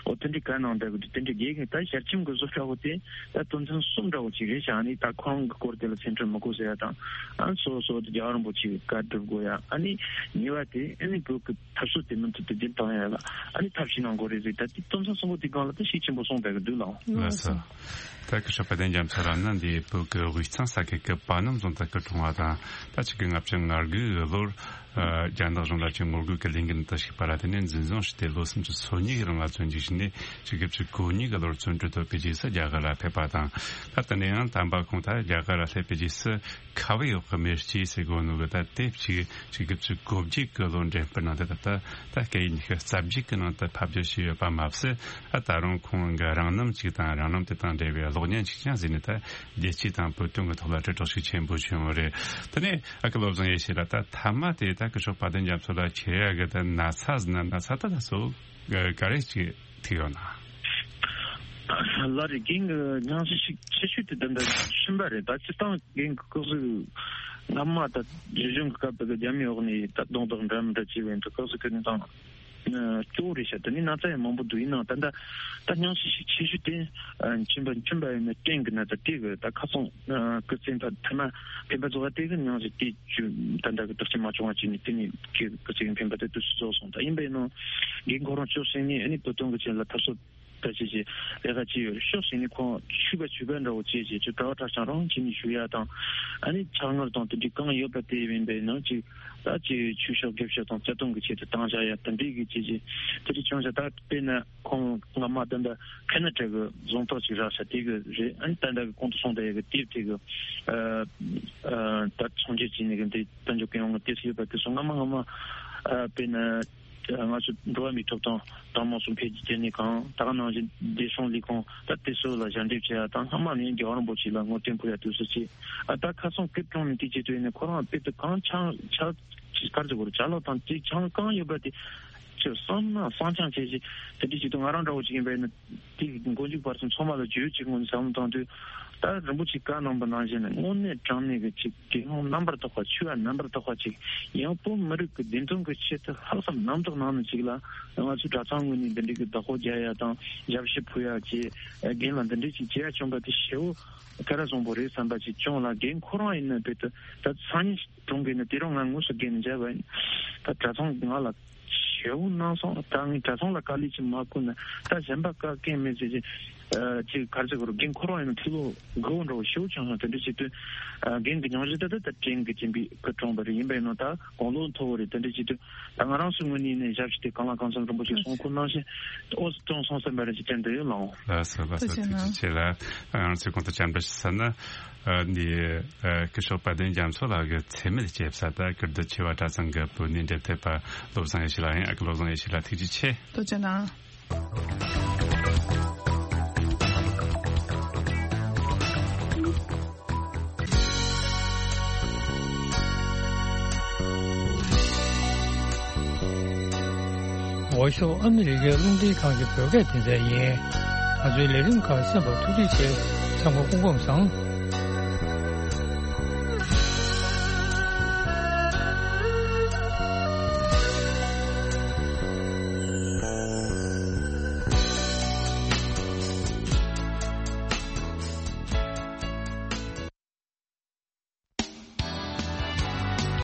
འོ་དེ་འདྲའི་བཀའ་གནང་བསྡད་གི་འདུག་དེ་འདྲའི་རྒྱལ་གི་ད་ཞལ་ཆེམས་གི་བཟོ་འདྲ་བོ་དེ་ད་དོན་ཚན་གསུམ་འདྲ་བོ་ཅིག་རེད་ཤག་ཨ་ནི་ད་ཁོ་རང་གི་སྐོར་དེ་ལ་སེམས་ཁྲལ་མི་དགོས་ཟེར་ཡ་དང་། ཨ་སོ་སོ་དེ་རྒྱལ་བ་རིན་པོ་ཆེ་གི་བཀའ་སྒྲུབ་དགོས་ཡ། ཨ་ནི་ཉེ་བ་དེ་ཨ་ནི་བོད་གི་འཐབ་རྩོད་དེ་མུ་མཐུད་དུ་རྒྱུན་བཏང་ཡ་ལ་ཨ་ནི་ཐབས་ཤེས་གནང་དགོས་རེད་ཟེར། ད་དེ་དོན་ཚན་གསུམ་པོ་དེ་སྒང་ལ་ད་ཤུགས་ཆེན་པོ་གསུངས་བསྡད་ཀྱི་འདུག་ལགས། ལགས་སོ། ད་སྐུ་ཞབས་དཔལ་ལྡན་རྒྱ་མཚོ་རང་ནི་འདི་བོད་ཀྱི་དབུས་གཙང་ས་ཁུལ་གྱི་པ་སྣམ་རྫོང་དུ་སྐུ་འཁྲུངས་པ་དང་། ད་ཆིག་སྟོང་དགུ་བརྒྱ་ལྔ་བཅུ་ང་དགུ་གི་ལོར་རྒྱ་ནག་གཞུང་ལ་ཆེད་ངོ་རྒོལ་གྱི་ལས་འགུལ་དུ་ཞུགས་པ་ལ་བརྟེན་ནས་འཛིན་བཟུང་བྱས་ཏེ་ལོ་སུམ་ཅུ་སོ་གཉིས་ཀྱི་རིང་ལ་བཙོན་འཇུག་བྱས་ནས་ཆིག་སྟོང་དགུ་བརྒྱ་གོ་གཉིས་ཀྱི་ལོར་བཙོན་གྲོལ་ཐོབ་པའི་རྗེས་སུ་རྒྱ་གར་ལ་ཕེབས་པ་དང་། ད་དེ་ནས་ཡང་དམ་པ་ཁོང་ད་རྒྱ་གར་ལ་སླེབས་པའི་རྗེས་སུ། ཁ་བའི་འོག་གི་མེ་ལྕེ་ཟེར་གོ་ནོ་གི་ད་དེབ་ཅིག་ཆིག་སྟོང་དགུ་བརྒྱ་གོ་བརྒྱད་ཀྱི་ལོ་འགྲེམས་སྤེལ་གནང་སྟེ། ད་ལྟ་ད་སྐད་ཡིག་ཉི་ཤུ་རྩ་བརྒྱད་ཀྱི་ནང་དུ་ཕབ་སྒྱུར་བྱས་ཡོད་པ་མ་ཟད། ད་ད་རུང་ཁོང་གི་རང་རྣམ་ཅིག་དང་རང་རྣམ་དེ་དང་འབྲེལ་བའི་གློག་བརྙན་ཅིག་ཀྱང་གཟིགས་ནས་ད་རྒྱལ་སྤྱི་དང་བོད་དོན་གྱི་ཐོག་ལ་དྲིལ་བསྒྲགས་ཤུགས་ཆེན་པོ་བྱུང་བ་རེད། དེ་ནས་ཨ་ཁུ་བློ་བཟང་ཡེ་ཤེས་ལགས། ད་མཐའ་མ་དེ་ད་སྐུ་ཞབས་དཔལ་ལྡན་རྒྱ་མཚོ་ལགས་ཁྱེར་ཡག་གི་ད་ན་ཚ་ཟིན་ན་ན་ཚ་ད་ད་གཙོ་བོ་ག་རེ་ཅིག་ཐུག་ཡོད་ན། ལགས་རེད། རྒན་གྱི་སྙན་ཞུ་ཞིག་ཆེ་ཤོས་དེ་ད་ལྟ་གསུམ་པ་རེད། ད་སྤྱིར་བཏང་རྒན་གྱི་སྐུ་གཟུགས་སྔ་མ་ད་རིག་གཞུང་གི་སྐབས་དེ་གི་རྒྱ་མིའི་འོག་ནས་ད་རྡུང་རྡེག་འདྲ་མི་འདྲ་བྱས་པའི་འདུག་སྐུ་གཟུགས་ཀྱི་གནས་སྟངས་སྐྱོ་བོ་རེད་ཤག་དེ་ནས་ན་ཚ་ཡང་མང་པོ་འདུག་ཡིན་ནའང་ད་ལྟ་ད་སྙན་ཞུ་ཞིག་ཆེ་ཤོས་དེ་མཆིན་པ་མཆིན་པ་ཡིན་ན་སྐྲན་གྱི་ན་ཚ་དེ་གི་ད་ཁ་སང་སྐུ་ཚེ་ཕ་ཐ་ན་འཕེན་པ་རྫོགས་པ་དེ་གི་སྙན་ཞུ་དེ་བཅུ་ད་ལྟ་གི་དྲག་སྐྱེད་མ་བྱུང་བ་བྱས་ནས་དེ་ནས་ཁྱེད་སྐུ་ཚེ་གི་འཕེན་པ་དེ་དུས་སུ་རྫོགས་སོང་། ད་ཡིན་པ་ཡིན་ནའང་རྒན་ཁོ་རང་ཕྱོགས་ཞིག་ནས་ཨ་ནི་བོད་དོན་གི་ཆེད་ལ་འཐབ་རྩོད་ད་བྱས་བྱས་ལས་ཀ་བྱས་ཡོད་རེད། ཕྱོགས་ཞིག་ནས་ཁོང་ཆོས་པ་ཆོས་པ་འདྲ་བོ་བྱས་བྱས་ཅིག་གྲྭ་བ་གྲྭ་ཚང་རང་བྱས་ནས་བཞུགས་ཡ་དང་། ཨ་ནི་ཕྱག་ངར་དང་དེ་འདྲའི་གང་ཡོད་པ་དེ་ཡིན་པའི་ནང་ཅིག་ད་ཅིག་ཆོས་ཕྱོགས་དགེ་ཕྱོགས་དང་རྩ་དོན་གྱི་ཆེད་དུ་བཏང་བཞག་ཡ་དེ་འདྲའི་གི་བྱས་བྱས་དེ་འདྲའི་བྱུང་བཞག་ད་དཔེར་ན་ཁོང་སྔ་མ་ད་ལྟ་ཁེ་ན་ཌ་གི་རྫོང་ཐོག་ཅིག་རག་ཤག་དེ་གི་རེད། ཨ་ནི་ད་ལྟ་གི་གོང་དུ་གསུངས་པ་ཡ་གི་དེབ་དེ་གི་ཨ་ཨ་ད་ཚོང་སྒྱུར་བྱས་ནས་གི་འདི་དཔལ་འབྱོར་གྱི་ཡོང་བ་དེ་ཚོ་ཡོད་པ་དེ་ཚོ་སྔ་མ་སྔ་མ་ཨ་དཔེར་ན། ང་ཚོ་འགྲོ་བ་མིའི་ཐོབ་ཐང་དང་མང་གཙོ་འཕེལ་རྒྱས་ལས་ཁང་། ད་ག་ནང་བཞིན་བདེ་སྲུང་ལས་ཁུངས། ད་དེ་ཚོ་ལ་ཞལ་འདེབས་བྱས་ཡ་དང་སྔ་མ་ནས་རྒྱལ་བ་རིན་པོ་ཆེ་ལ་ངོ་སྤྲོད་ཕུལ་ཡ་དུས་སུ་བྱས། ཨ་ད་ཁ་སང་སྐུ་གྲོངས་ནས་དེ་བྱེད་དུས་ནས་ཁོ་རང་དཔེ་དེ་གང་ཆགས་ཆགས་ཅིག་གར་ཅིག་གོ་རུ་ཅ་ལག་དང་དེ་ཆང་གང་ཡོད་པ་དེ་ཅིག་བསམ་ན་བསམ་ཆང་བྱས་ཤིག་དེ་འདྲ་ཞིག་ཏུ་ང་རང་འདྲ་བོ་ཅིག་ཡིན་པ་ཡིན་ན། དེ་མགོ་མཇུག་བར་གསུམ་ཚང་མ་ལ་བརྗོད་ཅིག་ངོས་ནས་བསམ་བློ་བཏང་དུས། ད་རིན་པོ་ཆེ་བཀའ་གནང་པ་ནང་བཞིན་དངོས་གནས་དྲང་གནས་ཀྱི་ཅིག་དགེ་སློང་རྣམ་པར་དག་པ། ཆོས་པ་རྣམ་པར་དག་པ་ཅིག་ཡང་བོད་མི་རིགས་ཀྱི་བདེན་དོན་གྱི་ཆེད་དུ་ལྷག་བསམ་རྣམ་དག་གནང་ནས་ཅིག་ལ་ང་ཚོའི་གྲྭ་ཚང་ངོས་ནས་འདི་འདྲའི་གི་བདག་པོ་རྒྱག་ཡ་དང་ཞབས་ཕྱི་ཕུལ་ཡ་བཅས་རྒན་ལ་འདི་འདྲའི་ཅིག་བྱེད་ཡ་བྱུང་པ་དེ་ཞེ་པོ་ག་རེ་བཟང་པོ་རེད་བསམ་པ་ཅིག་བྱུང་ལ། རྒན་ཁོ་རང་ཡིན་ན་དཔེ་དུ་ད་སང་ཉིན་གྲོངས་གི་ན་དེ་རིང་ང་དངོས་སུ་རྒན་ནས་མཇལ་བ་ཡིན། ད་གྲྭ་ཚང་ང་ལ། ཞེ་པོ་གནང་སོང་། ད་ངས་གྲྭ་ཚང་ལ་དཀའ་ལས་ཅིག་མ་བསྐུལ་ན་ད་གཞན་པ་བཀག་མཁན་མེད་ཟེར་གྱི། ཅིག་ག་རེ་ཟེར་དགོས་རེད། རྒན་ཁོ་རང་ཡིན་ན་ཕྱི་ལོགས་དགའ་བོ་འདྲ་བོ་ཞེ་པོ་བྱུང་སོང་། དེ་འདྲ་བྱེད་དུས་རྒན་གྱི་སྙིང་རྗེ་ད་ད་ད་དྲན་གི་བྱིན་པའི་སྐུ་གྲོངས་པ་རེད། ཡིན་པས་ན་ད་དགུང་ལོ་མཐོ་བོ་རེད། དེ་འདྲ་བྱེད་དུས་ད་ང་རང་ཚོའི་ངོས་ནས་ནས་ཞབས་ཕྱི་དེ་གང་ལ་གང་འཚམ་རིན་པོ་ཆེ་གསུང་ཁུལ་གནང་བཞིན་ཨོ་སི་གྲོངས་སོང་བསམ་པ་རེད་ཅེས་དྲན་འདོད་ཡོད་ལགས། ལགས་སོ་ལགས་སོ། ཐུགས་རྗེ་ཆེ་ལགས། ང་རང་ཚོའི་གོང་དུ་བཅར་འདྲི་ཞུ་ས་ན། འདི་སྐུ་ཞབས་དཔལ་ལྡན་རྒྱ་མཚོ་ལགས་ཀྱི་འཚེ་མེད་ཅེས་པ་དང་ཀིརྟི་ཆེ་བ་གྲྭ་ཚང་གི་བོད་གནས་འབྲེལ་མཐུད་པ་བློ་བཟང་ཡེ་ཤེས་ལགས་ཡིན། ཨ་ཁུ་བློ་བཟང་ཡེ་ཤེས་ལགས་ཐུགས་རྗེ་ཆེ། ཐུགས་རྗེ་གནང་། འོག་ཤོག་ཨ་མི་རི་ཀའི་རླུང་འཕྲིན་ཁང་གི་བོད་སྐད་སྡེ་ཚན་ཡིན། ང་ཚོའི་ལས་རིམ་ཁག་གསན་པར་ཐུགས་རྗེ་ཆེ། ཚང་མ་སྐུ་ཁམས་བཟང་།